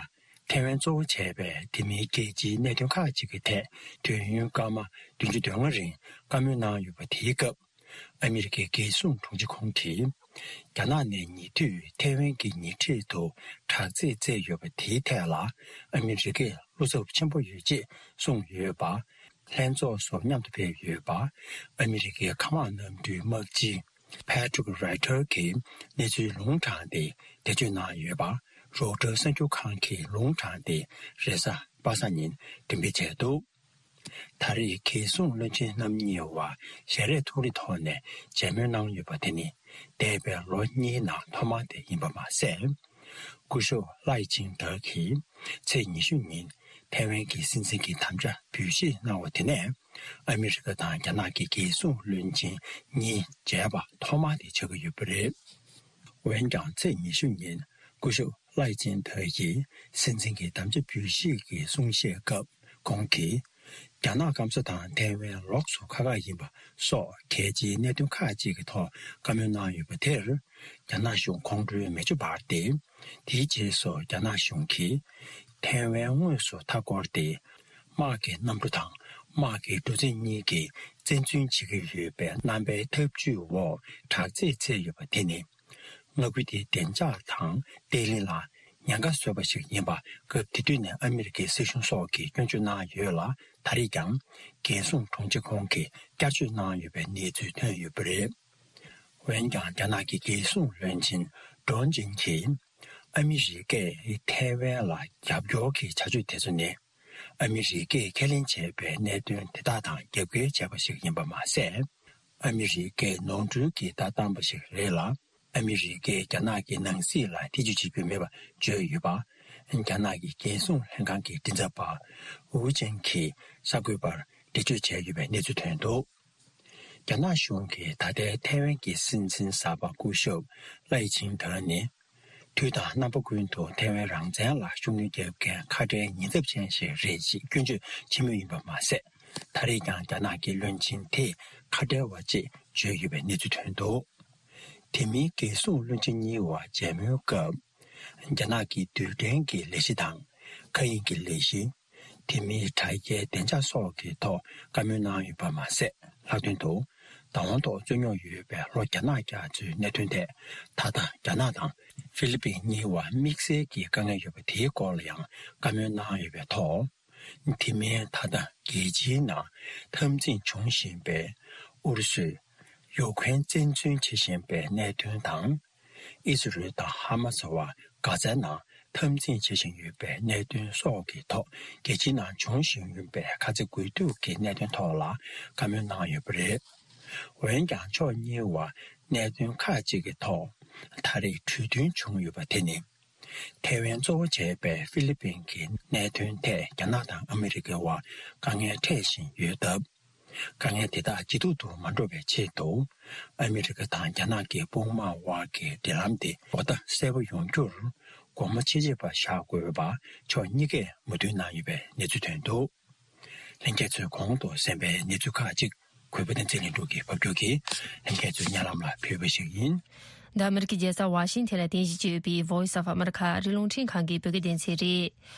ཐའེ་ཝན་གཙོ་བོ་བྱས་པའི་དེ་མིན་རྒྱལ་སྤྱིའི་གནད་དོན་ཁག་ཅིག་གི་ཐད་དུས་ཡུན་སྐར་མ་བདུན་ཅུ་དོན་ལྔ་རིང་བཀའ་མོལ་གནང་ཡོད་པ་དེའི་སྐབས། ཨ་མི་རི་ཀའི་རྒྱལ་སྲུང་དྲུང་ཆེ་ཁོང་གིས། རྒྱ་ནག་ནས་ཉེ་དུས་ཐའེ་ཝན་གྱི་ཉེ་འཁྲིས་དུ་དྲག་རྩལ་བཙལ་ཡོད་པ་དེའི་ཐད་ལ་ཨ་མི་རི་ཀས་བློ་འཚབ་ཆེན་པོ་ཡོད་ཅེས་གསུངས་ཡོད་པ། ལྷན་ཚོགས་སུ་མཉམ་དུ་ཕེབས་ཡོད་པ། ཨ་མི་རི་ཀའི་མཁའ་དམག་གནམ་གྲུའི་དམག་སྤྱི་Patrick Ryder གྱིས་གནས་ཚུལ་ལུང་དྲངས་ཏེ་འགྲེལ་བརྗོད་གནང་ཡོད་པ། རོའུ་ཊར་གསར་འགྱུར་ཁང་གིས་ལུང་དྲངས་ཏེ་རེས་གཟའ་པ་སངས་ཉིན་འགྲེམས་སྤེལ་བྱས་འདུག་ད་རེས་རྒྱལ་སྲུང་བློན་ཆེན་རྣམ་གཉིས་བར་ཞལ་རས་ཐོག་རིས་ཐོག་ནས་མཇལ་མོལ་གནང་ཡོད་པ་དེ་ནི། འདས་པའི་ལོ་གཉིས་ནང་ཐོག་མ་དེ་ཡིན་པ་མ་ཟད། སྐུ་ཞབས་ལའེ་ཆིང་ཏེ་གིས་ཚེས་ཉི་ཤུ་ཉིན་ཐའེ་ཝན་གྱི་སྲིད་འཛིན་གྱི་དམ་བཅའ་འབུལ་བཞེས་གནང་བ་དེ་ནས། ཨ་མི་རི་ཀ་དང་རྒྱ་ནག་གི་རྒྱལ་སྲུང་བློན་ཆེན་གཉིས་མཇལ་བ་ཐོག་མ་དེ་ཆགས་ཀྱི་ཡོད་པ་རེད། འོན་ཀྱང་ཚེས་ཉི་ཤུ་ཉིན་སྐུ་ཞབས་ལའེ་ཆིང་ཏེ་ཡིས་སྲིད་འཛིན་གྱི་དམ་བཅའ་འབུལ་བཞེས་ཀྱི་གསུང་བཤད་སྐབས་ཁོང་གིས། རྒྱ་ནག་སྐམ་ས་དང་ཐའེ་ཝན་ལོགས་སུ་ཁག་ཁག་ཡིན་པ་སོགས་གལ་ཆེའི་གནད་དོན་ཁག་ཅིག་གི་ཐོག་བཀའ་མོལ་གནང་ཡོད་པ་དེར། རྒྱ་ནག་གཞུང་ཁོང་ཁྲོའི་མེ་ལྕེ་འབར་ཏེ། དེའི་རྗེས་སུ་རྒྱ་ནག་གཞུང་གིས་ཐའེ་ཝན་དངོས་སུ་མཐའ་བསྐོར་ཏེ། དམག་གི་གནམ་གྲུ་དང་དམག་གི་གྲུ་གཟིངས་གཉིས་ཀྱིས་བཙན་འཛུལ་བྱེད་ཀྱི་ཡོད་པའི་རྣམ་པའི་ཐབས་ཇུས་འོག་དྲག་རྩལ་བཙལ་ཡོད་པ་དེ་ནི། མངའ་ཁུལ་དེའི་བདེ་འཇགས་དང་བརྟན་ལྷིང་ལ་ཉེན་ཁ་བཟོས་པ་ཞིག་ཡིན་པ། སྐབས་དེ་དུས་ནས་ཨ་མི་རི་ཀའི་སྲིད་གཞུང་སོགས་ཀྱིས་སྐྱོན་བརྗོད་གནང་ཡོད་ལ། ད་རེས་ཀྱང་རྒྱལ་སྲུང་དྲུང་ཆེ་ཁོང་གིས་བསྐྱར་བརྗོད་གནང་ཡོད་པའི་གནས་ཚུལ་ཐོན་ཡོད་པ་རེད། འོན་ཀྱང་རྒྱ་ནག་གི་རྒྱལ་སྲུང་བློན་ཆེན་ཀྲོང་ཅིན་གྱིས། ཨ་མི་རི་ཀས་ཐའེ་ཝན་ལ་རྒྱབ་སྐྱོར་གྱི་བྱ་སྤྱོད་དེ་ཚོ་ནི། ཨ་མི་རི་ཀས་ཁས་ལེན་བྱས་པའི་གནད་དོན་དེ་དག་དང་རྒྱབ་འགལ་བྱས་པ་ཞིག་ཡིན་པ་མ་ཟད། ཨ་མི་རི་ཀས་ནོར་འཁྲུལ་གྱི་བརྡ་བཏང་པ་ཞིག་རེད་ལ། ཨ་མི་རི་ཀས་རྒྱ་ནག་གི་ནང་སྲིད་ལ་ཐེ་ཇུས་བྱེད་རྒྱུ་མེད་པ་བརྗོད་ཡོད་པ། རྒྱ་ནག་གི་རྒྱལ་སྲུང་ལྷན་ཁང་གི་མགྲིན་ཚབ་པ་ཝུ་ཅན་གྱིས་གསར་འགོད་པར་འགྲེལ་བརྗོད་བྱས་ཡོད་པའི་གནས་ཚུལ་ཐོན་འདུག་རྒྱ་ནག་གཞུང་གིས་ད་ལྟའི་ཐའེ་ཝན་གྱི་སྲིད་འཛིན་གསར་པ་སྐུ་ཞབས་ལའེ་ཆིང་ཏེ་ནི། དུས་དང་རྣམ་པ་ཀུན་ཏུ་ཐའེ་ཝན་རང་བཙན་ལ་ཤུགས་སྣོན་རྒྱག་མཁན་ཁ་བྲལ་ཉེན་ཚབས་ཅན་ཞིག་རེད་ཅེས་སྐྱོན་བརྗོད་བྱེད་མུས་ཡིན་པ་མ་ཟད། ད་རེས་ཀྱང་རྒྱ་ནག་གི་བློན་ཆེན་དེས་ཁ་བྲལ་བ་ཅེས་བརྗོད་ཡོད་པའི་གནས་ཚུལ་ཐོན་འདུག་དེ་མིན་རྒྱལ་སྲུང་བློན་ཆེན་གཉིས་བར་མཇལ་མོལ་སྐབས། རྒྱ་ནག་གི་རྡུལ་ཕྲན་གྱི་ལས་གཞི་དང་མཁའ་དབྱིངས་ཀྱི་ལས་གཞི། དེ་མིན་དྲ་རྒྱའི་བདེ་འཇགས་སོགས་ཀྱི་ཐོག་བཀའ་མོལ་གནང་ཡོད་པ་མ་ཟད། ལྷག་དོན་དུ། བདག་དབང་ཐོག་རྩོད་རྙོག་ཡོད་པའི་ལྷོ་རྒྱ་ནག་རྒྱ་མཚོའི་གནད་དོན་ཐད། ད་ལྟ་རྒྱ་ནག་དང་ཧྥི་ལི་པིན་གཉིས་བར་དམིགས་བསལ་གྱི་དཀའ་ངལ་ཡོད་པ་དེའི་སྐོར་ལ་ཡང་བཀའ་མོལ་གནང་ཡོད་པའི་ཐོག་དེ་མིན་ད་ལྟ་རྒྱལ་སྤྱིའི་ནང་འཐབ་འཛིང་འབྱུང་བཞིན་པའི་ཨུ་རུ་སུས་ཡུ་ཁུ་རེན་བཙན་འཛུལ་བྱེད་བཞིན་པའི་གནད་དོན་དང་། ཨི་སི་རེལ་དང་ཧ་མ་སི་བར་གྷ་ཛའི་ནང་འཐབ་འཛིང་བྱེད་བཞིན་ཡོད་པའི་གནད་དོན་སོགས་ཀྱི་ཐོག་རྒྱལ་སྤྱིའི་ནང་འབྱུང་བཞིན་ཡོད་པའི་ཁ་ཚ་དགོས་གཏུགས་ཀྱི་གནད་དོན་ཐོག་ལ་བཀའ་མོལ་གནང་ཡོད་པ་རེད། འོན་ཀྱང་ཕྱོགས་གཉིས་བར་གནད་དོན་ཁག་ཅིག་གི་ཐོག་ད་རེས་གྲོས་མཐུན་བྱུང་ཡོད་པ་དེ་ནི། ཐའེ་ཝན་གཙོ་བོ་བྱས་པའི་ཧྥི་ལི་པིན་གྱི་གནད་དོན་ཐད་རྒྱ་ནག་དང་ཨ་མི་རི་ཀའི་བར་དཀའ་ངལ་འཕྲད་བཞིན་ཡོད་སྟབས། དཀའ་ངལ་དེ་དག་ཇེ་སྡུག་ཏུ་མ་འགྲོ་བའི་ཆེད་དུ། ཨ་མི་རི་ཀ་དང་རྒྱ་ནག་གི་དཔུང་དམག་དབར་གྱི་འབྲེལ་ལམ་དེ་གོ་བརྡ་གསལ་པོ་ཡོང་རྒྱུར་སྒོ་མོ་ཆེ་ཆེ་བ་བཞག་དགོས་པ་ཕྱོགས་གཉིས་ཀས་མོས་མཐུན་གནང་ཡོད་པའི་གནས་ཚུལ་ཐོན་འདུག་ལྷན་རྒྱས་ཚོས་གོང་དུ་གསན་པའི་གནས་ཚུལ་ཁག་ཅིག་གུས་པ་བསྟན་འཛིན་ལྷུན་གྲུབ་ཀྱིས་ཕབ་སྒྱུར་གྱིས་ལྷན་རྒྱས་ཚོའི་སྙན་ལམ་ལ་ཕུལ་བ་ཞིག་ཡིན། འདི་ཨ་མི་རི་ཀའི་རྒྱལ་ས་ཝ་ཤིང་ཐན་ལ་རྟེན་གཞི་བྱས་ཡོད་པའི་Voice of America རི་ཀླུང་འཕྲིན་ཁང་གི་བོད་སྐད་སྡེ་ཚན་རེད།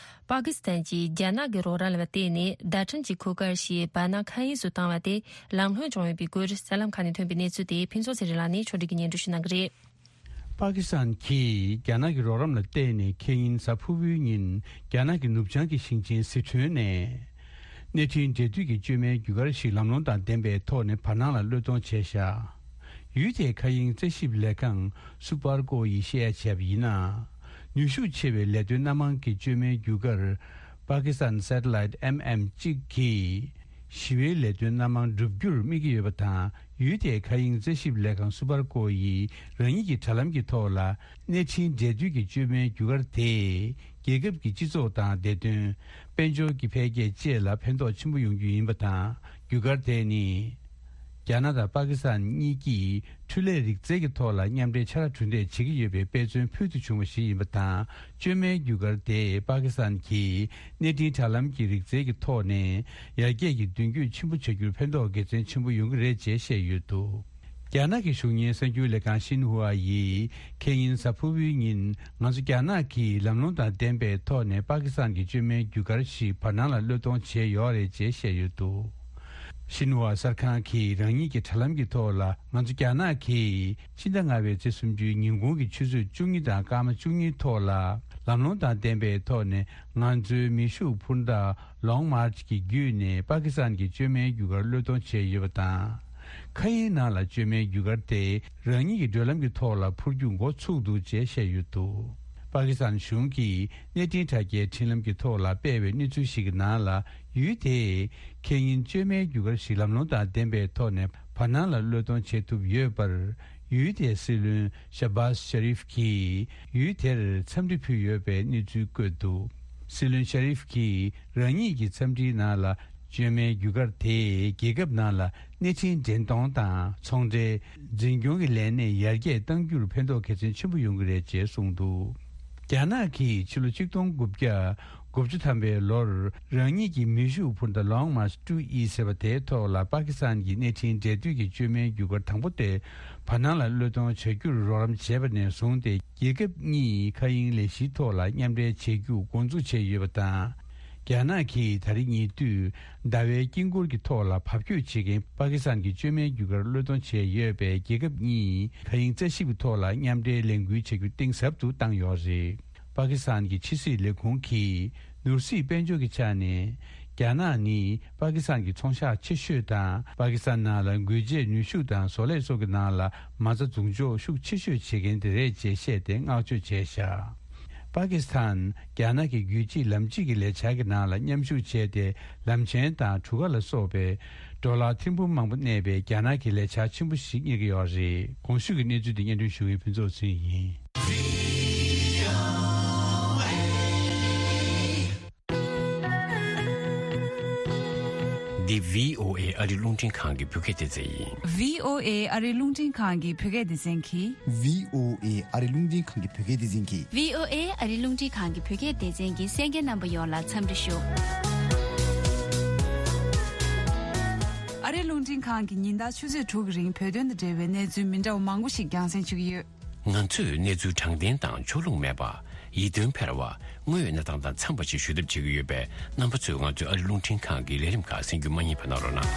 པ་ཀི་སི་ཐན་གྱིས་རྒྱ་ནག་གི་རོགས་རམ་ལ་བརྟེན་ནས་བརྡ་འཕྲིན་གྱི་གོ་སྐབས་ཤིག་བར་སྣང་མཁའ་དབྱིངས་སུ་བཏང་བ་དེ་ལམ་ལྷོང་བྱུང་ཡོད་པའི་སྐོར་གསར་ལམ་ཁག་ནས་ཐོན་པའི་གནས་ཚུལ་དེ་ཕུན་ཚོགས་ཚེ་རིང་ལགས་ནས་ཕྱོགས་སྒྲིག་གིས་སྙན་སྒྲོན་ཞུ་གནང་གི་རེད། པ་ཀི་སི་ཐན་གྱིས་རྒྱ་ནག་གི་རོགས་རམ་ལ་བརྟེན་ནས་ཁེ་ཉིན་གཟའ་ཕུར་བུའི་ཉིན་རྒྱ་ནག་གི་ནུབ་བྱང་གི་ཞིང་ཆེན་སི་ཁྲོན་ནས། གནས་འཕྲིན་འབྲེལ་མཐུད་ཀྱི་བཅོས་མའི་བརྒྱུད་སྐར་ཞིག་ལམ་ལྷོང་དང་ལྡན་པའི་ཐོག་ནས་བར་སྣང་ལ་གློད་གཏོང་བྱས་བཞག་ཡུལ་དེའི་མཁའ་དབྱིངས་རྩད་ཞིབ་ལས་ཁང་སུ་པར་ཀོ་ཡིས་བཤད་ཡ་བྱས་པ་ཡིན་ན། ནུས་ཤུགས་ཆེ་བའི་ལས་དོན་སྣ་མང་གི་བཅོས་མའི་རྒྱུ་སྐར། པ་ཀི་སི་ཐན་སེ་ཊི་ལའིཊ་ཨེམ་ཨེམ་གཅིག་གིས་ཞི་བའི་ལས་དོན་སྣ་མང་བསྒྲུབ་རྒྱུར་དམིགས་ཀྱི་ཡོད་པ་དང་། ཡུལ་དེའི་མཁའ་དབྱིངས་རྩད་ཞིབ་ལས་ཁང་སུ་པར་ཀོ་ཡིས་རང་ཉིད་ཀྱི་དྲ་ལམ་གྱི་ཐོག་ལ། གནས་འཕྲིན་འབྲེལ་མཐུད་ཀྱི་བཅོས་མའི་རྒྱུ་སྐར་དེས་རྒྱལ་ཁབ་ཀྱི་སྤྱི་ཚོགས་དང་བདེ་དོན། དཔལ་འབྱོར་གྱི་འཕེལ་རྒྱས་བཅས་ལ་ཕན་ཐོགས་ཆེན་པོ་ཡོང་རྒྱུ་ཡིན་པ་དང་། རྒྱུ་སྐར་དེ་ནི། རྒྱ་ནག་དང་པ་ཀི་སི་ཐན་གཉིས་ཀྱིས་འཕྲུལ་ལས་རིག་རྩལ་གྱི་ཐོག་ལ་མཉམ་འབྲེལ་ཕྱག་ལས་གྲུ་འདེགས་བྱེད་ཀྱི་ཡོད་པའི་དཔེ་མཚོན་ཕུལ་དུ་བྱུང་བ་ཞིག་ཡིན་པ་དང་། བཅོས་མའི་རྒྱུ་སྐར་དེས་པ་ཀི་སི་ཐན་གྱི་གནས་འཕྲིན་དྲ་ལམ་གྱི་རིག་རྩལ་གྱི་ཐོག་ནས་ཡར་རྒྱས་ཀྱི་མདུན་སྐྱོད་ཆེན་པོ་བྱ་རྒྱུར་ཕན་ཐོགས་དགེ་མཚན་ཆེན་པོ་ཡོང་གི་རེད་ཅེས་བཤད་ཡོད་འདུག་རྒྱ་ནག་གི་གཞུང་གཉེར་གསར་འགྱུར་ལས་ཁང་ཤིན་ཧུ་ཨ་ཡིས་ཁེ་ཉིན་གཟའ་ཕུར་བུའི་ཉིན། ང་ཚོ་རྒྱ་ནག་གིས་ལམ་ལྷོང་དང་ལྡན་པའི་ཐོག་ནས་པ་ཀི་སི་ཐན་གྱི་བཅོས་མའི་རྒྱུ་སྐར་ཞིག་བར་སྣང་ལ་གློད་གཏོང་བྱས་ཡོད་རེད་ཅེས་བཤད་ཡོད་འདུག་ཤིན་ཧུ་ཨ་གསར་ཁང་གིས་རང་ཉིད་ཀྱི་དྲ་ལམ་གྱི་ཐོག་ལ། ང་ཚོ་རྒྱ་ནག་གིས་ཕྱི་ཟླ་ལྔ་པའི་ཚེས་སུམ་ཅུའི་ཉིན་གུང་གི་ཆུ་ཚོད་བཅུ་གཉིས་དང་སྐར་མ་བཅུ་གཉིས་ཐོག་ལ། ལམ་ལྷོང་དང་ལྡན་པའི་ཐོག་ནས་ང་ཚོའི་མེ་ཤུགས་འཕུར་མདའ་Long March གི་བརྒྱུད་ནས་པ་ཀི་སི་ཐན་གྱི་བཅོས་མའི་རྒྱུ་སྐར་གློད་གཏོང་བྱས་ཡོད་པ་དང་། མཁའ་དབྱིངས་ནང་ལ་བཅོས་མའི་རྒྱུ་སྐར་དེ་རང་ཉིད་ཀྱི་བགྲོད་ལམ་གྱི་ཐོག་ལ་འཕུར་རྒྱུ་འགོ་ཚུགས་འདུག་ཅེས་བཤད་ཡོད་འདུག་པ་ཀི་སི་ཐན་གཞུང་གིས་གནས་འཕྲིན་དྲ་རྒྱའི་འཕྲིན་ལམ་གྱི་ཐོག་ལ་སྤེལ་བའི་གནས་ཚུལ་ཞིག་གི་ནང་ལ། ཡུལ་དེས་ཁེ་ཉིན་བཅོས་མའི་རྒྱུ་སྐར་ཞིག་ལམ་ལྷོང་དང་ལྡན་པའི་ཐོག་ནས་བར་སྣང་ལ་གློད་གཏོང་བྱེད་ཐུབ་ཡོད་པར། ཡུལ་དེའི་སྲིད་བློན་ཤ་བཱས་ཤ་རིཕ་གྱིས་ཡུལ་དེར་འཚམས་འདྲི་ཕུལ་ཡོད་པའི་གནས་ཚུལ་བཀོད་འདུག་སྲིད་བློན་ཤ་རིཕ་གྱིས་རང་ཉིད་ཀྱི་འཚམས་འདྲིའི་ནང་ལ། བཅོས་མའི་རྒྱུ་སྐར་དེས་རྒྱལ་ཁབ་ནང་ལ་གནས་འཕྲིན་འདྲེན་གཏོང་དང་ཚོང་འབྲེལ། འཛིན་སྐྱོང་གི་ལས་གནས་ཡར་རྒྱས་གཏང་རྒྱུར་ཕན་ཐོགས་གལ་ཆེན་ཆེན་པོ་ཡོང་གི་རེད་ཅེས་གསུངས་འདུག་རྒྱ་ནག་གིས་ཕྱི་ལོ་ཆིག་སྟོང་དགུ་བརྒྱ་དགུ་བཅུ་ཐམ་པའི་ལོར་རང་ཉིད་ཀྱི་མེ་ཤུགས་འཕུར་མདའ་Long March two E ཟེར་བ་དེའི་ཐོག་ལ་པ་ཀི་སི་ཐན་གྱི་གནས་འཕྲིན་འབྲེལ་མཐུད་ཀྱི་བཅོས་མའི་རྒྱུ་སྐར་དང་པོ་དེ་བར་སྣང་ལ་གློད་གཏོང་བྱ་རྒྱུར་རོགས་རམ་བྱས་པ་ནས་བཟུང་སྟེ། རྒྱལ་ཁབ་གཉིས་མཁའ་དབྱིངས་ལས་གཞིའི་ཐོག་ལ་མཉམ་འབྲེལ་བྱེད་རྒྱུ་འགོ་འཛུགས་བྱས་ཡོད་པ་དང་། རྒྱ་ནག་གིས་ད་རེས་ཉེ་དུས་ཟླ་བའི་དཀྱིལ་འཁོར་གྱི་ཐོག་ལ་བབ་བསྐྱོད་བྱེད་མཁན་པ་ཀི་སི་ཐན་གྱི་བཅོས་མའི་རྒྱུ་སྐར་གློད་གཏོང་བྱས་ཡོད་པས། རྒྱལ་ཁབ་གཉིས་མཁའ་དབྱིངས་རྩད་ཞིབ་ཀྱི་ཐོག་ལ་མཉམ་འབྲེལ་ལས་འགུལ་བྱ་རྒྱུ་གཏིང་ཟབ་ཏུ་བཏང་ཡོད་རེད། པ་ཀི་སི་ཐན་གྱི་ཕྱི་སྲིད་ལས་ཁུངས་ཀྱིས་ནོར་སྲིད་དཔལ་འབྱོར་གྱི་ཆ་ནས། རྒྱ་ནག་ནི་པ་ཀི་སི་ཐན་གྱི་ཚོང་ཤག་ཆེ་ཤོས་དང་། པ་ཀི་སི་ཐན་ནང་ལ་འགུལ་འབྱེད་ནུས་ཤུགས་དང་བཟོ་ལས་སོགས་ཀྱི་ནང་ལ་མ་རྩ་འཛུགས་འཇོག་ཤུགས་ཆེ་ཤོས་བྱེད་མཁན་དེ་རེད་ཅེས་བཤད་དེ་བསྔགས་བརྗོད་བྱས་བཞག་པ་ཀི་སི་ཐན་རྒྱ་ནག་གི་རྒྱུད་གཅིག་ལམ་གཅིག་གི་ལས་འཆར་གྱི་ནང་ལ་མཉམ་ཞུགས་བྱས་ཏེ། ལམ་ཆེན་དང་གྲུ་ཁ་ལ་སོགས་པའི་ཌོ་ལར་ཐེར་འབུམ་མང་པོ་གནས་པའི་རྒྱ་ནག་གི་ལས་འཆར་ཆེན་པོ་ཞིག་གཉེར་གྱི་ཡོད་རེད། གོང་ཞུས་ཀྱི་གནས་ཚུལ་དེ་སྙན་སྒྲོན་ཞུ་མཁན་ཕུན་ཚོགས་ཚེ་རིང་ཡིན། འདི་བྷི་ཨོ་ཨེ་ཨ་རི་རླུང་འཕྲིན་ཁང་གི་བོད་སྐད་སྡེ་ཚན་ཡིན། བྷི་ཨོ་ཨེ་ཨ་རི་རླུང་འཕྲིན་ཁང་གི་བོད་སྐད་སྡེ་ཚན་གྱིས། བྷི་ཨོ་ཨེ་ཨ་རི་རླུང་འཕྲིན་ཁང་གི་བོད་སྐད་སྡེ་ཚན་གྱིས། བྷི་ཨོ་ཨེ་ཨ་རི་རླུང་འཕྲིན་ཁང་གི་བོད་སྐད་སྡེ་ཚན་གྱི་གསན་མཁན་རྣམ་པ་ཡོངས་ལ་འཚམས་འདྲི་ཞུ། ཨ་རི་རླུང་འཕྲིན་ཁང་གིས་ཉིན་ལྟར་ཆུ་ཚོད་དྲུག་གི་རིང་བོད་དོན་དང་འབྲེལ་བའི་གནས་ཚུལ་མི་འདྲ་བ་མང་པོ་ཞིག་རྒྱང་སྲིང་ཞུ་གི་ཡོད། ང་ཚོས་གནས་ཚུལ་དྲང་བདེན་དང་ཕྱོགས་ལྷུང་མེད་པ། ཡིད་རྟོན་འཕེར་བ། དངོས་ཡོད་གནས་སྟངས་དང་འཚམས་པ་ཞིག་ཞུ་ཐབས་བྱེད་ཀྱི་ཡོད་པས། རྣམ་པ་ཚོས་ང་ཚོའི་ཨ་རི་རླུང་འཕྲིན་ཁང་གི་ལས་རིམ་ཁག་གསན་རྒྱུ་མ་བསྙེལ་བ་གནང་རོགས་གནང་།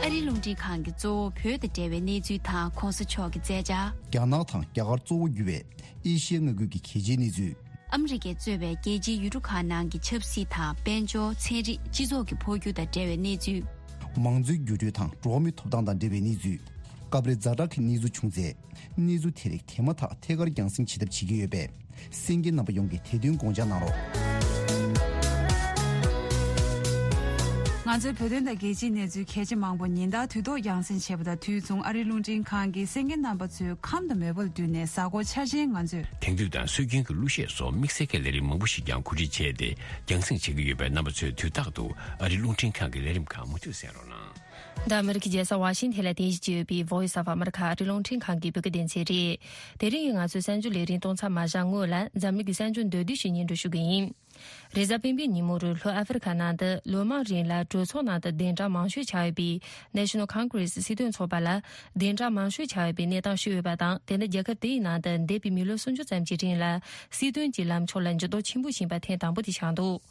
ཨ་རི་རླུང་འཕྲིན་ཁང་གི་གཙོ་བོ་བོད་དང་འབྲེལ་བའི་གནས་ཚུལ་དང་གོང་ས་མཆོག་གི་མཛད་འཆར། རྒྱ་ནག་དང་རྒྱ་གར་གཙོ་བོ་གྱུར་བའི་ཨེ་ཤི་ཡའི་མངའ་ཁུལ་གྱི་གལ་ཆེའི་གནས་ཚུལ། ཨ་མི་རི་ཀས་གཙོས་པའི་རྒྱལ་སྤྱིའི་ཡུལ་གྲུ་ཁག་ནང་གི་ཆབ་སྲིད་དང་དཔལ་འབྱོར། ཚན་རིག་སྤྱི་ཚོགས་ཀྱི་འཕོ་འགྱུར་དང་འབྲེལ་བའི་གནས་ཚུལ། མང་གཙོའི་འགྱུར་འགྲོས་དང་འགྲོ་བ་མིའི་ཐོབ་ཐང་དང་འབྲེལ་བའི་གནས་ཚུལ། སྐབས་རེ་ཛ་དྲག་གི་གནས་ཚུལ་བྱུང་ཚེ། གནས་ཚུལ་དེ་རིགས་དེ་མ་ཐག་ཐད་ཀར་རྒྱང་སྲིང་བྱེད་ཐབས་བྱེད་ཀྱི་ཡོད་པས། གསན་མཁན་རྣམ་པ་ཡོངས་ཀྱིས་དེ་དོན་དགོངས་འཇགས་གནང་རོགས། ང་ཚོའི་བོད་དོན་དང་རྒྱལ་སྤྱིའི་གནས་ཚུལ་གལ་ཆེ་མང་པོ་ཉིན་ལྟར་དུས་ཐོག་རྒྱང་སྲིང་བྱེད་པ་དང་། དུས་མཚུངས་ཨ་རིའི་རླུང་འཕྲིན་ཁང་གིས་གསན་མཁན་རྣམ་པ་ཚོའི་ཁམས་དང་མོས་པ་ལ་བསྟུན་ནས་གཟའ་འཁོར་འཆར་ཅན་ང་ཚོས། དེང་དུས་དང་སྲོལ་རྒྱུན་གྱི་གླུ་གཞས་སོགས་དམིགས་བསལ་གྱི་ལས་རིམ་མང་པོ་ཞིག་ཀྱང་གོ་སྒྲིག་བྱས་ཏེ་རྒྱང་སྲིང་བྱེད་ཀྱི་ཡོད་པས། རྣམ་པ་ཚོས་དུས་རྟག་ཏུ་ཨ་རིའི་རླུང་འཕྲིན་ཁང་གི་ལས་རིམ་ཁག་མུ་མཐུད་གསན་རོགས་གནང་། འདི་ཨ་མི་རི་ཀའི་རྒྱལ་ས་ཝ་ཤིང་ཐན་ལ་རྟེན་གཞི་བྱས་ཡོད་པའི་Voice of America ཨ་རིའི་རླུང་འཕྲིན་ཁང་གི་བོད་སྐད་སྡེ་ཚན་རེད། དེ་རིང་ང་ཚོའི་གསར་འགྱུར་ལས་རིམ་གཏོང་མཚམས་མ་བཞག་སྔོན་ལ། འཛམ་གླིང་གི་གསར་འགྱུར་མདོར་བསྡུས་ཤིག་སྙན་སྒྲོན་ཞུ་གི་ཡིན། རེས་གཟའ་སྤེན་པའི་ཉིན་མོར་ལྷོ་ཨ་ཧྥེ་རི་ཁ་ནང་དུ་ལོ་མང་རིང་ལ་གྲོས་ཚོགས་ནང་དུ་གདན་དྲངས་མང་ཤོས་ཆགས་ཡོད་པའི་National Congress སྲིད་དོན་ཚོགས་པ་ལ་གདན་དྲངས་མང་ཤོས་ཆགས་ཡོད་པའི་གནས་སྟངས་ཤིག་ཡོད་པ་དང་། དེ་ནི་རྒྱལ་ཁབ་དེའི་ནང་དུ་འདས་པའི་མི་ལོ་སུམ་ཅུ་ཙམ་གྱི་རིང་ལ་སྲིད་དོན་གྱི་ལམ་ཕྱོགས་ལ་འགྱུར་ལྡོག་ཆེན་པོ་ཕྱིན་པ་ཐེངས་དང་པོ་དེ་ཆགས་འདུག་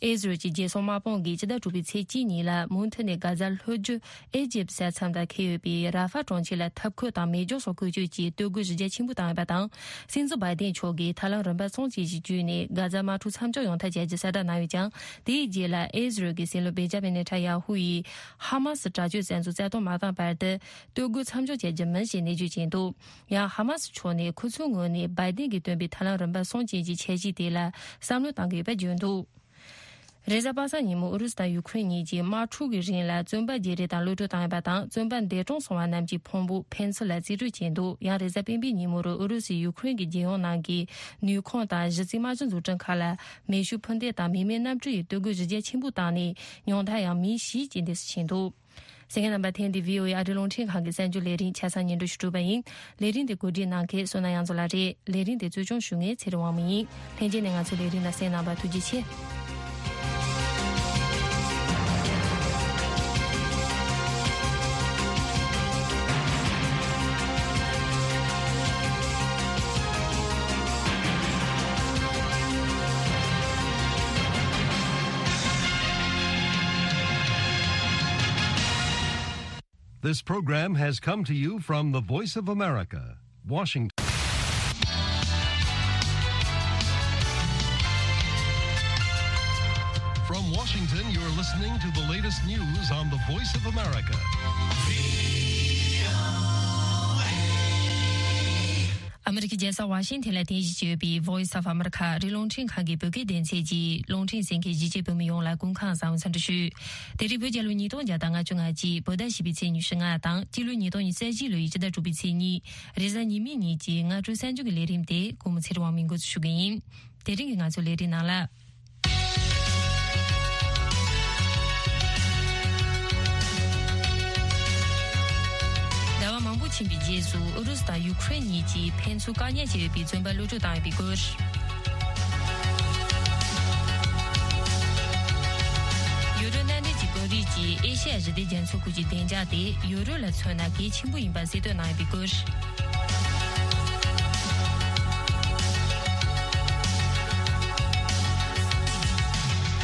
ཨི་ཟི་རལ་གྱི་རྒྱལ་སྲུང་དམག་དཔུང་གིས་ཕྱི་ཟླ་དྲུག་པའི་ཚེས་གཅིག་ཉིན་ལ་མུ་མཐུད་ནས་གྷ་ཛ་ལྷོ་རྒྱུད་ཨི་ཇིབ་ས་མཚམས་དང་འཁེལ་ཡོད་པའི་ར་ཧྥ་གྲོང་ཁྱེར་ལ་འཐབ་འཁོད་དང་མེ་སྒྱོགས་སོགས་བཀོལ་སྤྱོད་ཀྱིས་སྡོད་དགོས་གཞི་རྒྱ་ཆེན་པོ་བཏང་ཡོད་པ་དང་། སྲིད་འཛིན་བྷའི་ཏིན་མཆོག་གིས་ཐབས་ལམ་རིམ་པ་གསུམ་ཅན་ཞིག་བརྒྱུད་ནས་གྷ་ཛ་དམག་འཁྲུག་མཚམས་འཇོག་ཡོང་ཐབས་བྱ་རྒྱུ་གསལ་བསྒྲགས་གནང་ཡོད་ཀྱང་། དེའི་རྗེས་ལ་ཨི་ཟི་རལ་གྱི་སྲིད་བློན་བེན་ཇ་མིན་ནེ་ཐན་ཡ་ཧུ་ཡིས་ཧ་མ་སི་དྲག་སྤྱོད་བཙན་འཛུལ་རྩ་གཏོར་མ་བཏང་བར་དུ་སྡོད་དགོས་མཚམས་འཇོག་བྱ་རྒྱུ་མིན་ཞེས་ནན་བརྗོད་བྱས་འདུག་ཡང་ཧ་མ་སི་ཕྱོགས་ནས་ཁོ་ཚོའི་ངོས་ནས་བྷའི་ཏིན་གྱིས་བཏོན་པའི་ཐབས་ལམ་རིམ་པ་གསུམ་ཅན་གྱི་འཆར་གཞི་དེ་ལ་བསམ་བློ་གཏང་གི་ཡོད་པ་བརྗོད་འདུག་རེས་གཟའ་པ་སངས་ཉིན་མོ་ཨུ་རུ་སུ་དང་ཡུ་ཁུ་རེན་གཉིས་ཀྱིས་དམག་འཁྲུག་གི་རིང་ལ་བཙོན་པ་བརྗེ་རེས་དང་གློད་གྲོལ་བཏང་ཡོད་པ་དང་། བཙོན་པ་འདས་གྲོངས་སོང་བ་རྣམས་ཀྱི་ཕུང་པོ་ཕན་ཚུན་ལ་རྩིས་སྤྲོད་བྱས་འདུག་ཡང་རེས་གཟའ་སྤེན་པའི་ཉིན་མོ་རུ་ཨུ་རུ་སུས་ཡུ་ཁུ་རེན་གྱི་རྒྱལ་ཡོངས་ནང་གི་ནུས་ཁུངས་དང་གཞི་རྩའི་དམག་སྤྱི་འཛུགས་སྐྲུན་ཁག་ལ་མེ་ཤུགས་འཕུར་མདེལ་དང་མི་མེད་གནམ་གྲུ་ཡིས་གཏོར་རྒོལ་གཞི་རྒྱ་ཆེན་པོ་བཏང་ནས། ཉུང་མཐར་ཡང་མི་བཞི་རྐྱེན་འདས་སུ་ཕྱིན་འདུག་གསན་མཁན་རྣམ་པ། ཐེངས་འདིའི་བྷི་ཨོ་ཨེ་ཨ་རིའི་རླུང་འཕྲིན་ཁང་གི་གསར་འགྱུར་ལས་རིམ་ཆ་ཚང་སྙན་སྒྲོན་ཞུ་གྲུབ་པ་ཡིན། ལས་རིམ་འདི་གོ་སྒྲིག་གནང་མཁན་བསོད་ནམས་དབྱངས་མཚོ་ལགས་རེད། ལས་རིམ་འདི་གཙོ་སྐྱོང་ཞུ་མཁན་ཚེ་རིང་དབང་མོ་ཡིན། ལྷན་རྒྱས་ནས་ང་ཚོའི་ལས་རིམ་ལ་གསན་གནང་བར་ཐུགས་རྗེ་ཆེ། This program has come to you from the Voice of America, Washington. From Washington, you're listening to the latest news on the Voice of America. ཨ་མི་རི་ཀའི་རྒྱལ་ས་ཝ་ཤིང་ཐན་ལ་རྟེན་གཞི་བྱས་ཡོད་པའི་Voice of America ཨ་རིའི་རླུང་འཕྲིན་ཁང་གི་བོད་སྐད་སྡེ་ཚན་གྱི་རླུང་འཕྲིན་གསན་མཁན་གཞིས་བྱེས་བོད་མི་ཡོངས་ལ་སྐུ་ཁམས་བཟང་བའི་འཚམས་འདྲི་ཞུ། དེ་རིང་བོད་རྒྱལ་ལོ་ཉིས་སྟོང་བརྒྱ་དང་ལྔ་བཅུ་ང་གཅིག་བོད་ཟླ་བཞི་པའི་ཚེས་ཉི་ཤུ་ལྔ་དང་སྤྱི་ལོ་ཉིས་སྟོང་ཉི་ཤུ་རྩ་བཞི་ལོའི་ཕྱི་ཟླ་དྲུག་པའི་ཚེས་གཉིས། རེས་གཟའ་ཉི་མའི་ཉིན་གྱི་སྔ་དྲོའི་གསར་འགྱུར་གྱི་ལས་རིམ་དེ་སྐུ་ངོ་ཚེ་རིང་དབང་མོས་འགོ་འཛུགས་ཞུ་གི་ཡིན། དེ་རིང་གི་ང་ཚོའི་ལས་རིམ་ནང་ལ། ཟླ་བ་མང་པོ་ཕྱིན་པའི་རྗེས་སུ་ཨུ་རུ་སུ་དང་ཡུ་ཁུ་རེན་གཉིས་ཀྱིས་ཕན་ཚུན་བཀག་ཉར་བྱས་ཡོད་པའི་བཙོན་པ་གློད་གྲོལ་བཏང་ཡོད་པའི་སྐོར། ཡུ་རོབ་མནའ་འབྲེལ་གྱི་དཔོན་རིགས་ཀྱིས་ཨེ་ཤེ་ཡ་ཞི་བདེ་རྒྱ་མཚོའི་ཁུལ་གྱི་བདེ་འཇགས་དེ་ཡུ་རོབ་ལ་མཚོན་ན་གལ་ཆེན་པོ་ཡིན་པ་གསལ་སྟོན་གནང་ཡོད་པའི་སྐོར།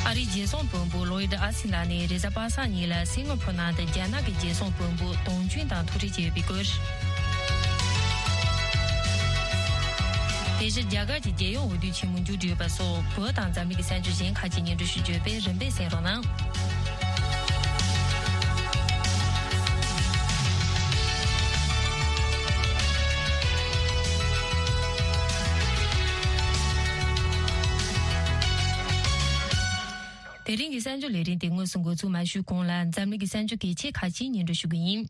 ཨ་རིའི་རྒྱལ་སྲུང་དཔོན་པོ་ལོ་ཡིད་ཨ་སི་ལགས་ནས་རེས་གཟའ་པ་སངས་ཉིན་ལ་སིང་ག་ཕོར་ནང་དུ་རྒྱ་ནག་གི་རྒྱལ་སྲུང་དཔོན་པོ་ཏོང་ཅུན་དང་ཐུག་འཕྲད་བྱས་ཡོད་པའི་སྐོར། དེ་བཞིན་རྒྱ་གར་གྱི་རྒྱལ་ཡོངས་འོས་བསྡུ་ཆེན་མོ་མཇུག་སྒྲིལ་ཡོད་པ་སོགས་བོད་དང་འཛམ་གླིང་གི་གསར་འགྱུར་གཞན་ཁག་ཅིག་སྙན་སྒྲོན་ཞུ་རྒྱུ་ཡོད་པས་རིམ་པས་གསན་རོགས་གནང་། དེ་རིང་གི་གསར་འགྱུར་ལས་རིམ་དེ་དངོས་སུ་འགོ་འཛུགས་མ་ཞུས་གོང་ལ་འཛམ་གླིང་གི་གསར་འགྱུར་གལ་ཆེ་ཁག་ཅིག་སྙན་སྒྲོན་ཞུ་གི་ཡིན།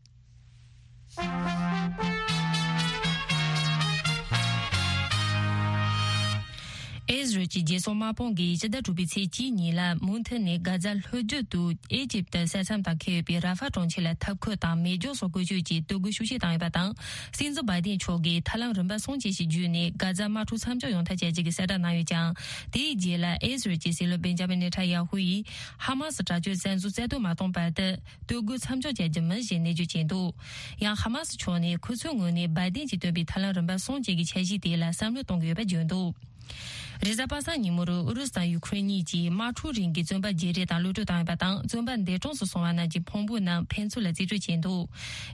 ཨེ་ཟི་རལ་གྱི་རྒྱལ་སྲུང་དམག་དཔུང་གིས་ཕྱི་ཟླ་དྲུག་པའི་ཚེས་གཅིག་ཉིན་ལ་མུ་མཐུད་ནས་གྷ་ཛ་ལྷོ་རྒྱུད་དུ་ཨེ་ཇིབ་ཏི་ས་མཚམས་དང་འཁེལ་ཡོད་པའི་ར་ཧྥ་གྲོང་ཁྱེར་ལ་འཐབ་འཁོད་དང་མེ་སྒྱོགས་སོགས་བཀོལ་སྤྱོད་ཀྱིས་གཏོར་རྒོལ་ཤུགས་ཆེ་བཏང་ཡོད་པ་དང་། སྲིད་འཛིན་བྷའི་ཏིན་མཆོག་གིས་ཐབས་ལམ་རིམ་པ་གསུམ་ཅན་ཞིག་བརྒྱུད་ནས་གྷ་ཛ་དམག་འཁྲུག་མཚམས་འཇོག་ཡོང་ཐབས་བྱ་རྒྱུ་གི་གསལ་བསྒྲགས་གནང་ཡོད་ཀྱང་། དེའི་རྗེས་ལ་ཨེ་ཟི་རལ་གྱི་སྲིད་བློན་བེན་ཇ་མིན་ནེ་ཐན་ཡ་ཧུ་ཡིས་ཧ་མ་སི་དྲག་སྤྱོད་བཙན་འཛུལ་རྩ་གཏོར་མ་གཏོང་བར་དུ། གཏོར་རྒོལ་མཚམས་འཇོག་བྱ་རྒྱུ་མིན་ཞེས་ནན་བརྗོད་བྱས་འདུག་ཡང་ཧ་མ་སི་ཕྱོགས་ནས་ཁོ་ཚོའི་ངོས་ནས་བྷའི་ཏིན་གྱིས་བཏོན་པའི་ཐབས་ལམ་རིམ་པ་གསུམ་ཅན་གྱི་འཆར་གཞི་དེ་ལ་བསམ་བློ་གཏོང་གི་ཡོད་པ་བརྗོད་འདུག་རེས་གཟའ་པ་སངས་ཉིན་མོར་ཨུ་རུ་སུ་དང་ཡུ་ཁུ་རེན་གཉིས་ཀྱིས་དམག་འཁྲུག་རིང་གི་བཙོན་པ་བརྗེ་རེས་དང་གློད་གྲོལ་བཏང་ཡོད་པ་དང་། བཙོན་པ་འདས་གྲོངས་སུ་སོང་བ་རྣམས་ཀྱི་ཕུང་པོ་རྣམས་ཕན་ཚུན་ལ་རྩིས་སྤྲོད་བྱས་འདུག་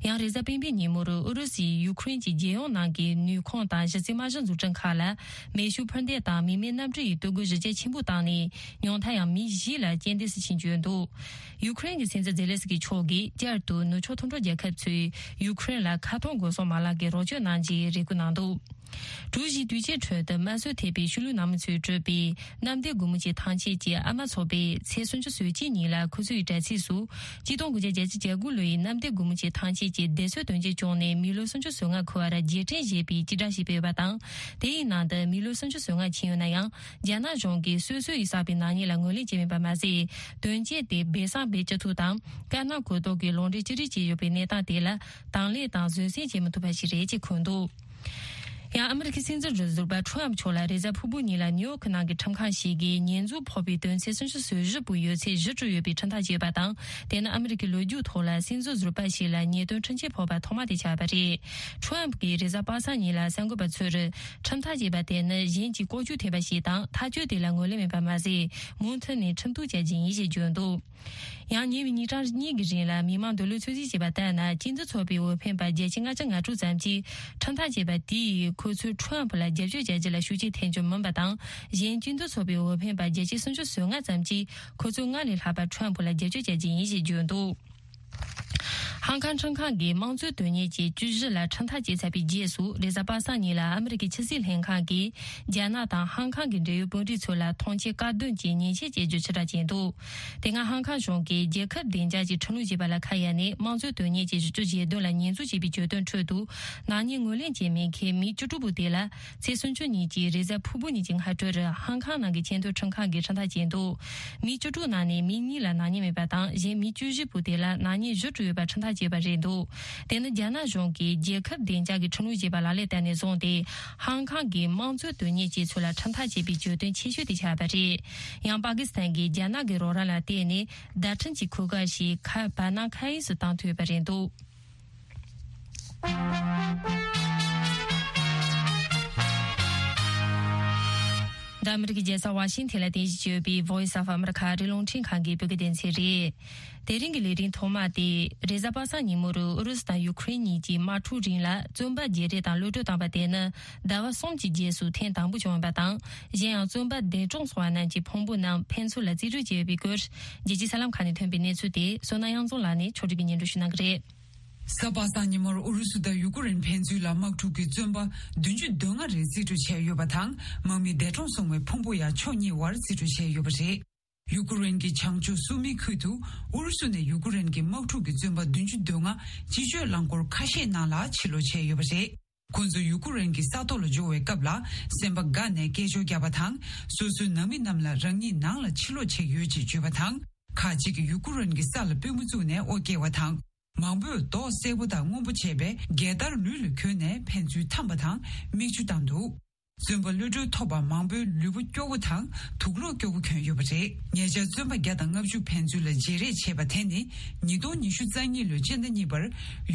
ཡང་རེས་གཟའ་སྤེན་པའི་ཉིན་མོར་ཨུ་རུ་སུས་ཡུ་ཁུ་རེན་གྱི་རྒྱལ་ཡོངས་ནང་གི་ནུས་ཁུངས་དང་གཞི་རྩའི་དམག་གཞི་འཛུགས་སྐྲུན་ཁག་ལ་མེ་ཤུགས་འཕུར་མདེལ་དང་མི་མེད་གནམ་གྲུ་ཡིས་གཏོར་རྒོལ་གཞི་རྒྱ་ཆེན་པོ་བཏང་ནས། ཉུང་མཐར་ཡང་མི་བཞི་ལ་རྐྱེན་འདས་སུ་ཕྱིན་བརྗོད་འདུག་ཡུ་ཁུ་རེན་གྱི་སྲིད་འཛིན་ཛེ་ལེ་སི་ཀི་མཆོག་གིས་བསྐྱར་དུ་ནུབ་ཕྱོགས་མཐུན་གྲོགས་རྒྱལ་ཁབ་ཚོས་ཡུ་ཁུ་རེན་ལ་ཁ་ཐོར་སྒོ་སྲུང་མ་ལག་གི་རོགས་སྐྱོར་གནང་རྒྱུའི་རེ་སྐུལ་གནང་འདུག་ཀྲུའུ་ཞིའི་དུས་ཆེན་ཁྲོད་དུ་དམར་གསོད་ཐེབས་པའི་ཤུལ་ལུས་ནང་མི་ཚོས་གྲུབ་པའི་གནམ་བདེ་སྒོ་མོ་ཆེའི་ཐང་ཆེན་གྱི་ཨ་མ་ཚོགས་པས་ཚེས་སུམ་ཅུ་སོ་གཅིག་ཉིན་ལ་ཁོ་ཚོའི་དྲ་ཚིགས་སུ། གཅིག་སྟོང་དགུ་བརྒྱ་བརྒྱད་ཅུ་གྱ་དགུ་ལོའི་གནམ་བདེ་སྒོ་མོ་ཆེའི་ཐང་ཆེན་གྱི་བདེ་སྲུང་དོན་རྐྱེན་བྱུང་ནས་མི་ལོ་སུམ་ཅུ་སོ་ལྔ་འཁོར་བར་རྗེས་དྲན་ཞེས་པའི་སྤྱི་བསྒྲགས་ཤིག་སྤེལ་བ་དང་། དེའི་ནང་དུ་མི་ལོ་སུམ་ཅུ་སོ་ལྔ་ཕྱིན་ཡོད་ན་ཡང་། རྒྱ་ནག་གཞུང་གིས་སོ་སོ་ཡིས་བསགས་པའི་ནག་ཉེས་ལ་ངོས་ལེན་བྱས་མེད་པ་མ་ཟད། དོན་རྐྱེན་དེ་སྦས་གསང་སྦས་བཅུག་ཐུབ་དང་། དཀར་ནག་གོ་རྟོགས་ཀྱི་ལུང་འདྲེན་ཅི་རིགས་བྱས་ཡོད་པའི་གནས་སྟངས་དེ་ལ་དང་ལེན་དང་བཟོད་བསྲན་བྱེད་མི་ཐུབ་པ་ཞིག་རེད་ཅེས་འཁོད་འདུག་ཡང་ཨ་མི་རི་ཀའི་སྲིད་འཛིན་རུ་ཟུར་པ་ཁྲོམ་མཆོག་ལ་རེས་གཟའ་ཕུར་བུ་ཉིན་ལ་ནིའུ་ཡོག་གི་ནང་གི་ཁྲིམས་ཁང་ཞིག་གིས་ཉེས་འཛུགས་ཕོག་པའི་དོན་ཚེ་སུམ་ཅུ་སོ་བཞི་པོ་ཡོད་ཚད་གཞི་གྲུབ་ཡོད་པའི་ཁྲིམས་ཐག་བཅད་པ་དང་། དེ་ནི་ཨ་མི་རི་ཀའི་ལོ་རྒྱུས་ཐོག་ལ་སྲིད་འཛིན་ཟུར་པ་ཞིག་ལ་ཉེས་དོན་ཁྲིམས་ཆད་ཕོག་པ་ཐོག་མ་དེ་ཆགས་པ་རེད། ཁྲོམ་གྱིས་རེས་གཟའ་པ་སངས་ཉིན་ལ་གསར་འགོད་པ་ཚོར། ཁྲིམས་ཐག་བཅད་པ་དེ་ནི་གཞན་གྱིས་ལྐོག་ཇུས་ཐེབས་པ་ཞིག་དང་ཐག་གཅོད་དེ་ལ་ངོས་ལེན་མེད་པ་མ་ཟད། མུ་མཐུད་ནས་ཁྲིམས་གཏུག་བྱ་རྒྱུ་ཡིན་ཞེས་བརྗོད་འདུག་ཡང་ཉེ་བའི་ཉིན་གྲངས་གཉིས་ཀྱི་རིང་ལ་མི་མང་འདོད་བློ་ཚོད་རྩིས་བྱས་པ་ལྟར་ན། སྤྱི་འཐུས་ཚོགས་པའི་འོས་འཕེན་པ་བརྒྱ་ཆ་ལྔ་བཅུ་ང་དྲུག་ཙམ་གྱིས་ཁྲིམས་ཐག་བཅད་པ་དེས་ཁོ་ཚོས་ཁྲོམ་ཕུ་ལ་རྒྱབ་སྐྱོར་བྱ་རྒྱུ་ལ་ཤུགས་རྐྱེན་ཐེབས་རྒྱུ་མིན་པ་དང་། གཞན་སྤྱི་འཐུས་ཚོགས་པའི་འོས་འཕེན་པ་བརྒྱ་ཆ་སུམ་ཅུ་སོ་ལྔ་ཙམ་གྱིས་ཁོ་ཚོས་སྔར་ལས་ལྷག་པར་ཁྲོམ་ཕུ་ལ་རྒྱབ་སྐྱོར་བྱ་རྒྱུ་ཡིན་ཞེས་བརྗོད་འདུག་ཧང་ཀང་ཁྲིམས་ཁང་གིས་དམངས་གཙོའི་དོན་གཉེར་གྱི་བཅུ་བཞི་ལ་ཁྲིམས་ཐག་བཅད་ཚར་བའི་རྗེས་སུ། རེས་གཟའ་པ་སངས་ཉིན་ལ་ཨ་མི་རི་ཀའི་ཕྱི་སྲིད་ལྷན་ཁང་གིས་རྒྱ་ནག་དང་ཧང་ཀང་གི་འབྲེལ་ཡོད་དཔོན་རིགས་ཚོ་ལ་ཐོངས་མཆན་བཀག་སྡོམ་གྱི་ཉེས་ཆད་བཅད་རྒྱུ་ཕྱིར་བསྒྲགས་བྱས་འདུག་དེ་སྔ་ཧང་ཀང་གཞུང་གིས་རྒྱལ་ཁབ་བདེ་འཇགས་ཀྱི་ཁྲིམས་ལུགས་ཅེས་པ་ལ་ཁ་གཡར་ནས། དམངས་གཙོའི་དོན་གཉེར་གྱི་གཞི་བཅུ་ཞེ་བདུན་ལ་ཉེས་འཛུགས་བྱས་པའི་གྱོད་དོན་ཁྲོད་དུ། ནག་ཉེས་ངོས་ལེན་བྱེད་མི་ཁེ་མི་བཅུ་དྲུག་པོ་དེ་ལ། ཚེས་སུམ་ཅུ་ཉིན་གྱི་རེས་གཟའ་ཕུར་བུ་ཉིན་གྱི་སྔ་དྲོར་ཧང་ཀང་ནང་གི་ཆེས་མཐོའི་ཁྲིམས་ཁང་གིས་ཁྲིམས་ཐག་བཅད་འདུག་མི་བཅུ་དྲུག་ནང་ནས་མི་གཉིས་ལ་ནག་ཉེས་མེད་པ་དང་། གཞན་མི་བཅུ་བཞི་པོ་དེ་ལ་ནག་ཉེས་བཞི་དྲུག་ཡོད་པར་ཁྲིམས་ཐག་བཅད་པ་རེད་འདུག་དེ་ནི་རྒྱ་ནག་གཞུང་གིས་རྒྱལ་ཁབ་བདེ་འཇགས་ཀྱི་ཁྲིམས་ལུགས་ཅེས་པ་ལག་ལེན་བསྟར་ནས་བཟུང་སྟེ། ཧང་ཀང་གི་དམངས་གཙོའི་དོན་གཉེར་ཅན་ཚོ་ལ་ཁྲིམས་ཐག་བཅད་པའི་གྱོད་དོན་ཆེ་ཤོས་དེ་ཆགས་པ་རེད། ཡང་པ་ཀི་སི་ཐན་གྱིས་རྒྱ་ནག་གི་རོགས་རམ་ལ་བརྟེན་ནས་བརྡ་འཕྲིན་གྱི་གོ་སྐབས་ཤིག་ཁ་བར་ན་ཁ་ཨིན་སུ་བཏང་ཐུབ་པ་རེད་འདུག་འདི་ཨ་མི་རི་ཀའི་རྒྱལ་ས་ཝ་ཤིང་ཐན་ལ་རྟེན་གཞི་བྱས་ཡོད་པའི་Voice of America ཨ་རིའི་རླུང་འཕྲིན་ཁང་གི་བོད་སྐད་སྡེ་ཚན་རེད། དེ་རིང་གི་ལས་རིམ་ཐོག་མ་དེ། རེས་གཟའ་པ་སངས་ཉིན་མོར་ཨུ་རུ་སུ་དང་ཡུ་ཁུ་རེན་གཉིས་ཀྱིས་དམག་འཁྲུག་རིང་ལ་བཙོན་པ་བརྗེ་རེས་དང་གློད་གྲོལ་བཏང་བ་དེ་ནི་ཟླ་བ་གསུམ་གྱི་རྗེས་སུ་ཐེངས་དང་པོ་བྱུང་ཡོད་པ་དང་། གཞན་ཡང་བཙོན་པ་འདས་གྲོངས་སོང་བ་རྣམས་ཀྱི་ཕུང་པོ་རྣམས་ཕན་ཚུན་ལ་རྩིས་སྤྲོད་བྱས་ཡོད་པའི་སྐོར། རྒྱལ་སྤྱིའི་གསར་ལམ་ཁག་ནས་ཐོན་པའི་གནས་ཚུལ་དེ་བསོད་ནམས་དབྱངས་འཛོམས་ལགས་ནས་ཕྱོགས་སྒྲིག་གིས་སྙན་སྒྲོན་ཞུ་གནང་གི་རེད། གཟའ་པ་སངས་ཉིན་མོར་ཨུ་རུ་སུ་དང་ཡུ་ཀུ་རེན་ཕན་ཚུན་ལ་དམག་འཁྲུག་གི་བཙོན་པ་བདུན་ཅུ་དོན་ལྔ་རེ་རྩིས་སྤྲོད་བྱས་ཡོད་པ་དང་། དམག་མི་འདས་གྲོངས་སོང་བའི་ཕུང་པོ་ཡང་ཕྱོགས་གཉིས་དབར་རྩིས་སྤྲོད་བྱས་ཡོད་པ་རེད། ཡུ་ཀུ་རེན་གྱི་བྱང་ཕྱོགས་སུ་མི་ཁུལ་དུ་ཨུ་རུ་སུ་ནས་ཡུ་ཀུ་རེན་གྱི་དམག་འཁྲུག་གི་བཙོན་པ་བདུན་ཅུ་དོན་ལྔ་སྤྱི་སྤྱོད་རླངས་འཁོར་ཁ་ཤས་ནང་ལ་ཕྱིར་ལོག་བྱས་ཡོད་པ་རེད། ཁོང་ཚོ་ཡུ་ཀུ་རེན་གྱི་ས་ཐོག་ལ་འབྱོར་བའི་སྐབས་ལ་སེམས་པ་དགའ་ནས་སྐད་ཅོར་བརྒྱབ་པ་དང་། སོ་སོའི་ནང་མི་རྣམས་ལ་རང་ཉིད་ནང་ལ་ཕྱིར་ལོག་བྱེད་ཀྱི་ཡོད་ཅེས་བརྗོད་པ་དང་། ཁག་ཅིག་གིས་ཡུ་ཀུ་རེན་གྱི་ས་ལ་པུས་མོ་བཙུགས་ནས་དབུ་བཀྱེས་པ་དང་། མང་པོས་མདོག་སེར་པོ་དང་སྔོན་པོ་བྱས་པའི་རྒྱལ་དར་ལུས་ལ་གྱོན་ནས་ཕན་ཚུན་འཐམས་པ་དང་མིག་ཆུ་བཏང་འདུག་བཙོན་པ་གློད་གྲོལ་ཐོབ་པ་མང་པོས་ལུས་པོ་སྐྱོ་བོ་དང་དུག་ལོག་སྐྱོ་བོ་གྱོན་ཡོད་པ་རེད། ཉེ་ཆར་བཙོན་པ་བརྒྱ་དང་ལྔ་བཅུ་ཕན་ཚུན་ལ་བརྗེ་རེས་བྱས་པ་དེ་ནི་ཉིས་སྟོང་ཉི་ཤུ་རྩ་གཉིས་ལོའི་སྤྱི་ཟླ་གཉིས་པར་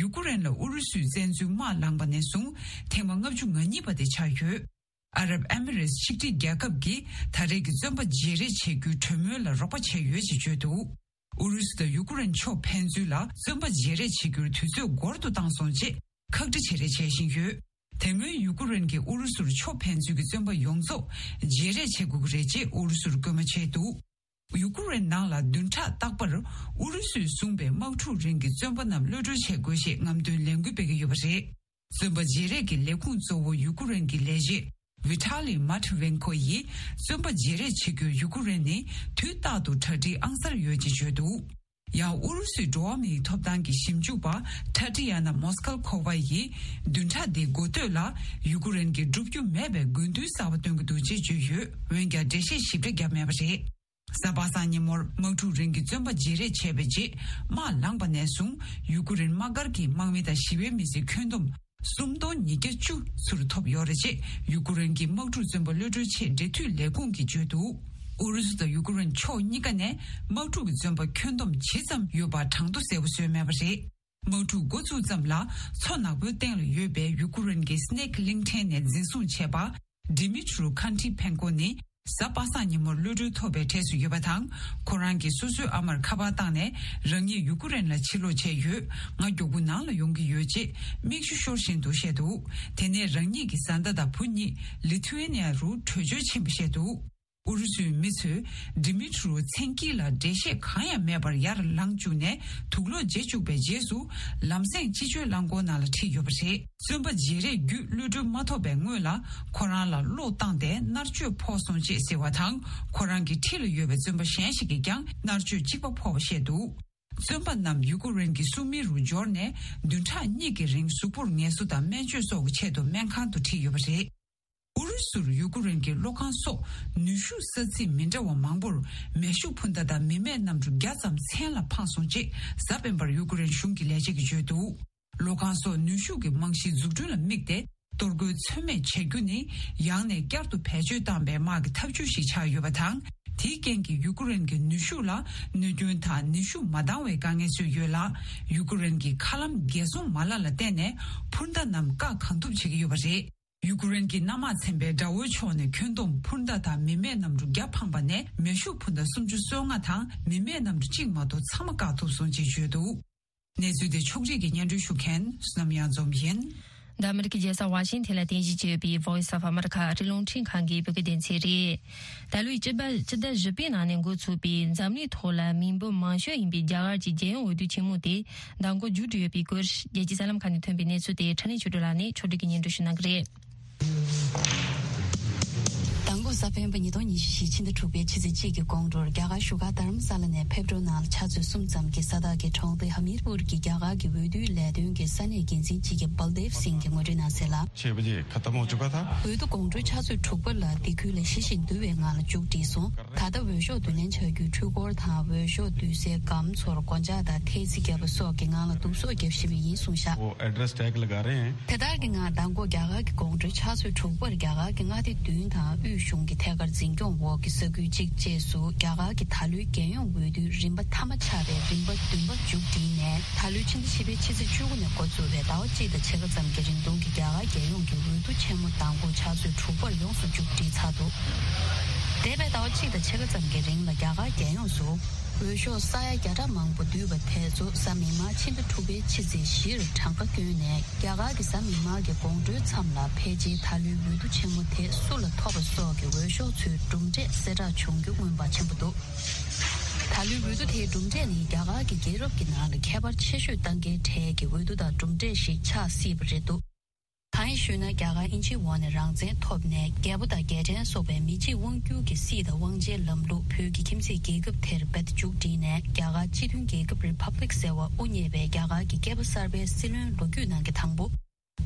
ཡུ་ཀུ་རེན་ལ་ཨུ་རུ་སུས་བཙན་འཛུལ་དམག་བསླངས་པ་ནས་བཟུང་ཐེངས་མ་ལྔ་བཅུ་ང་གཉིས་པ་དེ་ཆགས་ཡོད། ཨ་རབ་ཨེ་མི་རེས་ཆིག་སྒྲིལ་རྒྱལ་ཁབ་ཀྱིས་ད་རེས་ཀྱི་བཙོན་པ་བརྗེ་རེས་བྱེད་རྒྱུའི་གྲོས་མོལ་ལ་རོགས་པ་བྱས་ཡོད་ཅེས་བརྗོད་འདུག་ཨུ་རུ་སུ་དང་ཡུ་ཀུ་རེན་ཕྱོགས་ཕན་ཚུན་ལ་བཙོན་པ་བརྗེ་རེས་བྱེད་རྒྱུར་དུས་ཚོད་འགོར་དུ་བཏང་སོང་ཅེས་ཁག་དཀྲི་བྱེད་རེས་བྱེད་བཞིན་ཡོད། དེ་སྔོན་ཡུ་ཀུ་རེན་གྱིས་ཨུ་རུ་སུར་ཕྱོགས་ཕན་ཚུན་གྱི་བཙོན་པ་ཡོངས་རྫོགས་བརྗེ་རེས་བྱེད་དགོས་ཀྱི་རེད་ཅེས་ཨུ་རུ་སུར་སྐུལ་མ་བྱས་འདུག་ཡུ་ཀུ་རེན་ནང་ལ་བདུན་ཕྲག་རྟག་པར་ཨུ་རུ་སུས་བཟུང་པའི་དམག་འཁྲུག་རིང་གི་བཙོན་པ་རྣམས་གློད་གྲོལ་བྱེད་དགོས་ཞེས་རྔམ་སྟོན་ལས་འགུལ་སྤེལ་གྱི་ཡོད་པ་རེད། བཙོན་པ་བརྗེ་རེས་ཀྱི་ལས་ཁུངས་གཙོ་བོ་ཡུ་ཀུ་རེན་གྱི་ལས་བྱེད་Vitaly Matvienko ཡིས་བཙོན་པ་བརྗེ་རེས་བྱེད་རྒྱུར་ཡུ་ཀུ་རེན་ནི་དུས་རྟག་ཏུ་གྲ་སྒྲིག་ཨང་གསར་ཡོད་ཅེས་བརྗོད་འདུག་ཡང་ཨུ་རུ་སུའི་འགྲོ་བ་མིའི་ཐོབ་ཐང་གི་ཞིབ་འཇུག་པ་Tatiana Moskalkova ཡིས་བདུན་ཕྲག་འདིའི་འགོ་སྟོད་ལ་ཡུ་ཀུ་རེན་གྱིས་བསྒྲུབ་རྒྱུ་མེད་པའི་དགོས་འདུན་གསར་པ་བཏོན་གྱི་འདུག་ཅེས་བརྗོད་ཡོད། འོན་ཀྱང་འགྲེལ་བཤད་ཞིབ་ཕྲ་བརྒྱབ་མེད་པ་རེད། གཟའ་པ་སངས་ཉིན་མོར་དམག་འཁྲུག་རིང་གི་བཙོན་པ་བརྗེ་རེས་བྱས་པའི་རྗེས་དམག་ལངས་པ་ནས་བཟུང་ཡུ་ཀུ་རེན་དམག་སྒར་གྱི་དམག་མི་དང་ཞི་བའི་མི་སེར་ཁྱོན་བསྡོམས་སུམ་སྟོང་ཉིས་བརྒྱ་བཅུ་ཚུར་ཐོབ་ཡོད་རེད་ཅེས་ཡུ་ཀུ་རེན་གྱི་དམག་འཁྲུག་བཙོན་པ་གློད་གྲོལ་ཆེད་འབྲེལ་མཐུད་ལས་ཁུངས་ཀྱིས་བརྗོད་འདུག་ཨུ་རུ་སུ་དང་ཡུ་ཀུ་རེན་ཕྱོགས་གཉིས་ཀ་ནས་དམག་འཁྲུག་གི་བཙོན་པ་ཁྱོན་བསྡོམས་ཇི་ཙམ་ཡོད་པ་གྲངས་ཐོ་གསལ་པོ་བཟོས་མེད་པ་རེད། དམག་འཁྲུག་འགོ་ཚུགས་ཙམ་ལ་མཚོ་ནག་པོའི་སྟེང་ལ་ཡོད་པའི་ཡུ་ཀུ་རེན་གྱི་སི་ནེག་གླིང་ཕྲན་ནས་འཛིན་བཟུང་བྱས་པ་Dmytro Kantipenko ནི་གཟའ་པ་སངས་ཉིན་མོར་གློད་གྲོལ་ཐོབ་པའི་གྲས་སུ་ཡོད་པ་དང་། ཁོ་རང་གིས་སོ་སོའི་ཨ་མར་ཁ་པར་བཏང་ནས་རང་ཉིད་ཡུ་ཀུ་རེན་ལ་ཕྱིར་ལོག་བྱས་ཡོད། ང་མགྱོགས་པོ་ནང་ལ་ཡོང་གི་ཡོད་ཅེས་མིག་ཆུ་ཤོར་བཞིན་དུ་བཤད་འདུག་དེ་ནས་རང་ཉིད་ཀྱི་བཟའ་ཟླ་དང་བུ་གཉིས་ལི་ཐུ་ཝེ་ནི་ཡ་རུ་བྲོས་བྱོལ་ཕྱིན་པ་བཤད་འདུག་ཨུ་རུ་སུའི་མི་ཚོས་Dmytro མཚན་དཀྱིལ་ལ་འགྲེལ་བཤད་གང་ཡང་མེད་པར་ཡར་ལངས་བཅུག་ནས་དུག་ལོག་བརྗེ་བཅུག་པའི་རྗེས་སུ་ལམ་སེང་སྤྱི་སྤྱོད་རླངས་འཁོར་ནང་ལ་ཁྲིད་ཡོད་པ་རེད། བཙོན་པ་བརྗེ་རེས་བརྒྱུད་གློད་གྲོལ་མ་ཐོབ་པའི་སྔོན་ལ་ཁོ་རང་ལ་གློག་བཏང་སྟེ་མནར་གཅོད་ཕོག་སོང་ཅེས་ཟེར་བ་དང་། ཁོ་རང་གི་འཁྲིས་ལ་ཡོད་པའི་བཙོན་པ་གཞན་ཞིག་གིས་ཀྱང་མནར་གཅོད་གཅིག་པ་ཕོག་པ་བཤད་འདུག་བཙོན་པ་རྣམས་ཡུ་ཀུ་རེན་གྱི་སུ་མི་རུ་འབྱོར་ནས་བདུན་ཕྲག་གཉིས་ཀྱི་རིང་གཟུགས་པོར་ངལ་གསོ་དང་སྨན་བཅོས་སོགས་ཀྱི་ཆེད་དུ་སྨན་ཁང་དུ་ཁྲིད་ཡོད་པ་རེད། ཨུ་རུ་སུར་ཡུ་ཀུ་རེན་གྱི་བློ་ཁང་སོགས་ནུས་ཤུགས་ས་ཚིགས་མི་འདྲ་བ་མང་པོར་མེ་ཤུགས་འཕུར་མདའ་དང་མི་མེད་གནམ་གྲུ་བརྒྱ་ཙམ་མཚན་ལ་འཕངས་སོང་ཅེས་གཟའ་སྤེན་པར་ཡུ་ཀུ་རེན་གཞུང་གི་ལས་བྱེད་ཀྱིས་བརྗོད་འདུག་བློ་ཁང་སོགས་ནུས་ཤུགས་ཀྱི་རྨང་གཞིའི་འཛུགས་སྐྲུན་ལ་དམིགས་ཏེ་ གཏོར་རྒོལ་ཚོད་མེད་བྱ་རྒྱུ་ནི་ཡང་ནས་བསྐྱར་དུ་བེད་སྤྱོད་བཏང་པའི་དམག་གི་ཐབས་ཇུས་ཤིག་ཆགས་ཡོད་པ་དང་། དེའི་རྐྱེན་གྱིས་ཡུ་ཀེ་རེན་གྱི་ནུས་ཤུགས་ལ་གནོད་སྐྱོན་དང་ནུས་ཤུགས་མ་འདང་བའི་དཀའ་ངལ་བཟོས་ཡོད་ལ། ཡུ་ཀེ་རེན་གྱི་མཁའ་ལམ་རྒྱལ་སྲུང་མ་ལག་ལ་བརྟེན་ནས་འཕུར་མདའ་རྣམས་བཀག་གང་ཐུབ་བྱེད་ཀྱི་ཡོད་པ་རེད། ཡུ་ཀེ་རེན་གྱི་གནམ་དམག་ཚན་པས་དགྲ་བོའི་ཕྱོགས་ནས་ཁྱོན་བསྡོམས་འཕུར་མདའ་དང་མི་མེད་གནམ་གྲུ་བརྒྱ་འཕངས་པ་ནས་མེ་ཤུགས་འཕུར་མདའ་སུམ་ཅུ་སོ་ལྔ་དང་མི་མེད་གནམ་གྲུ་གཅིག་མ་གཏོགས་ཚང་མ་བཀག་ཐུབ་སོང་ཅེས་བརྗོད་འདུག། གནས་ཚུལ་དེ་ཕྱོགས་སྒྲིག་གིས་སྙན་སྒྲོན་ཞུ་མཁན་བསོད་ནམས་གཡང་འཛོམས་ཡིན། འདི་ཨ་མི་རི་ཀའི་རྒྱལ་ས་ཝ་ཤིང་ཐན་ལ་རྟེན་གཞི་བྱས་ཡོད་པའི་Voice of America ཨ་རིའི་རླུང་འཕྲིན་ཁང་གི་བོད་སྐད་སྡེ་ཚན་རེད། ད་ལོའི་སྤྱི་ཟླ་སྤྱི་ཟླ་བཞི་པའི་ནང་ནས་འགོ་ཚུགས་པའི་འཛམ་གླིང་ཐོག་ལ་མི་འབོར་མང་ཤོས་ཡིན་པའི་རྒྱ་གར་གྱི་རྒྱལ་ཡོངས་འོས་བསྡུ་ཆེན་མོ་དེ་མདང་དགོང་མཇུག་སྒྲིལ་ཡོད་པའི་སྐོར། རྒྱལ་སྤྱིའི་གསར་ལམ་ཁག་ནས་ཐོན་པའི་གནས་ཚུལ་དེ་ཕྲིན་ལས་ཆོས་སྒྲོན་ལགས་ནས་ཕྱོགས་སྒྲིག་གིས་སྙན་སྒྲོན་ཞུ་གནང་གི་རེད། མདང་དགོང་གཟའ་སྤེན་པ་ཉིས་སྟོང་ཉི་ཤུ་རྩ་བཞི་ཕྱི་ཟླ་དྲུག་པའི་ཕྱི་ཚེས་གཅིག་གི་དགོང་དྲོར་རྒྱ་གར་བཞུགས་སྒར་རྡ་རམ་ས་ལ་ནས་ཕེབས་འགྲོ་གནང་ལ་ཕྱག་ཚོད་གསུམ་ཙམ་གྱི་ས་ཐག་གི་གྲོང་སྡེ་ཧ་མིར་པུར་གྱི་རྒྱ་གར་གྱི་འོས་བསྡུའི་ལས་དོན་གྱི་ས་གནས་འགན་འཛིན་གཅིག་གིས་བལ་དེབ་སིང་གིས་ངོ་སྤྲོད་གནང་གསལ་ལ། छह बजे खत्म हो चुका था। འོས་བསྡུ་དགོང་དྲོའི་ཕྱག་ཚོད་དྲུག་པ་ལ་སྡེ་ཁུལ་ལ་ཞི་ཞིང་དུལ་བའི་ངང་ལ་མཇུག་བསྒྲིལ་སོང་། ད་ལྟ་འོས་ཤོག་བསྡུ་ལེན་བྱ་རྒྱུའི་འཕྲུལ་འཁོར་དང་འོས་ཤོག་བསྡུ་སའི་སྒམ་ཚོར་སྒོ་ལྕགས་དང་ཐལ་རྩི་བརྒྱབ་པ་སོགས་ཀྱི་ངང་ལ་བསྡུ་གསོག་བརྒྱབ་བཞིན་པ་ཡིན་གསུངས་བཞག། वो address tag लगा रहे हैं। དེ་ལྟར་གྱི་ངང་མདང་དགོང་རྒྱ་གར་གྱི་དགོང་དྲོའི་ཕྱག་ཚོད་དྲུག་པར་རྒྱ་གར་གྱི་མངའ་སྡེ་བདུན་དང་དབུས་གཞུང་གི་ཐད་ཀར་འཛིན་སྐྱོང་འོག་གི་ས་ཁུལ་གཅིག་བཅས་སུ་རྒྱ་གར་གྱི་ད་ལོའི་རྒྱལ་ཡོངས་འོས་བསྡུའི་རིམ་པ་མཐའ་མ་ཆགས་པའི་རིམ་པ་བདུན་པ་མཇུག་བསྒྲིལ་ནས། ད་ལོའི་ཕྱི་ཟླ་བཞི་པའི་ཕྱི་ཚེས་བཅུ་དགུ་ནས་འགོ་བཙུགས་པའི་ཟླ་བ་གཅིག་དང་ཕྱེད་ཀ་ཙམ་གྱི་རིང་ཐུང་གི་རྒྱ་གར་རྒྱལ་ཡོངས་ཀྱི་འོས་བསྡུ་ཆེན་མོ་མདང་དགོང་ཕྱག་ཚོད་དྲུག་པར་ཡོངས་སུ་མཇུག་སྒྲིལ་ཚར་འདུག། འདས་པའི་ཟླ་བ་གཅིག་དང་ཕྱེད་ཀ་ཙམ་གྱི་རིང་ལ་རྒྱ་གར་རྒྱལ་ཡོངས་སུ་འོས་ཤོག་ས་ཡ་བརྒྱ་ཕྲག་མང་པོ་བསྡུས་པ་དེ་ཚོ་གཟའ་མིག་དམར་ཕྱི་ཟླ་དྲུག་པའི་ཕྱི་ཚེས་བཞིར་གྲངས་ཀ་བསྐྱོན་ནས། རྒྱ་གར་གྱི་གཟའ་མིག་དམར་གྱི་དགོང་དྲོའི་མཚམས་ལ་ཕལ་ཆེར་ད་ལོའི་འོས་བསྡུ་ཆེན་མོ་དེ་སུ་ལ་ཐོབ་པ་སོགས་ཀྱི་འོས་ཤོག་ཚོའི་གྲུབ་འབྲས་གསལ་བསྒྲགས་བྱུང་རྒྱུ་མངོན་པ་ཆེན་པོ་འདུག། ད་ལོའི་འོས་བསྡུ་དེའི་གྲུབ་འབྲས་ནི་རྒྱ་གར་གྱི་རྒྱལ་རབས་ཀྱི་ནང་ལ་ཁྱད་པར་ཆེ་ཤོས་གཏང་མཁན་གྲས་ཀྱི་འོས་བསྡུ་དང་གྲུབ་འབྲས་ཤིག་ཆགས་སྲིད་པ་རེད་འདུག། གང་ཡིན་ཞུས་ན། རྒྱ་གར་དབྱིན་ཇིའི་འོག་ནས་རང་བཙན་ཐོབ་ནས། རྒྱལ་པོ་དང་རྒྱལ་ཕྲན་སོགས་པའི་མི་གཅིག་དབང་སྒྱུར་གྱི་སྲིད་དང་དབང་ཆའི་ལམ་ལུགས་བོད་ཀྱི་ཁྱིམ་མཚེས་རྒྱལ་ཁབ་དེར་རྦད་དེ་མཇུག་བསྒྲིལ་ནས། རྒྱ་གར་སྤྱི་མཐུན་རྒྱལ་ཁབ་རི་ཕབ་ལིག་ཟེར་བ་དབུ་བརྙེས་པའི་རྒྱ་གར་གྱི་སྐྱེས་པ་གསར་པའི་སྲིད་བློན་ལོ་རྒྱུས་ནང་གི་དང་པོ།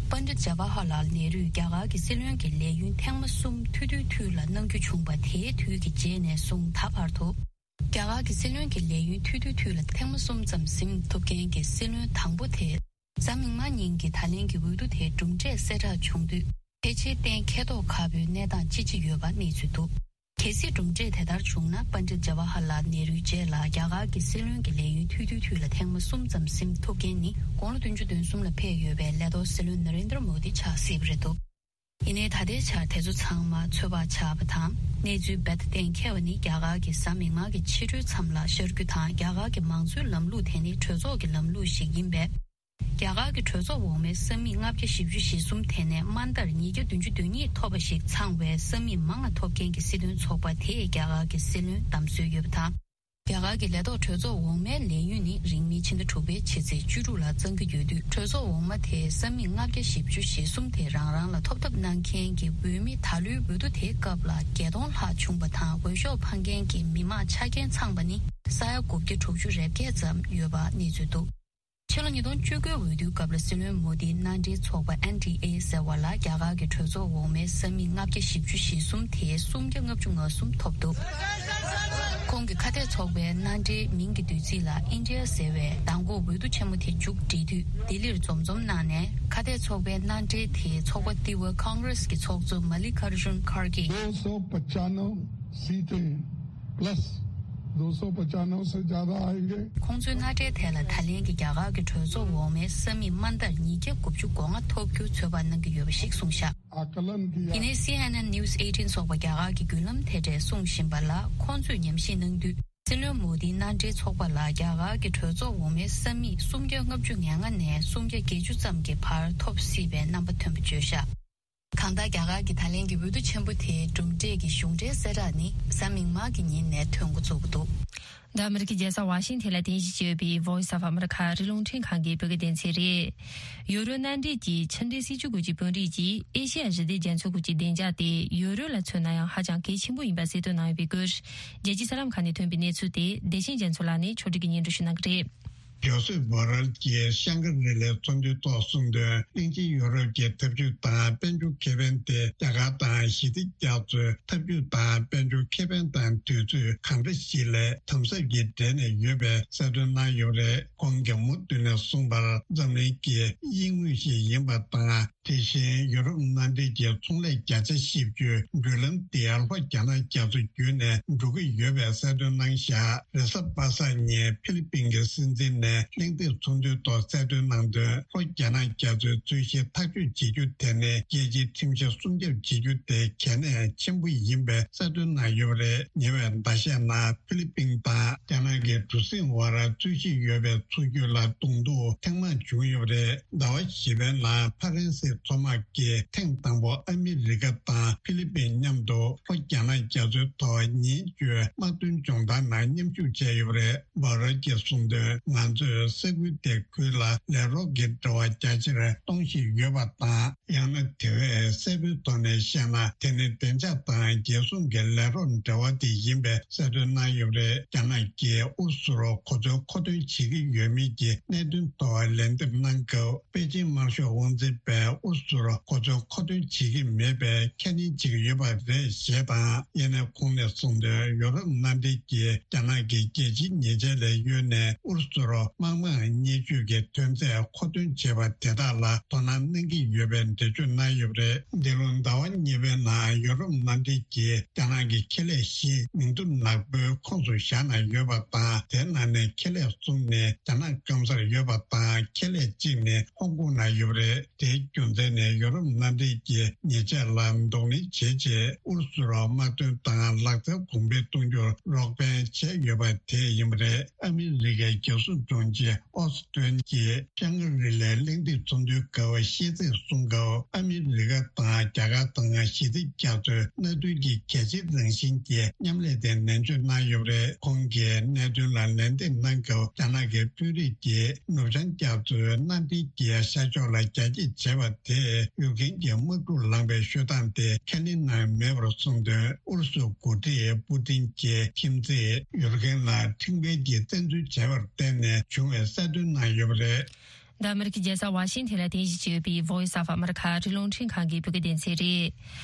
པཎྜི་ཏ་ཇ་ཝ་ཧར་ལཱལ་ནེ་རུས་རྒྱ་གར་གྱི་སྲིད་བློན་གྱི་ལས་ཡུན་ཐེངས་མ་གསུམ་ཐུང་ཐུང་ཐུང་ལ་གནང་རྒྱུ་བྱུང་བ། དེའི་དུས་ཀྱི་རྗེས་ནས་བཟུང་ད་བར་དུ། རྒྱ་གར་གྱི་སྲིད་བློན་གྱི་ལས་ཡུན་ཐུང་ཐུང་ཐུང་ལ་ཐེངས་མ་གསུམ་ཙམ་ཟིན་ཐུབ་མཁན་གྱི་སྲིད་བློན་དང་པོ་དེ། གཟའ་མིག་དམར་ཉིན་གྱི་ད་ལན་གྱི་འོས་བསྡུ་དེའི་གྲུབ་འབྲས་གསལ་བསྒྲགས་བྱུང་དུས། ཕལ་ཆེར་གཏན་འཁེལ་མདོག་ཁ་པོའི་གནས་སྟངས་ཅིག་ཅིག་ཡོད་པ་གནས་ཚུལ་འདུག། གལ་སྲིད་གྲུབ་འབྲས་དེ་ལྟར་བྱུང་ན། པཎྜི་ཏ་ཇ་ཝ་ཧར་ལཱལ་ནེ་རུའི་རྗེས་ལ་རྒྱ་གར་གྱི་སྲིད་བློན་གྱི་ལས་ཡུན་ཐུང་ཐུང་ཐུང་ལ་ཐེངས་མ་གསུམ་ཙམ་ཟིན་ཐུབ་མཁན་ནི། དགུང་ལོ་བདུན་ཅུ་དོན་གསུམ་ལ་ཕེབས་ཡོད་པའི་ལས་ཐོག་སྲིད་བློན་ན་རེན་དྲ་མོ་དི་ཆགས་སྲིད་པ་རེད་འདུག། ཡིན་ནའི་ད་ལྟའི་ཆར་དེ་ཚོ་ཚང་མ་ཚོད་དཔག་ཆགས་པ་དང་། གནས་ཚུལ་རྦད་དེ་གཏན་འཁེལ་བ་ནི། རྒྱ་གར་གྱི་གཟའ་མིག་དམར་གྱི་ཕྱི་དྲོའི་མཚམས་ལ་ཤར་རྒྱུ་དང་། རྒྱ་གར་གྱི་མང་གཙོའི་ལམ་ལུགས་དེ་ནི་གྲོས་ཚོགས་ཀྱི་ལམ་ལུགས་ཤིག་ཡིན་པས། རྒྱ་གར་གྱི་གྲོས་ཚོགས་འོག་མའི་ས་མིག་ལྔ་བརྒྱ་བཞི་བཅུ་ཞེ་གསུམ་དེ་ནས་དམའ་མཐར་ཉིས་བརྒྱ་བདུན་ཅུ་དོན་གཉིས་ཐོབ་པ་ཞིག་ཚང་བའི་ས་མིག་མང་ང་ཐོབ་མཁན་གྱི་སྲིད་དོན་ཚོགས་པ་དེས་རྒྱ་གར་གྱི་སྲིད་བློན་བདམས་སྲོལ་ཡོད་པ་དང་། རྒྱ་གར་གྱི་ལས་ཐོག་གྲོས་ཚོགས་འོག་མའི་ལས་ཡུན་ནི་རིང་མིན་ཕྱི་ཟླ་དྲུག་པའི་ཕྱི་ཚེས་བཅུ་དྲུག་ལ་གཙང་གི་ཡོད་དུས། གྲོས་ཚོགས་འོག་མ་དེའི་ས་མིག་ལྔ་བརྒྱ་བཞི་བཅུ་ཞེ་གསུམ་དེ་རང་རང་ལ་ཐོབ་ཐབས་གནང་མཁན་གྱི་འོས་མི་ད་ལོའི་འོས་བསྡུ་དེའི་སྐབས་ལ་བརྒྱད་སྟོང་ལྷག་བྱུང་བ་དང་། འོས་ཤོག་འཕང་མཁན་གྱི་མི་མང་ཆ་རྐྱེན་ཚང་པ་ནི་ས་ཡ་དགུ་བརྒྱ་དྲུག་ཅུ་རེ་བརྒྱད་ཙམ་ཡོད་པ་གནས་ཚུལ་འདུག། ཕྱི་ལོ་ཉིས་སྟོང་བཅུ་དགུ་འོས་བསྡུའི་སྐབས་ལ་སྲིད་བློན་མོ་དིས་མནའ་འབྲེལ་ཚོགས་པ་ཨེན་ཌི་ཨེ་ཟེར་བ་ལ་རྒྱ་གར་གྱི་གྲོས་ཚོགས་འོག་མའི་ས་མིག་ལྔ་བརྒྱ་བཞི་བཅུ་ཞེ་གསུམ་དེའི་སུམ་བརྒྱ་ལྔ་བཅུ་ང་གསུམ་ཐོབ་འདུག། ཁོང་གི་ཁ་གཏད་ཚོགས་པའི་མནའ་འབྲེལ་མིང་གི་བསྡུས་ཚིག་ལ་ཨིན་ཌི་ཡ་ཟེར་བས། མདང་དགོང་འོས་བསྡུ་ཆེན་མོ་དེ་མཇུག་བསྒྲིལ་དུས་ལྡི་ལིར་འཛོམས་འཛོམས་གནང་ནས། ཁ་གཏད་ཚོགས་པའི་མནའ་འབྲེལ་དེའི་ཚོགས་པ་ཏི་ཝ་ཀོང་གྷི་རེས་ཀྱི་ཚོགས་གཙོ་མ་ལི་ཀར་ཇུན་ཁར་གྷེ། दो सौ पचानवे सीटें प्लस दो सौ पचानवे से ज्यादा आएंगे। ཁོང་ཚོའི་མནའ་འབྲེལ་དེ་ལ་ད་ལན་གྱི་རྒྱ་གར་གྱི་གྲོས་ཚོགས་འོག་མའི་ས་མིག་དམའ་མཐར་ཉིས་བརྒྱ་དགུ་བཅུ་གོ་ལྔ་ཐོབ་རྒྱུ་ཚོད་དཔག་གནང་གི་ཡོད་པ་ཞིག་གསུངས་བཞག། आकलन किया। ཡིན་ནའི་སི་ཨེན་ཨེན་News eighteen སོགས་པ་རྒྱ་གར་གྱི་བརྒྱུད་ལམ་དེ་འདྲས་གསུང་བཞིན་པ་ལ། ཁོང་ཚོས་ཉམས་ཞིབ་གནང་དུས། སྲིད་བློན་མོ་དིའི་མནའ་འབྲེལ་ཚོགས་པ་ལ་རྒྱ་གར་གྱི་གྲོས་ཚོགས་འོག་མའི་ས་མིག་སུམ་བརྒྱ་ལྔ་བཅུ་ང་ལྔ་ནས་སུམ་བརྒྱ་བརྒྱད་ཅུ་ཙམ་གྱི་བར་ཐོབ་སྲིད་པའི་རྣམ་པ་ཐོན་པ་བརྗོད་བཞག། གང་ལྟར། རྒྱ་གར་གྱི་ད་ལན་གྱི་འོས་བསྡུ་ཆེན་པོ་དེའི་གྲུབ་འབྲས་ཀྱི་གཞུང་འབྲེལ་གསལ་བསྒྲགས་ནི་གཟའ་མིག་དམར་གྱི་ཉིན་ནས་ཐོན་འགོ་བཙུགས་འདུག། འདི་ཨ་མི་རི་ཀའི་རྒྱལ་ས་ཝ་ཤིང་ཐན་ལ་རྟེན་གཞི་བྱས་ཡོད་པའི་Voice of America ཨ་རིའི་རླུང་འཕྲིན་ཁང་གི་བོད་སྐད་སྡེ་ཚན་རེད། ཡོ་རོབ་མནའ་འབྲེལ་གྱི་ཕྱི་འབྲེལ་སྲིད་ཇུས་སྐོར་གྱི་དཔོན་རིགས་ཀྱིས་ཨེ་ཤེ་ཡ་ཞི་བདེ་རྒྱ་མཚོ་ཁུལ་གྱི་བདེ་འཇགས་དེ་ཡོ་རོབ་ལ་མཚོན་ན་ཡང་ཧ་ཅང་གལ་ཆེན་པོ་ཡིན་པ་གསལ་སྟོན་གནང་ཡོད་པའི་སྐོར། རྒྱལ་སྤྱིའི་གསར་ལམ་ཁག་ནས་ཐོན་པའི་གནས་ཚུལ་དེ་བདེ་ཆེན་རྒྱ་མཚོ་ལགས་ནས་ཕྱོགས་སྒྲིག་གིས་སྙན་སྒྲོན་ཞུ་གནང་གི་རེད། ཇོ་སེབ་བྷོ་རལ་གྱིས་ཤང་ཀི་རི་ལའི་ཚོགས་འདུའི་ཐོག་གསུངས་དོན། གླིང་ཆེན་ཡོ་རོབ་ཀྱི་འཐབ་ཇུས་དང་དཔལ་འབྱོར་ཁེ་ཕན་དེ་རྒྱ་གར་དང་ཞི་བདེ་རྒྱ་མཚོའི་འཐབ་ཇུས་དང་དཔལ་འབྱོར་ཁེ་ཕན་དང་དུས་ཚོད་གང་འདྲ་ཞིག་ལ་དམ་ཟབ་ཀྱིས་འབྲེལ་ནས་ཡོད་པའི་གསལ་སྟོན་གནང་ཡོད་པ་རེད། ཁོང་གིས་མུ་མཐུད་ནས་གསུངས་པར། འཛམ་གླིང་གི་དབྱིན་དངོས་ཤིག་ཡིན་པ་དང་། དེ་བཞིན་ཡུ་རོབ་མནའ་འབྲེལ་གྱི་ཚོང་ལས་བརྒྱ་ཆ་བཞི་བཅུའི་འགྲུལ་ལམ་དེ་ལྷོ་རྒྱ་ནག་རྒྱ་མཚོ་བརྒྱུད་ནས་འགྲོ་གི་ཡོད་པའི་གསལ་སྟོན་གནང་བཞག་རེས་གཟའ་པ་སངས་ཉིན་ཕི་ལི་པིན་གྱི་སྲིད་འཛིན་ནས་གླེང་སྟེགས་ཚོགས་འདུའི་ཐོག་གསལ་སྟོན་གནང་དོན། ལྷོ་རྒྱ་ནག་རྒྱ་མཚོའི་རྩོད་གཞི་ཐག་གཅོད་བྱེད་རྒྱུ་དེ་ནི་རྒྱལ་སྤྱིའི་ཁྲིམས་གཞི་སྲུང་སྐྱོབ་བྱེད་རྒྱུ་དེ་གལ་གནད་ཆེན་པོ་ཡིན་པའི་གསལ་སྟོན་གནང་ཡོད་པ་རེད། ཉེ་བའི་ཟླ་ཤས་ནང་ཕི་ལི་པིན་དང་རྒྱ་ནག་གི་གྲུ་གཟིངས་དབར་རྩོད་གཞི་ཡོད་པའི་མཚོ་རྒྱུད་ལ་གདོང་ཐུག་ཐེངས་མང་བྱུང་ཡོད་པ་རེད། ཟླ་བ་བཞི་པའི་ནང་ཕ་རན་སིའི་མཚོ་དམག་གིས་ཐེངས་དང་པོ་ཨ་མི་རི་ཀ་དང་ཕི་ལི་པིན་མཉམ་དུ་ལྷོ་རྒྱ་ནག་རྒྱ་མཚོའི་ཐོག་ཉེན་བཅོལ་དམག་དོན་སྦྱོང་བརྡར་ནང་མཉམ་ཞུགས་བྱས་ཡོད་པ་རེད། བྷ་རལ་གྱིས་གསུངས་དོན། ང་ཚོས་ས་ཁུལ་དེ་ཁུལ་ལ་ལས་རོགས་ཀྱི་འབྲེལ་བ་རྒྱ་ཆེར་གཏོང་བཞིན་ཡོད་པ་དང་། ཡང་ན་དེ་བས་གསལ་པོའི་ཐོག་ནས་བཤད་ན། དེ་ནི་བདེ་འཇགས་དང་རྒྱལ་སྲུང་གི་ལས་རོགས་འབྲེལ་བ་དེ་ཡིན་པའི་གསལ་སྟོན་གནང་ཡོད་པ་རེད། རྒྱ་ནག་གིས་ཨུ་རུ་སུར་གོ་མཚོན་མཁོ་འདོན་བྱེད་ཀྱི་ཡོད་མེད་ཀྱི་གནད་དོན་ཐོག་ལན་འདེབས་གནང་སྐབས། པེ་ཅིན་དམར་ཤོག་དབང་འཛིན་པས་ཨུ་རུ་སུར་གོ་མཚོན་མཁོ་འདོན་བྱེད་ཀྱི་མེད་པའི་ཁས་ལེན་བྱེད་ཀྱི་ཡོད་པ་རེད་ཞེས་དང་། ཡང་ན་ཁོང་ནས་གསུངས་དོན། ཡོ་རོབ་མནའ་འབྲེལ་གྱིས་རྒྱ་ནག་གི་རྒྱལ་སྤྱིའི་ཉེས་ཆད་ལས་གཡོལ་ནས་ཨུ་རུ་སུར་དམག་དམངས་བརྙས་བཅོས་ཀྱི་ཐོན་རྫས་མཁོ་འདོན་བྱས་པ་དེ་དག་ལ་དོ་སྣང་གནང་གི་ཡོད་པའི་འགྲེལ་བརྗོད་གནང་ཡོད་པ་རེད། འདི་ལོ་ཟླ་བ་གཉིས་པའི་ནང་ཡོ་རོབ་མནའ་འབྲེལ་གྱིས་རྒྱ་ནག་གི་ཁེ་ལས་བཞི་མིང་ཐོ་ནག་པོའི་ཁོངས་སུ་བཞག་ནས་ཡོད་པ་དང་། དེའི་ནང་ནས་ཁེ་ལས་གསུམ་ནི་རྒྱ་ནག་སྐམ་སར་ཡོད་པ་དང་། ཁེ་ལས་གཅིག་ནི་ཧོང་ཀོང་ན་ཡོད་པ་རེད། དེའི་རྒྱུ་མཚན་ནི་ཡོ་རོབ་མནའ་འབྲེལ་གྱི་ཉེས་ཆད་ལ་གདོང་ལེན་བྱས་རྗེས། ཨུ་རུ་སུར་དམག་དོན་དང་ལག་རྩལ་གོང་འཕེལ་གཏོང་རྒྱུར་རོགས་ཕན་བྱས་ཡོད་པ་དེ་ཡིན་པ་རེད། ཨ་མི་རི་ཀའི་རྒྱལ་སྲུང་དྲུང་ཆེ་ཨོ་སི་ཏོན་གྱིས་ཤང་ཀི་རི་ལའི་གླེང་སྟེགས་ཚོགས་འདུའི་སྐབས་བཤད་ཚིག་གསུང་སྐབས། ཨ་མི་རི་ཀ་དང་རྒྱ་གར་དང་ཞི་བདེ་རྒྱ་མཚོའི་མནའ་མཐུན་གྱི་གལ་ཆེའི་རང་བཞིན་གྱི་མཉམ་ལས་དེ་ནན་བརྗོད་གནང་ཡོད་པ་རེད། ཁོང་གིས་གནད་དོན་ལ་ལན་འདེབས་གནང་སྐབས། རྒྱ་ནག་གི་དཔོན་རིགས་ཀྱིས་ནུབ་བྱང་རྒྱ་མཚོའི་མནའ་འབྲེལ་གྱི་ཤར་ཕྱོགས་ལ་རྒྱ་སྐྱེད་བྱས་པ་དེས་ཡུལ་ཁན་གྱི་དམག་འཁྲུག་ལངས་པའི་ཤོད་སྟངས་དེ་ཁས་ལེན་གནང་མེད་པར་གསུངས་དོན། ཨུ་རུ་སུའི་འགོ་ཁྲིད་པུ་ཏིན་གྱིས་ཁྱིམ་མཚེས་ཡུལ་ཁན་ལ་ཁྲིམས་འགལ་གྱི་བཙན་འཛུལ་བྱས་པར་བརྟེན་ནས་བྱུང་བའི་གསལ་སྟོན་གནང་ཡོད་པ་རེད། འདི་ཨ་མི་རི་ཀའི་རྒྱལ་ས་ཝ་ཤིང་ཐན་ལ་རྟེན་གཞི་བྱས་ཡོད་པའི་Voice of America ཨ་རིའི་རླུང་འཕྲིན་ཁང་གི་བོད་སྐད་སྡེ་ཚན་རེད།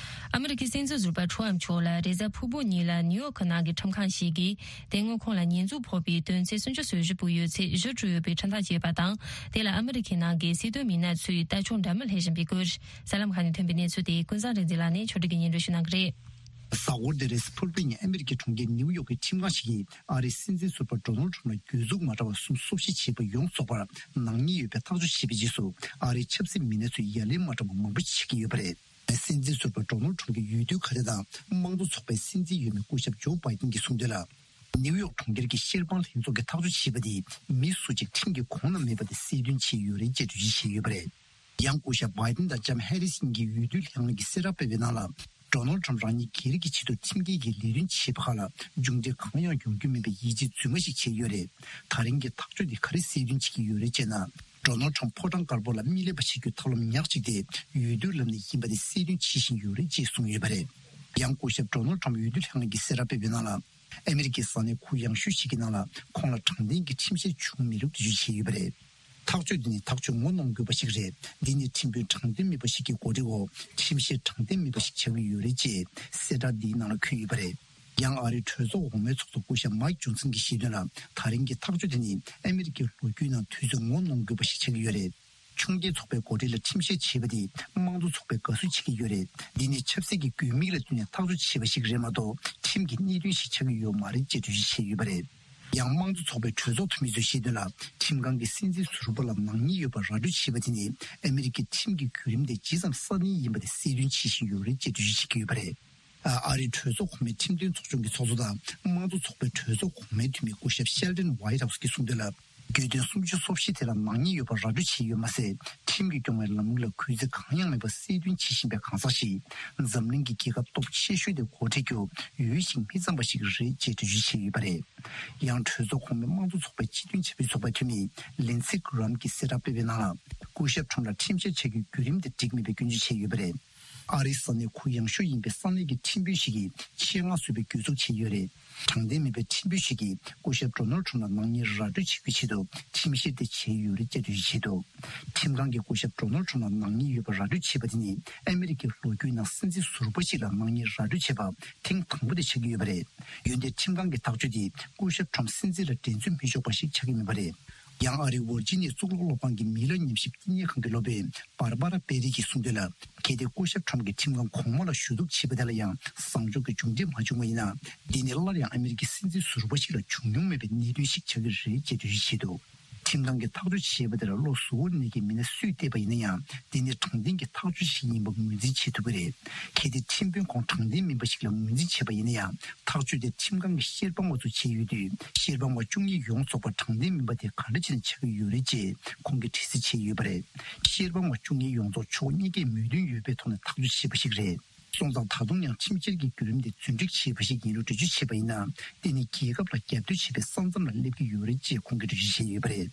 ཨ་མི་རི་ཀའི་སྲིད་འཛིན་ཟུར་པ་ཁྲོམ་མཆོག་ལ་རེས་གཟའ་ཕུར་བུ་ཉིན་ལ་ནིའུ་ཡོག་གི་ནང་གི་ཁྲིམས་ཁང་ཞིག་གིས་དེ་སྔོན་ཁོང་ལ་ཉེས་འཛུགས་ཕོག་པའི་དོན་ཚན་སུམ་ཅུ་སོ་བཞི་པོ་ཡོད་ཚད་གཞི་གྲུབ་ཡོད་པའི་ཁྲིམས་ཐག་བཅད་པ་དང་། དེ་ལ་ཨ་མི་རི་ཁའི་ནང་གི་སྲིད་དོན་མི་སྣ་ཚོས་ལྟ་སྐྱོང་འདྲ་མིན་སླེབས་བཞིན་པའི་སྐོར། གསར་ལམ་ཁག་ནས་ཐོན་པའི་གནས་ཚུལ་དེ་ཀུན་བཟང་རིག་འཛིན་ལགས་ནས་ཕྱོགས་སྒྲིག་གིས་སྙན་སྒྲོན་ཞུ་གནང་གི་རེད། གཟའ་འཁོར་འདིར་ཕུར་བུ་ཉིན་ཨ་མི་རི་ཀའི་གྲོང་ཁྱེར་ནིའུ་ཡོག་གི་ཁྲིམས་ཁང་ཞིག་གིས་ཨ་རིའི་སྲིད་འཛིན་ཟུར་པ་ཌོ་ནལ་ཁྲམ་ལ་གྱོད་འཛུགས་མ་འདྲ་བ་གསུམ་སོ་བཞི་བྱས་པ་ཡོངས་རྫོགས་པར་ནག་ཉེས་ཡོད་པའི་ཐག་གཅོད་བྱས་པའི་རྗེས་སུ། ཨ་རིའི་ཆབ་སྲིད་མི་སྣ་ཚོས་ཡ་ལན་མ་འདྲ་བ་མང་པོ་ཞིག་བྱེད་ཀྱི་ཡོད་པ་རེད། སྲིད་འཛིན་ཟུར་པ་ཌོ་ནལ་ཁྲམ་གྱི་འོས་བསྡུ་ཁ་བརྡ་དང་དམངས་གཙོ་ཚོགས་པའི་སྲིད་འཛིན་འོས་མི་སྐུ་ཞབས་ཇོ་བྷའི་ཏིན་གྱིས་གསུངས་དོན་ལ། ནིའུ་ཡོག་གྲོང་ཁྱེར་གྱི་བཤེར་དཔང་ལྷན་ཚོགས་ཀྱིས་ཐག་གཅོད་བྱས་པ་དེ་མི་སུ་གཅིག་ཁྲིམས་ཀྱི་གོང་ན་མེད་པ་དེ་གསལ་སྟོན་བྱས་ཡོད་རེད་ཅེས་འགྲེལ་བརྗོད་བྱས་ཡོད་པ་རེད། ཡང་སྐུ་ཞབས་བྷའི་ཏིན་དང་ལྕམ་ཧེ་རི་སི་གཉིས་ཀྱིས་འོས་བསྡུ་ལྷན་ཁང་གིས་གསལ་བསྒྲགས་སྤེལ་བའི་ནང་ལ། ཌོ་ནལ་ཁྲམ་རང་ཉིད་སྒེར་གྱི་ཆེད་དུ་ཁྲིམས་འགལ་གྱི་ལས་དོན་བྱས་པ་ཁག་ལ་མཇུག་འབྲས་གང་ཡང་ཡོང་རྒྱུ་མིན་པའི་ཡིད་ཆེས་རྫུན་མ་ཞིག་བྱས་ཡོད་རེད། ད་རིང་གི་ཐག་གཅོད་འདི་ག་རེ་གསལ་སྟོན་བྱེད་ཀྱི་ཡོད་རེད་ཅེ་ན། ཌོ་ནལ་ཁྲམ་ཕོ་བྲང་དཀར་པོ་ལ་མི་ལེན་པ་བྱེད་རྒྱུའི་ཐབས་ལམ་ཉག་གཅིག་དེ་འོས་བསྡུའི་ལམ་ནས་ཡིན་པ་དེ་གསལ་སྟོན་བྱེད་བཞིན་ཡོད་རེད་ཅེས་གསུངས་ཡོད་པ་རེད། ཡང་སྐུ་ཞབས་ཌོ་ནལ་ཁྲམ་འོས་བསྡུ་ལྷན་ཁང་གིས་གསལ་བསྒྲགས་སྤེལ་བའི་ནང་ལ། ཨ་མི་རི་ཀའི་ས་གནས་ཁུལ་ཡང་ཤོས་ཤིག་གི་ནང་ལ་ཁོང་ལ་དྲང་བདེན་གྱི་ཁྲིམས་བཤེར་བྱུང་མེད་ལུགས་འགྲེལ་བརྗོད་བྱས་ཡོད་པ་རེད། ཐག་གཅོད་འདི་ནི་ཐག་གཅོད་ངོ་གནོང་དགོས་པ་ཞིག་རེད། འདི་ནི་ཁྲིམས་དཔོན་དྲང་བདེན་མེད་པ་ཞིག་གི་གོ་སྒྲིག་འོག་ཁྲིམས་བཤེར་དྲང་བདེན་མེད་པ་ཞིག་ཆགས་ཀྱི་ཡོད་རེད་ཅེས་གསལ་བསྒྲགས་འདིའི་ནང་ལ་འཁོད་ཡོད་པ་རེད། ཡང་ཨ་རིའི་གྲོས་ཚོགས་འོག་མའི་ཚོགས་གཙོ་སྐུ་ཞབས་མའིག་ཇོན་སན་གྱིས་བཤད་དོན་ལ། ད་རིང་གི་ཐག་གཅོད་དེ་ནི་ཨ་མི་རི་ཀའི་ལོ་རྒྱུས་ནང་དུས་ཚོད་ངོ་གནོང་དགོས་པ་ཞིག་ཆགས་ཀྱི་ཡོད་རེད། ཆུང་སྐྱེས་ཚོགས་པའི་འགོ་ཁྲིད་ལ་ཁྲིམས་བཤེར་བྱས་པ་དེ་དམངས་གཙོ་ཚོགས་པས་དགའ་བསུ་བྱེད་ཀྱི་ཡོད་རེད། འདི་ནི་ཆབ་སྲིད་ཀྱི་དགོས་དམིགས་ལ་བསྟུན་ནས་ཐག་གཅོད་བྱས་པ་ཞིག་རེད་མ་གཏོགས་ཁྲིམས་ཀྱི་གནད་དོན་ཞིག་ཆགས་ཀྱི་ཡོད་མ་རེད་ཅེས་འགྲེལ་བརྗོད་བྱས་ཡོད་པ་རེད། ཡང་དམངས་གཙོ་ཚོགས་པའི་གྲོས་ཚོགས་འཐུས་མི་ཚོས་བཤད་དོན་ལ། ཁྲིམས་ཁང་གིས་སྲིད་འཛིན་ཟུར་པ་ལ་ནག་ཉེས་ཡོད་པ་ར་སྤྲོད་བྱས་པ་དེ་ནི་ཨ་མི་རི་ཀའི་ཁྲིམས་ཀྱི་བརྒྱུད་རིམ་དེ་ཇི་ཙམ་སྲ་བརྟན་ཡིན་པ་དེ་གསལ་སྟོན་བྱེད་བཞིན་ཡོད་རེད་ཅེས་འགྲེལ་བརྗོད་བྱེད་ཀྱི་ཡོད་པ་རེད། ཨ་རིའི་གྲོས་ཚོགས་གོང་མའི་ཁྲིམས་དོན་ཚོགས་ཆུང་གི་ཚོགས་གཙོ་དང་དམངས་གཙོ་ཚོགས་པའི་གྲོས་ཚོགས་གོང་མའི་འཐུས་མི་སྐུ་ཞབས་ཤེལ་ཌན་ཝའི་ཊི་ཧའུ་སི་གིས་གསུངས་དོན་ལ། གྱོད་དོན་སུམ་ཅུ་སོ་བཞི་དེ་ལ་ནག་ཉེས་ཡོད་པ་ར་སྤྲོད་བྱས་ཡོད་མ་ཟད། ཁྲིམས་ཀྱིས་སྐྱོང་བའི་ལམ་ལུགས་ལ་གུས་བརྩི་གང་ཡང་མེད་པ་གསལ་སྟོན་བྱེད་བཞིན་པའི་གང་ཟག་ཞིག་འཛམ་གླིང་གི་རྒྱལ་ཁབ་སྟོབས་ཆེ་ཤོས་དེ་འགོ་ཁྲིད་རྒྱུ་འོས་ཤིང་མི་གཙང་བ་ཞིག་རེད་ཅེས་འགྲེལ་བརྗོད་བྱས་ཡོད་པ་རེད། ཡང་གྲོས་ཚོགས་གོང་མའི་དམངས་གཙོ་ཚོགས་པའི་སྤྱི་མཐུན་བྱ་བའི་ཚོགས་པའི་འཐུས་མི་ལིན་སི་གྷི་རམ་གྱིས་གསལ་བསྒྲགས་སྤེལ་བའི་ནང་ལ། སྐུ་ཞབས་ཁྲོམ་ལ་ཁྲིམས་བཤེར་བྱ་རྒྱུའི་བརྒྱུད་རིམ་དེ་འགྲིག་མེད་པའི་སྐྱོན་བརྗོད་བྱས་ཡོད་པ་རེད། ཨ་རིའི་ས་གནས་ཁོངས་ཡངས་ཤོས་ཡིན་པའི་ས་གནས་ཀྱི་ཁྲིམས་དཔོན་ཞིག་གིས་ཆེད་མངགས་བཟོས་པའི་གྱོད་འཛུགས་བྱས་ཡོད་རེད། དྲང་བདེན་མིན་པའི་ཁྲིམས་དཔོན་ཞིག་གིས་སྐུ་ཞབས་ཌོ་ནལ་ཁྲམ་ལ་ནག་ཉེས་ར་སྤྲོད་བྱེད་པའི་ཆེད་དུ་ཁྲིམས་བཤེར་དེ་བྱས་ཡོད་རེད་ཅེས་འགྲེལ་བརྗོད་བྱས་འདུག་ཁྲིམས་ཁང་གིས་སྐུ་ཞབས་ཌོ་ནལ་ཁྲམ་ལ་ནག་ཉེས་ཡོད་པ་ར་སྤྲོད་བྱས་པ་དེ་ནི་ཨ་མི་རི་ཀའི་ལོ་རྒྱུས་ནང་སྲིད་འཛིན་ཟུར་པ་ཞིག་ལ་ནག་ཉེས་ར་སྤྲོད་བྱས་པ་ཐེངས་དང་པོ་དེ་ཆགས་ཀྱི་ཡོད་པ་རེད། འོན་ཏེ་ཁྲིམས་ཁང་གི་ཐག་གཅོད་དེ་སྐུ་ཞབས་ཁྲམ་སྲིད་འཛིན་ལ་འགྲན་རྩོད་མི་ཆོག་པ་ཞིག་ཆགས་ཀྱི་མེད་པ་རེད། ཡང་ཨ་རིའི་ཝར་ཇི་ནི་ཡའི་གཙུག་ལག་སློབ་ཁང་གི་མི་ལ་ཉམས་ཞིབ་བསྟི་གནས་ཁང་གི་སློབ་དཔོན་བར་པ་ར་པེ་རི་གིས་གསུངས་དོན་ལ། གལ་ཏེ་སྐུ་ཞབས་ཁྲམ་གྱིས་ཁྲིམས་ཁང་གོང་མ་ལ་ཞུ་གཏུག་བྱས་པ་དེ་ལ་ཡང་བཟང་ཕྱོགས་ཀྱི་མཇུག་འབྲས་མ་བྱུང་བ་ཡིན་ན། འདི་ནི་སླར་ཡང་ཨ་མི་རི་ཀའི་སྲིད་འཛིན་ཟུར་པ་ཞིག་ལ་བྱུང་མྱོང་མེད་པའི་གནད་དོན་ཞིག་ཆགས་ཀྱི་རེད་ཅེས་འགྲེལ་བརྗོད་བྱས་འདུག་ཁྲིམས་ཁང་གིས་ཐག་གཅོད་བྱས་པ་དེར་བློ་གཟུ་བོར་གནས་ཀྱི་མི་སྣ་སུས་བལྟས་པ་ཡིན་ན་ཡང་། འདི་ནི་དྲང་བདེན་གྱི་ཐག་གཅོད་ཞིག་ཡིན་པ་ངོས་འཛིན་བྱེད་ཐུབ་ཀྱི་རེད། གལ་ཏེ་ཁྲིམས་དཔོན་ཁོང་དྲང་བདེན་མིན་པ་ཞིག་ལ་ངོས་འཛིན་བྱས་པ་ཡིན་ན་ཡང་། ཐག་གཅོད་དེ་ཁྲིམས་ཁང་གི་བཤེར་དཔང་བ་ཚོས་བྱས་ཡོད་དུས། བཤེར་དཔང་བ་བཅུ་གཉིས་ཡོངས་རྫོགས་པ་དྲང་བདེན་མིན་པ་དེ་ག་འདྲ་བྱས་ནས་ཆགས་ཀྱི་ཡོད་རེད་ཅེས་ཁོང་གིས་དྲི་རྩད་བྱས་ཡོད་པ་རེད། བཤེར་དཔང་བ་བཅུ་གཉིས་ཡོངས་རྫོགས་ཕྱོགས་གཉིས་ཀས་མོས་མཐུན་ཡོད་པའི་ཐོག་ནས་ཐག་གཅོད་བྱས་པ་ཞིག་རེད། སོང་ཙང་ད་དུང་ཡང་ཁྲིམས་བཤེར་གྱི་བརྒྱུད་རིམ་དེ་རྫུན་སྒྲིག་བྱས་པ་ཞིག་ཡིན་ལུགས་འགྲེལ་བརྗོད་བྱས་པ་ཡིན་ན། དེ་ནི་རྒྱལ་ཁབ་ལ་རྒྱབ་གཏོད་བྱེད་པའི་ས་མཚམས་ལ་སླེབས་ཀྱི་ཡོད་རེད་ཅེས་ཁོང་གིས་འགྲེལ་བརྗོད་བྱས་ཡོད་པ་རེད།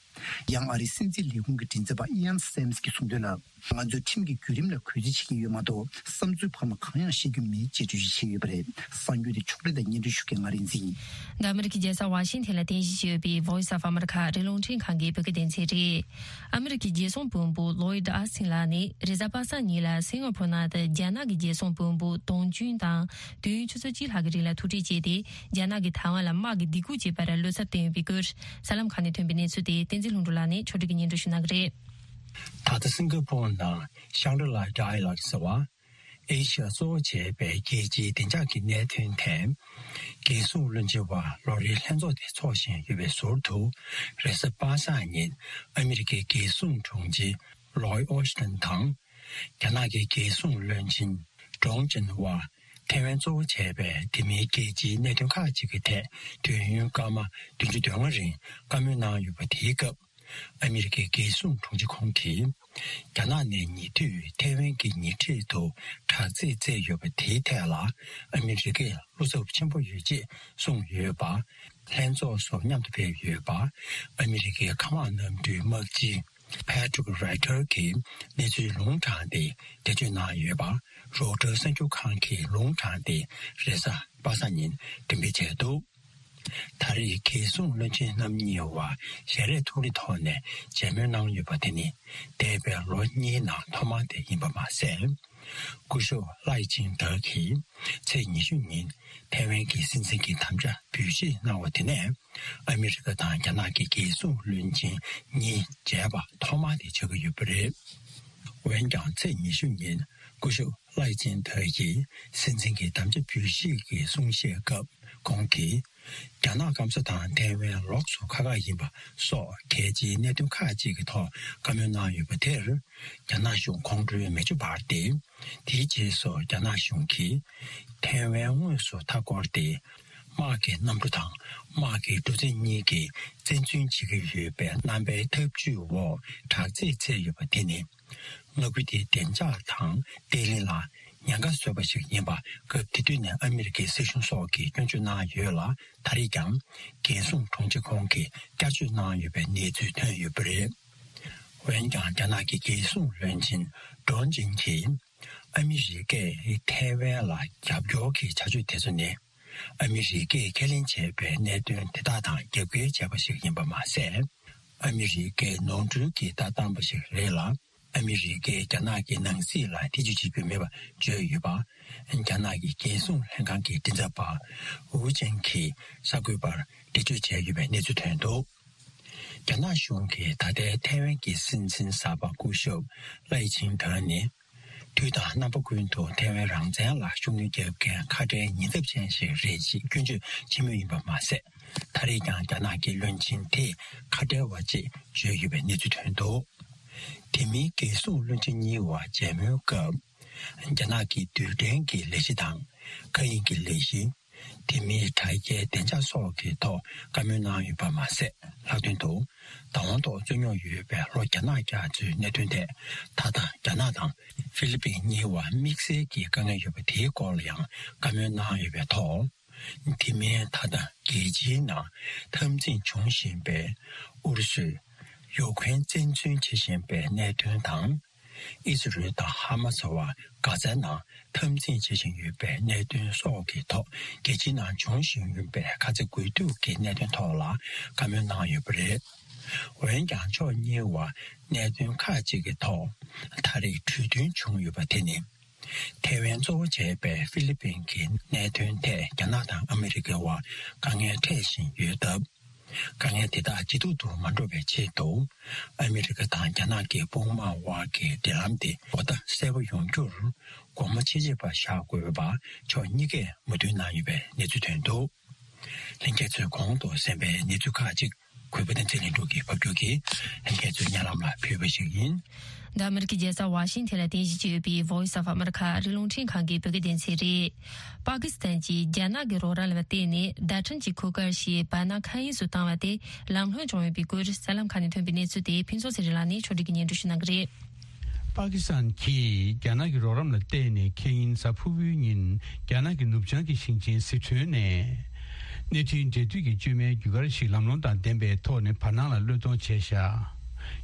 ཡང་ཨ་རིའི་སྲིད་འཛིན་ལས་ཁུངས་ཀྱི་མགྲིན་ཚབ་པ་ཨི་ཡན་སེམས་ཀྱིས་གསུངས་དོན་ལ། ང་ཚོས་ཁྲིམས་ཀྱི་བརྒྱུད་རིམ་ལ་གུས་བརྩི་བྱེད་ཀྱི་ཡོད་མ་གཏོགས། བསམ་ཚུལ་བར་མ་གང་ཡང་བཤད་རྒྱུ་མེད་ཅེས་འགྲེལ་བརྗོད་བྱས་ཡོད་པ་རེད། གསར་འགྱུར་དེ་ཕྱོགས་སྒྲིག་དང་སྙན་སྒྲོན་ཞུ་མཁན་ང་རིག་འཛིན། འདི་ཨ་མི་རི་ཀའི་རྒྱལ་ས་ཝ་ཤིང་ཐན་ལ་རྟེན་གཞི་བྱས་ཡོད་པའི་Voice of America ཨ་རིའི་རླུང་འཕྲིན་ཁང་གི་བོད་སྐད་སྡེ་ཚན་རེད། ཨ་མི་རི་ཀའི་རྒྱལ་སྲུང་དཔོན་པོ་ལོའིད་ཨ་སིན་ལགས་ནི་རེས་གཟའ་པ་སངས་ཉིན་ལ་སིང་ག་ཕོར་ནང་དུ་རྒྱ་ནག་གི་རྒྱལ་སྲུང་དཔོན་པོ་ཏོང་ཅུན་དང་དུས་ཡུན་ཆུ་ཚོད་གཅིག་ལྷག་གི་རིང་ལ་ཐུག་འཕྲད་བྱས་ཏེ། རྒྱ་ནག་གིས་ཐའེ་ཝན་ལ་དམག་གི་སྡིགས་སྐུལ་བྱས་པར་བློ་འཚབ་བསྟན་ཡོད་པའི་སྐོར། གསར་ལམ་ཁག་ནས་ཐོན་པའི་གནས་ཚུལ་དེ་བསྟན་འཛིན་ལྷུན་གྲུབ་ལགས་ནས་ཕྱོགས་སྒྲིག་གིས་སྙན་སྒྲོན་ཞུ་གནང་གི་རེད། ད་ལྟ་སིང་ག་ཕོར་ནང་Shangri-La Dialogue ཟེར་བ། ཨེ་ཤི་ཡ་གཙོ་བོ་བྱས་པའི་རྒྱལ་སྤྱིའི་བདེ་འཇགས་ཀྱི་གནད་དོན་ཐད། རྒྱལ་སྲུང་བློན་ཆེན་བར་ལོ་རེའི་ལྷན་ཚོགས་དེ་འཚོགས་བཞིན་ཡོད་པའི་ཟུར་དུ། རེས་གཟའ་པ་སངས་ཉིན་ཨ་མི་རི་ཀའི་རྒྱལ་སྲུང་དྲུང་ཆེ་ལོའི་ཨོ་ཤི་ཏན་དང་། རྒྱ་ནག་གི་རྒྱལ་སྲུང་བློན་ཆེན་ཀྲོང་ཅིན་བར་ཐའེ་ཝན་གཙོ་བོ་བྱས་པའི་དེ་མིན་རྒྱལ་སྤྱིའི་གནད་དོན་ཁག་ཅིག་གི་ཐད་དུས་ཡུན་སྐར་མ་བདུན་ཅུ་དོན་ལྔ་རིང་བཀའ་མོལ་གནང་ཡོད་པ་དེའི་སྐབས། ཨ་མི་རི་ཀའི་རྒྱལ་སྲུང་དྲུང་ཆེ་ཁོང་གིས། རྒྱ་ནག་ནས་ཉེ་དུས་ཐའེ་ཝན་གྱི་ཉེ་འཁྲིས་དུ་དྲག་རྩལ་བཙལ་ཡོད་པ་དེའི་ཐད་ལ་ཨ་མི་རི་ཀས་བློ་འཚབ་ཆེན་པོ་ཡོད་ཅེས་གསུངས་ཡོད་པ། ལྷན་ཚོགས་སུ་མཉམ་དུ་ཕེབས་ཡོད་པ། ཨ་མི་རི་ཀའི་མཁའ་དམག་གནམ་གྲུའི་དམག་སྤྱི་Patrick Ryder གྱིས་གནས་ཚུལ་ལུང་དྲངས་ཏེ་འགྲེལ་བརྗོད་གནང་ཡོད་པ། Reuters གསར་འགྱུར་ཁང་གིས་ལུང་དྲངས་ཏེ་རེས་གཟའ་པ་སངས་ཉིན་འགྲེམས་སྤེལ་བྱས་འདུག་ད་རེས་རྒྱལ་སྲུང་བློན་ཆེན་རྣམ་གཉིས་བར་ཞལ་རས་ཐུག་ལེ་ཐོག་ནས་མཇལ་མོལ་གནང་ཡོད་པ་དེ་ནི་འདས་པའི་ལོ་གཉིས་ནང་ཐོག་མ་དེ་ཡིན་པ་མ་ཟད། སྐུ་ཞབས་ལའེ་ཆིང་ཏེ་གིས་ཚེས་ཉི་ཤུ་ཉིན་ཐའེ་ཝན་གྱི་སྲིད་འཛིན་གྱི་དམ་བཅའ་འབུལ་བཞེས་གནང་བ་དེ་ནས་ཨ་མི་རི་ཀ་དང་རྒྱ་ནག་གི་རྒྱལ་སྲུང་བློན་ཆེན་གཉིས་མཇལ་བ་ཐོག་མ་དེ་ཆགས་ཀྱི་ཡོད་པ་རེད། འོན་ཀྱང་ཚེས་ཉི་ཤུ་ཉིན་སྐུ་ཞབས་ལའེ་ཆིང་ཏེ་ཡིས་སྲིད་འཛིན་གྱི་དམ་བཅའ་འབུལ་བཞེས་ཀྱི་གསུང་བཤད་སྐབས་ཁོང་གིས། རྒྱ་ནག་སྐམ་ས་དང་ཐའེ་ཝན་ལོགས་སུ་ཁག་ཁག་ཡིན་པ་སོགས་གལ་ཆེའི་གནད་དོན་ཁག་ཅིག་གི་ཐོག་བཀའ་མོལ་གནང་ཡོད་པ་དེར། རྒྱ་ནག་གཞུང་ཁོང་ཁྲོའི་མེ་ལྕེ་འབར་ཏེ། དེའི་རྗེས་སུ་རྒྱ་ནག་གཞུང་གིས་ཐའེ་ཝན་དངོས་སུ་མཐའ་བསྐོར་ཏེ། དམག་གི་གནམ་གྲུ་དང་དམག་གི་གྲུ་གཟིངས་གཉིས་ཀྱིས་བཙན་འཛུལ་བྱེད་ཀྱི་ཡོད་པའི་རྣམ་པའི་ཐབས་ཇུས་འོག་དྲག་རྩལ་བཙལ་ཡོད་པ་དེ་ནི། མངའ་ཁུལ་དེའི་བདེ་འཇགས་དང་བརྟན་ལྷིང་ལ་ཉེན་ཁ་བཟོས་པ་ཞིག་ཡིན་པ། སྐབས་དེ་དུས་ནས་ཨ་མི་རི་ཀའི་སྲིད་གཞུང་སོགས་ཀྱིས་སྐྱོན་བརྗོད་གནང་ཡོད་ལ། ད་རེས་ཀྱང་རྒྱལ་སྲུང་དྲུང་ཆེ་ཁོང་གིས་བསྐྱར་བརྗོད་གནང་ཡོད་པའི་གནས་ཚུལ་ཐོན་ཡོད་པ་རེད། འོན་ཀྱང་རྒྱ་ནག་གི་རྒྱལ་སྲུང་བློན་ཆེན་ཀྲོང་ཅིན་གྱིས། ཨ་མི་རི་ཀས་ཐའེ་ཝན་ལ་རྒྱབ་སྐྱོར་གྱི་བྱ་སྤྱོད་དེ་ཚོ་ནི། ཨ་མི་རི་ཀས་ཁས་ལེན་བྱས་པའི་གནད་དོན་དེ་དག་དང་རྒྱབ་འགལ་བྱས་པ་ཞིག་ཡིན་པ་མ་ཟད། ཨ་མི་རི་ཀས་ནོར་འཁྲུལ་གྱི་ལྟ་སྟངས་པ་ཞིག་རེད་ལ། ཨ་མི་རི་ཀས་རྒྱ་ནག་གི་ནང་སྲིད་ལ་ཐེ་ཇུས་བྱེད་རྒྱུ་མེད་པ་བརྗོད་ཡོད་པ། རྒྱ་ནག་གི་རྒྱལ་སྲུང་ལྷན་ཁང་གི་མགྲིན་ཚབ་པ་ཝུ་ཅན་གྱིས་གསར་འགོད་པར་འགྲེལ་བརྗོད་བྱས་ཡོད་པའི་གནས་ཚུལ་ཐོན་འདུག་རྒྱ་ནག་གཞུང་གིས་ད་ལྟའི་ཐའེ་ཝན་གྱི་སྲིད་འཛིན་གསར་པ་སྐུ་ཞབས་ལའེ་ཆིང་ཏེ་ནི། དུས་དང་རྣམ་པ་ཀུན་ཏུ་ཐའེ་ཝན་རང་བཙན་ལ་ཤུགས་སྣོན་རྒྱག་མཁན་ཁ་བྲལ་ཉེན་ཚབས་ཅན་ཞིག་རེད་ཅེས་སྐྱོན་བརྗོད་བྱེད་མུས་ཡིན་པ་མ་ཟད། ད་རེས་ཀྱང་རྒྱ་ནག་གི་བློན་ཆེན་དེས་ཁ་བྲལ་བ་ཅེས་བརྗོད་ཡོད་པའི་གནས་ཚུལ་ཐོན་འདུག་དེ་མིན་རྒྱལ་སྲུང་བློན་ཆེན་གཉིས་བར་མཇལ་མོལ་སྐབས། རྒྱ་ནག་གི་རྡུལ་ཕྲན་གྱི་ལས་གཞི་དང་། མཁའ་དབྱིངས་ཀྱི་ལས་གཞི། དེ་མིན་དྲ་རྒྱའི་བདེ་འཇགས་སོགས་ཀྱི་ཐོག་བཀའ་མོལ་གནང་ཡོད་པ་མ་ཟད། ལྷག་དོན་དུ། བདག་དབང་ཐོག་རྩོད་རྙོག་ཡོད་པའི་ལྷོ་རྒྱ་ནག་རྒྱ་མཚོའི་གནད་དོན་ཐད། ད་ལྟ་རྒྱ་ནག་དང་ཧྥི་ལི་པིན་གཉིས་བར་དམིགས་བསལ་གྱི་དཀའ་ངལ་ཡོད་པ་དེའི་སྐོར་ལ་ཡང་བཀའ་མོལ་གནང་ཡོད་པའི་ཐོག་དེ་མིན་ད་ལྟ་རྒྱལ་སྤྱིའི་ནང་འཐབ་འཛིང་འབྱུང་བཞིན་པའི་ཨུ་རུ་སུས་ཡུ་ཁུ་རེན་བཙན་འཛུལ་བྱེད་བཞིན་པའི་གནད་དོན་དང་། ཨི་ཟི་རེལ་དང་ཧ་མ་སི་བར་གྷ་ཛའི་ནང་འཐབ་འཛིང་བྱེད་བཞིན་ཡོད་པའི་གནད་དོན་སོགས་ཀྱི་ཐོག་རྒྱལ་སྤྱིའི་ནང་འབྱུང་བཞིན་ཡོད་པའི་ཁ་ཚ་དགོས་གཏུག་གི་གནད་དོན་ཐོག་ལ་བཀའ་མོལ་གནང་ཡོད་པ་རེད། འོན་ཀྱང་ཕྱོགས་གཉིས་བར་གནད་དོན་ཁག་ཅིག་གི་ཐོག་ད་རེས་གྲོས་མཐུན་བྱུང་ཡོད་པ་དེ་ནི། ཐེ་ཝན་གཙོ་བོ་བྱས་པའི་ཧྥི་ལི་པིན་གྱི་གནད་དོན་ཐད་རྒྱ་ནག་དང་ཨ་མི་རི་ཀའི་བར་དཀའ་ངལ་འཕྲད་བཞིན་ཡོད་སྟབས། དཀའ་ངལ་དེ་དག་ཇེ་སྡུག་ཏུ་མ་འགྲོ་བའི་ཆེད་དུ། ཨ་མི་རི་ཀ་དང་རྒྱ་ནག་གི་དཔུང་དམག་དབར་གྱི་འབྲེལ་ལམ་དེ་གོ་བརྡ་གསལ་པོ་ཡོང་རྒྱུར་སྒོ་མོ་ཕྱེ་བྱེད་པ་བཞག་དགོས་པ་ཕྱོགས་གཉིས་ཀས་མོས་མཐུན་གནང་ཡོད་པའི་གནས་ཚུལ་ཐོན་འདུག་ལྷན་རྒྱས་ཚོས་གོང་དུ་གསན་པའི་གནས་ཚུལ་ཁག་ཅིག་གུས་པ་བསྟན་འཛིན་ལྷུན་གྲུབ་ཀྱིས་ཕབ་སྒྱུར་གྱིས་ལྷན་རྒྱས་ཚོའི་སྙན་ལམ་ལ་ཕུལ་བ་ཞིག་ཡིན། འདི་ཨ་མི་རི་ཀའི་རྒྱལ་ས་ཝ་ཤིང་ཐན་ལ་རྟེན་གཞི་བྱས་ཡོད་པའི་Voice of America ཨ་རིའི་རླུང་འཕྲིན་ཁང་གི་བོད་སྐད་སྡེ་ཚན་རེད། པ་ཀི་སི་ཐན་གྱིས་རྒྱ་ནག་གི་རོགས་རམ་ལ་བརྟེན་ནས་བརྡ་འཕྲིན་གྱི་གོ་སྐབས་ཤིག་བར་སྣང་མཁའ་དབྱིངས་སུ་བཏང་བ་དེ་ལམ་ལྷོང་བྱུང་ཡོད་པའི་སྐོར་གསར་ལམ་ཁག་ནས་ཐོན་པའི་གནས་ཚུལ་དེ་ཕུན་ཚོགས་ཚེ་རིང་ལགས་ནས་ཕྱོགས་སྒྲིག་གིས་སྙན་སྒྲོན་ཞུ་གནང་གི་རེད། པ་ཀི་སི་ཐན་གྱིས་རྒྱ་ནག་གི་རོགས་རམ་ལ་བརྟེན་ནས་ཁེ་ཉིན་གཟའ་ཕུར་བུའི་ཉིན་རྒྱ་ནག་གི་ནུབ་བྱང་གི་ཞིང་ཆེན་ཟི་ཁྲོན་ནས་གནས་འཕྲིན་འབྲེལ་མཐུད་ཀྱི་བཅོས་མའི་བརྒྱུད་སྐར་ཞིག་ལམ་ལྷོང་དང་ལྡན་པའི་ཐོག་ནས་བར་སྣང་ལ་གློད་གཏོང་བྱས་བཞག་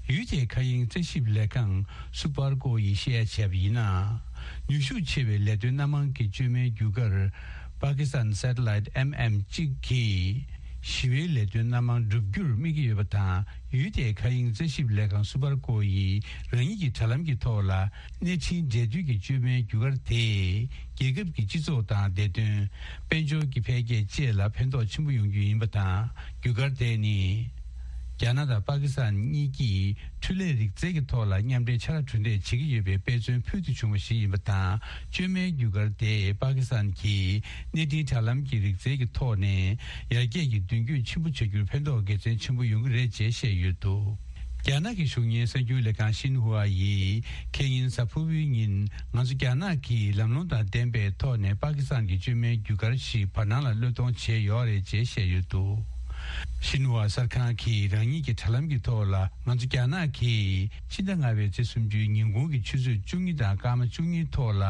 ཡུལ་དེའི་མཁའ་དབྱིངས་རྩིས་ཞིབ་ལས་ཁང་སུ་པར་ཀོ་ཡིས་བཤད་ཡ་བྱས་པ་ཡིན་ན། ནུས་ཤུགས་ཆེ་བའི་ལས་དོན་སྣ་མང་གི་བཅོས་མའི་བརྒྱུད་སྐར་པ་ཀི་སི་ཐན་Satellite M M གཅིག་གིས་ཞི་བའི་ལས་དོན་སྣ་མང་བསྒྲུབ་རྒྱུར་དམིགས་ཀྱི་ཡོད་པ་དང་། ཡུལ་དེའི་མཁའ་དབྱིངས་རྩིས་ཞིབ་ལས་ཁང་སུ་པར་ཀོ་ཡིས་རང་ཉིད་ཀྱི་དྲ་ལམ་གྱི་ཐོག་ལ་གནས་འཕྲིན་འབྲེལ་མཐུད་ཀྱི་བཅོས་མའི་བརྒྱུད་སྐར་དེས་རྒྱལ་ཁབ་ཀྱི་སྤྱི་ཚོགས་དང་བདེ་དོན། དཔལ་འབྱོར་གྱི་འཕེལ་རྒྱས་བཅས་ལ་ཕན་ཐོགས་ཆེན་པོ་ཡོང་རྒྱུ་ཡིན་པ་དང་། བརྒྱུད་སྐར་དེ་ནི། རྒྱ་ནག་དང་པ་ཀི་སི་ཐན་གཉིས་ཀྱིས་འཕྲུལ་ལས་རིག་རྩལ་གྱི་ཐོག་ལ་མཉམ་འབྲེལ་ཕྱག་ལས་གྲུབ་འབྲས་བྱེད་ཀྱི་ཡོད་པའི་དཔེ་མཚོན་ཕུལ་དུ་བྱུང་བ་ཞིག་ཡིན་པ་དང་། བཅོས་མའི་བརྒྱུད་སྐར་དེས་པ་ཀི་སི་ཐན་གྱི་གནས་འཕྲིན་དྲ་ལམ་གྱི་རིག་རྩལ་གྱི་ཐོག་ནས་ཡར་རྒྱས་ཀྱི་མདུན་སྐྱོད་ཆེན་པོ་བྱ་རྒྱུར་ཕན་ཐོགས་དགེ་མཚན་ཆེན་པོ་ཡོང་གི་རེད་ཅེས་བཤད་ཡོད་འདུག་རྒྱ་ནག་གི་གཞུང་གཉེར་གསར་འགྱུར་ལས་ཁང་ཤིན་ཧྭ་ཡིས་ཁེ་ཉིན་གཟའ་ཕུར་བུའི་ཉིན་ང་ཚོ་རྒྱ་ནག་གིས་ལམ་ལྷོང་དང་ལྡན་པའི་ཐོག་ནས་པ་ཀི་སི་ཐན་གྱི་བཅོས་མའི་བརྒྱུད་སྐར་ཞིག་བར་སྣང་ལ་གློད་གཏོང་བྱས་ཡོད་རེད་ཅེས་བཤད་ཡོད་འདུག་ཤིན་ཧྭ་གསར་ཁང་གིས་རང་ཉིད་ཀྱི་དྲ་ལམ་གྱི་ཐོག་ལ། ང་ཚོ་རྒྱ་ནག་གིས་ཕྱི་ཟླ་ལྔ་པའི་ཚེས་སུམ་ཅུའི་ཉིན་གུང་གི་ཆུ་ཚོད་བཅུ་གཉིས་དང་སྐར་མ་བཅུ་གཉིས་ཐོག་ལ་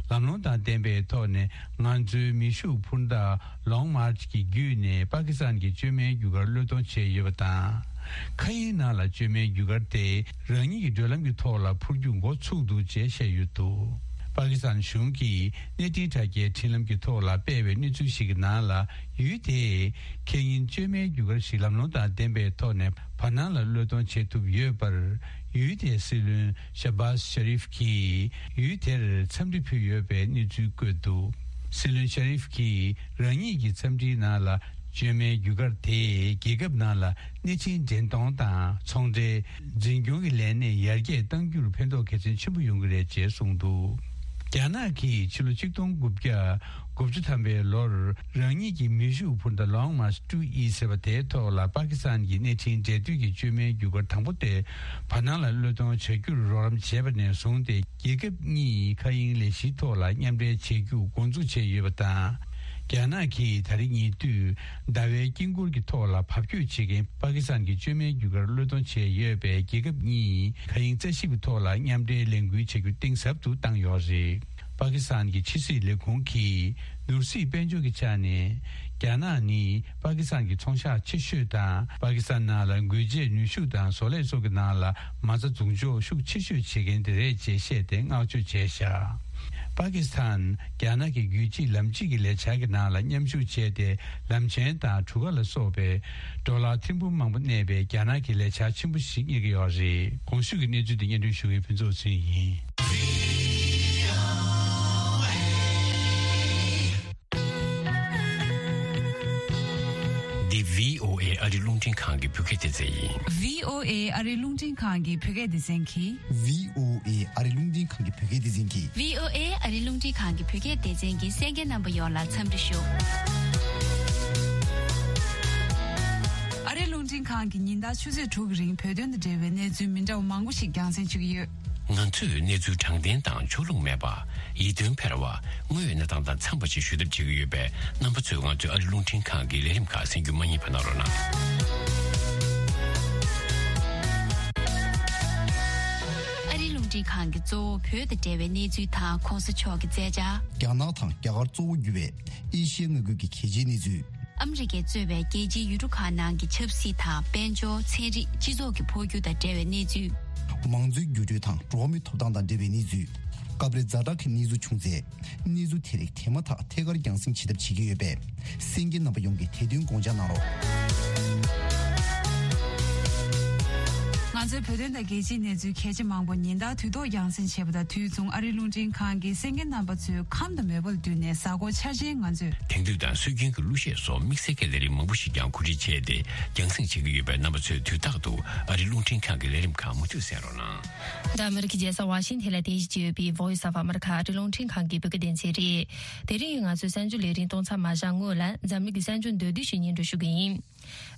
ལམ་ལྷོང་དང་ལྡན་པའི་ཐོག་ནས་ང་ཚོའི་མེ་ཤུགས་འཕུར་མདའ་Long March གྱི་བརྒྱུད་ནས་པ་ཀི་སི་ཐན་གྱི་བཅོས་མའི་བརྒྱུད་སྐར་གློད་གཏོང་བྱས་ཡོད་པ་དང་། མཁའ་དབྱིངས་ནང་ལ་བཅོས་མའི་བརྒྱུད་སྐར་དེ་རང་ཉིད་ཀྱི་བགྲོད་ལམ་གྱི་ཐོག་ལ་འཕུར་རྒྱུ་འགོ་ཚུགས་འདུག་ཅེས་བཤད་ཡོད་འདུག་པ་ཀི་སི་ཐན་གཞུང་གིས་གནས་འཕྲིན་དྲ་རྒྱའི་འཕྲིན་ལམ་གྱི་ཐོག་ལ་སྤེལ་བའི་གནས་ཚུལ་ཞིག་གི་ནང་ལ། ཡུལ་དེས་ཁེ་ཉིན་བཅོས་མའི་བརྒྱུད་སྐར་ཞིག་ལམ་ལྷོང་དང་ལྡན་པའི་ཐོག་ནས་བར་སྣང་ལ་གློད་གཏོང་བྱེད་ཐུབ་ཡོད་པར། ཡུལ་དེའི་སྲིད་བློན་ཤ་བཱས་ཤ་རིཕ་གྱིས་ཡུལ་དེར་འཚམས་འདྲི་ཕུལ་ཡོད་པའི་གནས་ཚུལ་བཀོད་འདུག་སྲིད་བློན་ཤ་རིཕ་གྱིས་རང་ཉིད་ཀྱི་འཚམས་འདྲིའི་ནང་ལ། བཅོས་མའི་བརྒྱུད་སྐར་དེས་རྒྱལ་ཁབ་ནང་ལ་གནས་ཆེན་འདྲེན་གཏོང་དང་ཚོང་འབྲེལ། འཛིན་སྐྱོང་གི་ལས་གནས་ཡར་རྒྱས་གཏང་རྒྱུར་ཕན་ཐོགས་གལ་ཆེན་ཆེན་པོ་ཡོང་གི་རེད་ཅེས་གསུངས་འདུག་རྒྱ་ནག་གིས་ཕྱི་ལོ་ཆིག་སྟོང་དགུ་བརྒྱ་དགུ་བཅུ་ཐམ་པའི་ལོར་རང་ཉིད་ཀྱི་མེ་ཤུགས་འཕུར་མདའ་Long March two E ཟེར་བ་དེའི་ཐོག་ལ་པ་ཀི་སི་ཐན་གྱི་གནས་འཕྲིན་འབྲེལ་མཐུད་ཀྱི་བཅོས་མའི་བརྒྱུད་སྐར་དང་པོ་དེ་བར་སྣང་ལ་གློད་གཏོང་བྱ་རྒྱུར་རོགས་རམ་བྱས་པ་ནས་བཟུང་སྟེ། རྒྱལ་ཁབ་གཉིས་མཁའ་དབྱིངས་ལས་གཞིའི་ཐོག་ལ་མཉམ་འབྲེལ་བྱེད་རྒྱུ་འགོ་འཛུགས་བྱས་ཡོད་པ་དང་། རྒྱ་ནག་གིས་ད་རེས་ཉེ་དུས་ཟླ་བའི་དཀྱིལ་འཁོར་གྱི་ཐོག་ལ་བབ་བསྐྱོད་བྱེད་མཁན་པ་ཀི་སི་ཐན་གྱི་བཅོས་མའི་བརྒྱུད་སྐར་གློད་གཏོང་བྱས་ཡོད་པས། རྒྱལ་ཁབ་གཉིས་མཁའ་དབྱིངས་རྩ་ཞིབ་ཀྱི་ཐོག་ལ་མཉམ་འབྲེལ་ལས་འགུལ་བྱ་རྒྱུ་གཏིང་ཟབ་ཏུ་བཏང་ཡོད་རེད། པ་ཀི་སི་ཐན་གྱི་ཕྱི་སྲིད་ལས་ཁུངས་ཀྱིས་ནོར་སྲིད་དཔལ་འབྱོར་གྱི་ཆ་ནས་རྒྱ་ནག་ནི། པ་ཀི་སི་ཐན་གྱི་ཚོང་ཤག་ཆེ་ཤོས་དང་། པ་ཀི་སི་ཐན་ནང་ལ་འགུལ་འབྱེད་ནུས་ཤུགས་དང་བཟོ་ལས་སོགས་ཀྱི་ནང་ལ་མ་རྩ་འཛུགས་འཇོག་ཤུགས་ཆེ་ཤོས་བྱེད་མཁན་དེ་རེད་ཅེས་བཤད་དེ་བསྔགས་བརྗོད་བྱས་བཞག་པ་ཀི་སི་ཐན་རྒྱ་ནག་གི་རྒྱུད་གཅིག་ལམ་གཅིག་གི་ལས་འཆར་གྱི་ནང་ལ་མཉམ་ཞུགས་བྱས་ཏེ། ལམ་ཆེན་དང་གྲུ་ཁ་ལ་སོགས་པའི་ཌོ་ལར་ཐེར་འབུམ་མང་པོ་གནས་པའི་རྒྱ་ནག་གི་ལས་འཆར་ཆེན་པོ་ཞིག་རྙེད་ཀྱི་ཡོད་རེད། གོང་ཞུས་ཀྱི་གནས་ཚུལ་དེ་སྙན་སྒྲོན་ཞུ་མཁན་ཕུན་ཚོགས་ཚེ་རིང་ཡིན། འདི་བྷི་ཨོ་ཨེ་ཨ་རི་རླུང་འཕྲིན་ཁང་གི་བོད་སྐད་སྡེ་ཚན་ཡིན། བྷི་ཨོ་ཨེ་ཨ་རི་རླུང་འཕྲིན་ཁང་གི་བོད་སྐད་སྡེ་ཚན་གྱིས། བྷི་ཨོ་ཨེ་ཨ་རི་རླུང་འཕྲིན་ཁང་གི་བོད་སྐད་སྡེ་ཚན་གྱིས། བྷི་ཨོ་ཨེ་ཨ་རི་རླུང་འཕྲིན་ཁང་གི་བོད་སྐད་སྡེ་ཚན་གྱི་གསན་མཁན་རྣམ་པ་ཡོངས་ལ་འཚམས་འདྲི་ཞུ། ཨ་རི་རླུང་འཕྲིན་ཁང་གིས་ཉིན་ལྟར་ཆུ་ཚོད་དྲུག་གི་རིང་བོད་དོན་དང་འབྲེལ་བའི་གནས་ཚུལ་མི་འདྲ་བ་མང་པོ་ཞིག་རྒྱང་སྲིང་ཞུ་གི་ཡོད། ང་ཚོས་གནས་ཚུལ་དྲང་བདེན་དང་ཕྱོགས་ལྷུང་མེད་པ། ཡིད་རྟོན་འཕེར་བ། དངོས་ཡོད་གནས་སྟངས་དང་འཚམས་པ་ཞིག་ཞུ་ཐབས་བྱེད་ཀྱི་ཡོད་པས། རྣམ་པ་ཚོས་ང་ཚོའི་ཨ་རི་རླུང་འཕྲིན་ཁང་གི་ལས་རིམ་ཁག་གསན་རྒྱུ་མ་བསྙེལ་བ་གནང་རོགས་གནང་། ཨ་རིའི་རླུང་འཕྲིན་ཁང་གི་གཙོ་བོ་བོད་དང་འབྲེལ་བའི་གནས་ཚུལ་དང་གོང་ས་མཆོག་གི་མཛད་འཆར། རྒྱ་ནག་དང་རྒྱ་གར་གཙོ་བོ་གྱུར་བའི་ཨེ་ཤི་ཡའི་མངའ་ཁུལ་གྱི་གལ་ཆེའི་གནས་ཚུལ། ཨ་མི་རི་ཀས་གཙོས་པའི་རྒྱལ་སྤྱིའི་ཡུལ་གྲུ་ཁག་ནང་གི་ཆབ་སྲིད་དང་། དཔལ་འབྱོར། ཚན་རིག་སྤྱི་ཚོགས་ཀྱི་འཕོ་འགྱུར་དང་འབྲེལ་བའི་གནས་ཚུལ། མང་གཙོའི་འགྱུར་འགྲོས་དང་འགྲོ་བ་མིའི་ཐོབ་ཐང་དང་འབྲེལ་བའི་གནས་ཚུལ། སྐབས་རེ་ཛ་དྲག་གི་གནས་ཚུལ་བྱུང་ཚེ། གནས་ཚུལ་དེ་རིགས་དེ་མ་ཐག་ཐད་ཀར་རྒྱང་སྲིང་བྱེད་ཐབས་བྱེད་ཀྱི་ཡོད་པས། གསན་མཁན་རྣམ་པ་ཡོངས་ཀྱིས་དེ་དོན་དགོངས་འཇགས་གནང་རོགས། ང་ཚོའི་བོད་དོན་དང་རྒྱལ་སྤྱིའི་གནས་ཚུལ་གལ་ཆེ་མང་པོ་ཉིན་ལྟར་དུས་ཐོག་རྒྱང་སྲིང་བྱེད་པ་དང་། དུས་མཚུངས་ཨ་རིའི་རླུང་འཕྲིན་ཁང་གི་གསན་མཁན་རྣམ་པ་ཚོའི་ཁམས་དང་མོས་པ་ལ་བསྟུན་ནས། གཟའ་འཁོར་འཆར་ཅན་ང་ཚོས་དེང་དུས་དང་སྲོལ་རྒྱུན་གྱི་གླུ་གཞས་སོགས་དམིགས་བསལ་གྱི་ལས་རིམ་མང་པོ་ཞིག་ཀྱང་གོ་སྒྲིག་བྱས་ཏེ་རྒྱང་སྲིང་བྱེད་ཀྱི་ཡོད་པས། རྣམ་པ་ཚོས་དུས་རྟག་ཏུ་ཨ་རིའི་རླུང་འཕྲིན་ཁང་གི་ལས་རིམ་ཁག་མུ་མཐུད་གསན་རོགས་གནང་། འདི་ཨ་མི་རི་ཀའི་རྒྱལ་ས་ཝ་ཤིང་ཐན་ལ་རྟེན་གཞི་བྱས་ཡོད་པའི་Voice of America ཨ་རིའི་རླུང་འཕྲིན་ཁང་གི་བོད་སྐད་སྡེ་ཚན་རེད། དེ་རིང་ང་ཚོའི་གསར་འགྱུར་ལས་རིམ་གཏོང་མཚམས་མ་བཞག་སྔོན་ལ། འཛམ་གླིང་གི་གསར་འགྱུར་མདོར་བསྡུས་ཤིག་སྙན་སྒྲོན་ཞུ་གི་ཡིན།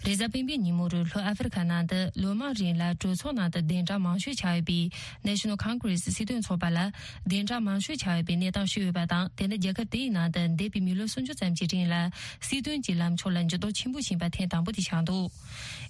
རེས་གཟའ་སྤེན་པའི་ཉིན་མོ་རུ་ལྷོ་ཨ་ཧྥེ་རི་ཁ་ནང་དུ་ལོ་མང་རིང་ལ་གྲོས་ཚོགས་ནང་དུ་བདེན་དྲང་མང་ཤོས་ཆགས་ཡོད་པའི་National Congress སྲིད་དོན་ཚོགས་པ་ལ་བདེན་དྲང་མང་ཤོས་ཆགས་ཡོད་པའི་གནས་སྟངས་ཤིག་ཡོད་པ་དང་། དེ་ནི་རྒྱལ་ཁབ་དེའི་ནང་དུ་འདས་པའི་མི་ལོ་སུམ་ཅུ་ཙམ་གྱི་རིང་ལ་སྲིད་དོན་གྱི་ལམ་ཕྱོགས་ལ་འགྱུར་ལྡོག་ཆེན་པོ་ཕྱིན་པ་ཐེངས་དང་པོ་དེ་ཆགས་འདུག་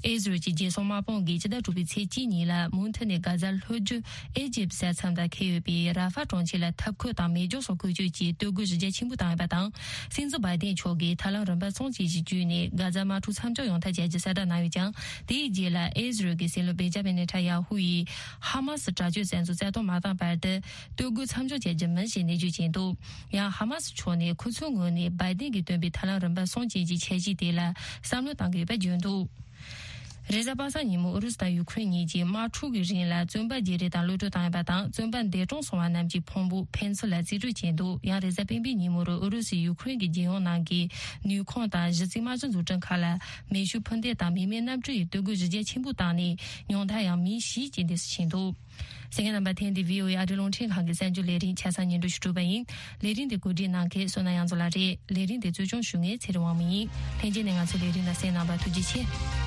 ཨི་ཟི་རལ་གྱི་རྒྱལ་སྲུང་དམག་དཔུང་གིས་ཕྱི་ཟླ་དྲུག་པའི་ཚེས་གཅིག་ཉིན་ལ་མུ་མཐུད་ནས་གྷ་ཛ་ལྷོ་རྒྱུད་ཨི་ཇིབ་ས་མཚམས་དང་འཁེལ་ཡོད་པའི་ར་ཧྥ་གྲོང་ཁྱེར་ལ་ཐབས་བཀོད་དང་མེ་སྒྱོགས་སོགས་བཀོལ་སྤྱོད་ཀྱིས་སྡོད་དགོས་གཞི་རྒྱ་ཆེན་པོ་བཏང་ཡོད་པ་དང་། སྲིད་འཛིན་བྷའི་ཏིན་མཆོག་གིས་ཐབས་ལམ་རིམ་པ་གསུམ་ཅན་ཞིག་བརྒྱུད་ནས་གྷ་ཛ་དམག་འཁྲུག་མཚམས་འཇོག་ཡོང་ཐབས་བྱ་རྒྱུ་གསལ་བསྒྲགས་གནང་ཡོད་ཀྱང་། དེའི་རྗེས་ལ་ཨི་ཟི་རལ་གྱི་སྲིད་བློན་བེན་ཇ་མིན་ནེ་ཐན་ཡ་ཧུ་ཡིས་ཧ་མ་སི་དྲག་སྤྱོད་བཙན་འཛུལ་རྩ་གཏོར་མ་བཏང་བར་དུ་སྡོད་དགོས་མཚམས་འཇོག་བྱ་རྒྱུ་མིན་ཞེས་ནན་བརྗོད་བྱས་འདུག་ཡང་ཧ་མ་སི་ཕྱོགས་ནས་ཁོ་ཚོའི་ངོས་ནས་བྷའི་ཏིན་གྱིས་བཏོན་པའི་ཐབས་ལམ་རིམ་པ་གསུམ་ཅན་གྱི་འཆར་གཞི་དེ་ལ་བསམ་བློ་བཏང་གི་ཡོད་པ་བརྗོད་འདུག་རེས་གཟའ་པ་སངས་ཉིན་མོ་ཨུ་རུ་སུ་དང་ཡུ་ཁུ་རེན་གཉིས་ཀྱིས་དམག་འཁྲུག་གི་རིང་ལ་བཙོན་པ་བརྗེ་རེས་དང་གློད་གྲོལ་བཏང་ཡོད་པ་དང་། བཙོན་པ་འདས་གྲོངས་སོང་བ་རྣམས་ཀྱི་ཕུང་པོ་ཕན་ཚུན་ལ་རྩིས་སྤྲོད་བྱས་འདུག་ཡང་རེས་གཟའ་སྤེན་པའི་ཉིན་མོ་རུ་ཨུ་རུ་སུས་ཡུ་ཁུ་རེན་གྱི་རྒྱལ་ཡོངས་ནང་གི་ནུས་ཁུངས་དང་གཞི་རྩའི་དམག་སྤྱི་འཛུགས་སྐྲུན་ཁག་ལ་མེ་ཤུགས་འཕུར་མདེལ་དང་མི་མེད་གནམ་གྲུ་ཡིས་གཏོར་རྒོལ་གཞི་རྒྱ་ཆེན་པོ་བཏང་ནས། ཉུང་མཐར་ཡང་མི་བཞི་རྐྱེན་འདས་སུ་ཕྱིན་འདུག་གསན་མཁན་རྣམ་པ། ཐེངས་འདིའི་བྷི་ཨོ་ཨེ་ཨ་རིའི་རླུང་འཕྲིན་ཁང་གི་གསར་འགྱུར་ལས་རིམ་ཆ་ཚང་སྙན་སྒྲོན་ཞུ་གྲུབ་པ་ཡིན། ལས་རིམ་འདི་གོ་སྒྲིག་གནང་མཁན་བསོད་ནམས་དབྱངས་མཚོ་ལགས་རེད། ལས་རིམ་འདི་གཙོ་སྐྱོང་ཞུ་མཁན་ཚེ་རིང་དབང་མོ་ཡིན། ལྷན་རྒྱས་ནས་ང་ཚོའི་ལས་རིམ་ལ་གསན་གནང་བར་ཐུགས་རྗེ་ཆེ།